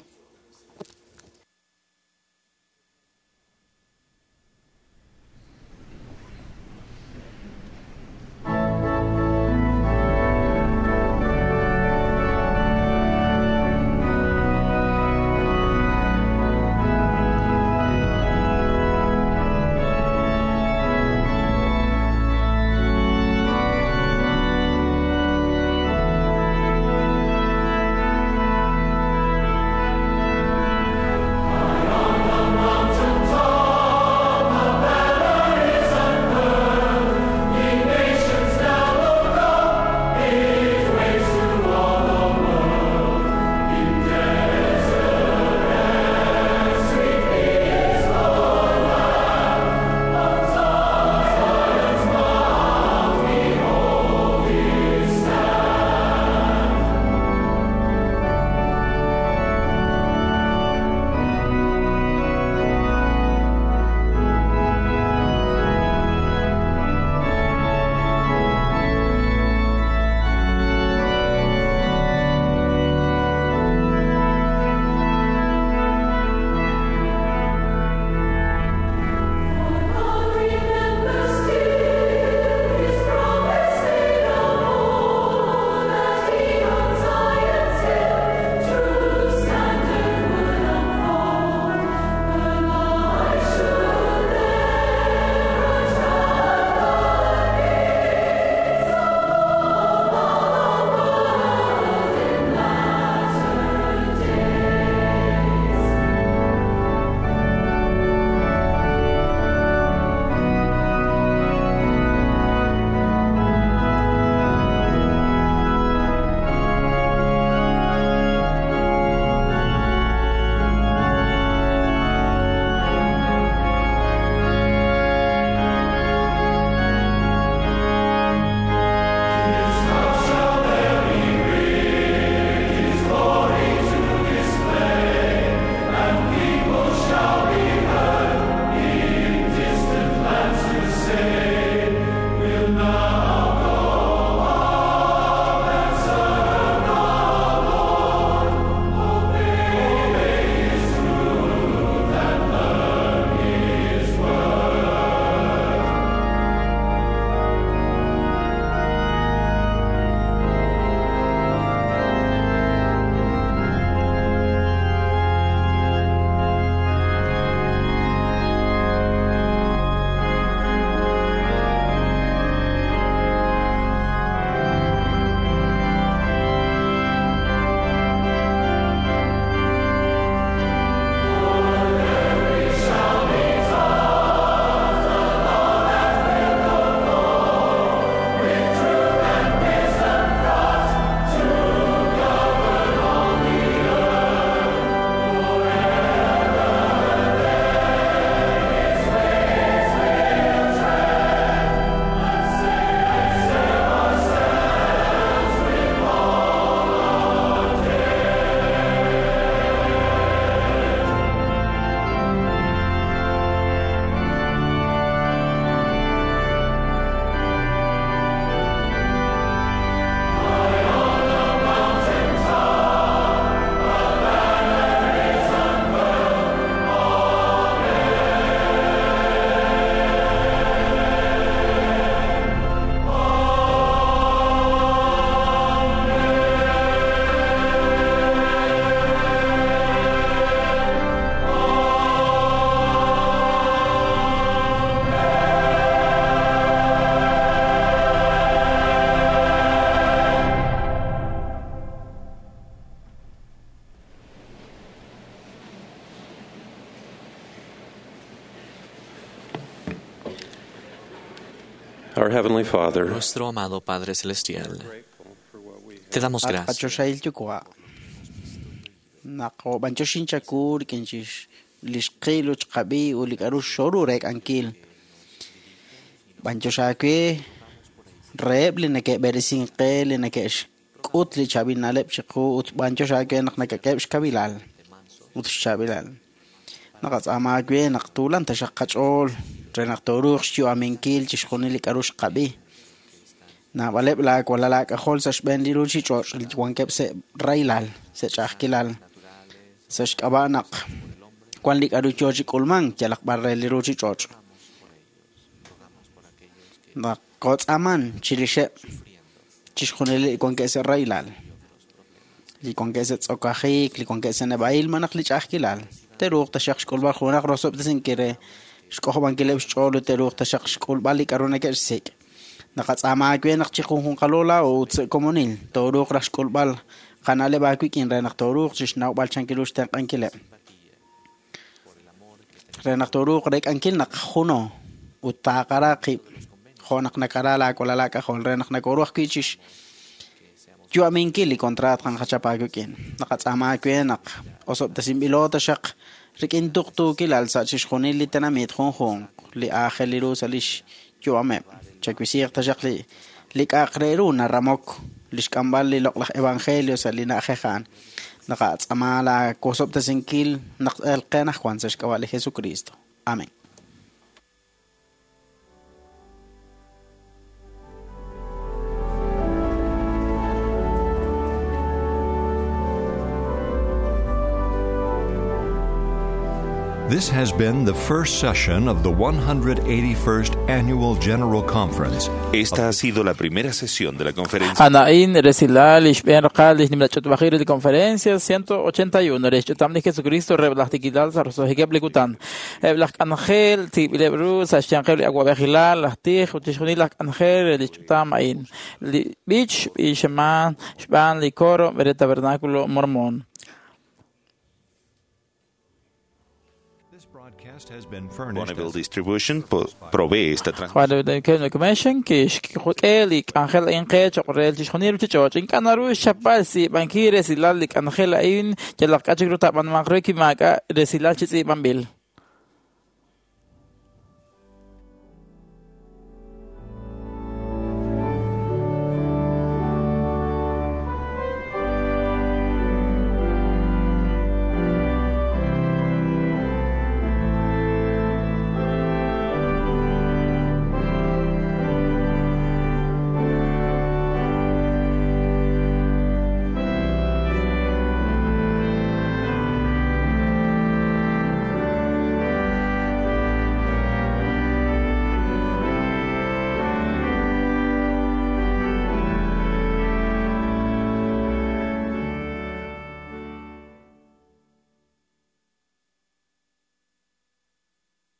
Our Heavenly Father, Nuestro amado Padre Celestial, te damos At gracias qachoxahil yuwa' naq b'anyoxin chaku rik'in chix li xqil ut xqab'i ut li k'a'ru xoru reek'ankil. B'anyox aawe reheb' li neke'b'eresink qe li neke'xk'ut li chaab'il na'leb' chiqu ut b'anyox aawe naq nakak'eheb' xkawiilal ut xchaab'ilal. Naqatz'aama aawe naq tuulan taxaq qach'ool re naq tooruuq xyu'aminkil chixjunil li k'a'ru xqab'i. Naab'aleb' laawalal aak'ajol sa' xb'een li ruuchich'och' li wankeb' sa' rahilal, sa' ch'a'ajkilal, sa' xk'ab'a' naq wan li k'a'ru yoo chi k'ulmank yalaq b'ar re li ruuchich'och'. Naq kotz'aman chirixeb' chixjunil li wankeb' sa' rahilal, li wankeb' sa' tz'okajik, li wankeb' sa' neb'a'il malaj li ch'a'ajkilal. Te'ruuq taxaq xk'ulb'al junaq rosob'tesinkil re xk'ojob'ankileb' xch'ool ut te'ruuq taxaq xk'ulb'al li k'a'ru neke'xsik'. Naqatz'aama aawe naq chiqunjunqalo laa'o ut sa' komonil tooruuq raj xk'ulb'al qana'leb' aawik'in re naq tooruuq chixnawb'al chan ru xtenq'ankileb'. Re naq tooruuq reek'ankil naq juno ut taaqara qib' jo' naq nakara laawalal aak'ajol re naq nakoru ajwi' chix yu'aminkil li contraat qanqachap aawik'in. Naqatz'aama aawe naq osob'tesinb'ilo taxaq rik'in tuqtuukilal sa' chixjunil li tenamit junjunq li aajel ru sa' lix yu'ameb'. Chawisiiq taxaq li k'a'aq re ru naramok li xk'amb'al li loq'laj evangelio sa' li na'ajej a'an. Naqatz'aama laawosob'tesinkil naq elqe anaqwan sa' xk'ab'a' li Jesucristo. Amén. This has been the first session of the 181st Annual General Conference. Esta ha sido la primera sesión de la conferencia. Anaín Resilal, Ishben Raqal, Ishnim la conferencia 181, Rech'utam li Jesucristo, Reblajtikilal, Sarosojikeb Likutan, Eblaj Angel, Tibilebru, Sashanqeb Aguabejilal, Lajtij, Utishjunil Angel, Rech'utam Ain, Li Bich, Ishaman, Shban, Licoro, Bere Tabernáculo Mormón. This has been furnished Bonneville Distribution provee esta transmisión. Commission kixk'e li k'anjel a'in qe choq' re chixjunil ruchich'och' ink'a' naru xchapb'al tz'iib'ankil resilal li k'anjel a'in yalaq k'a chik ru taab'anmanq re kimaak'a' resilal chi tz'iib'anb'il.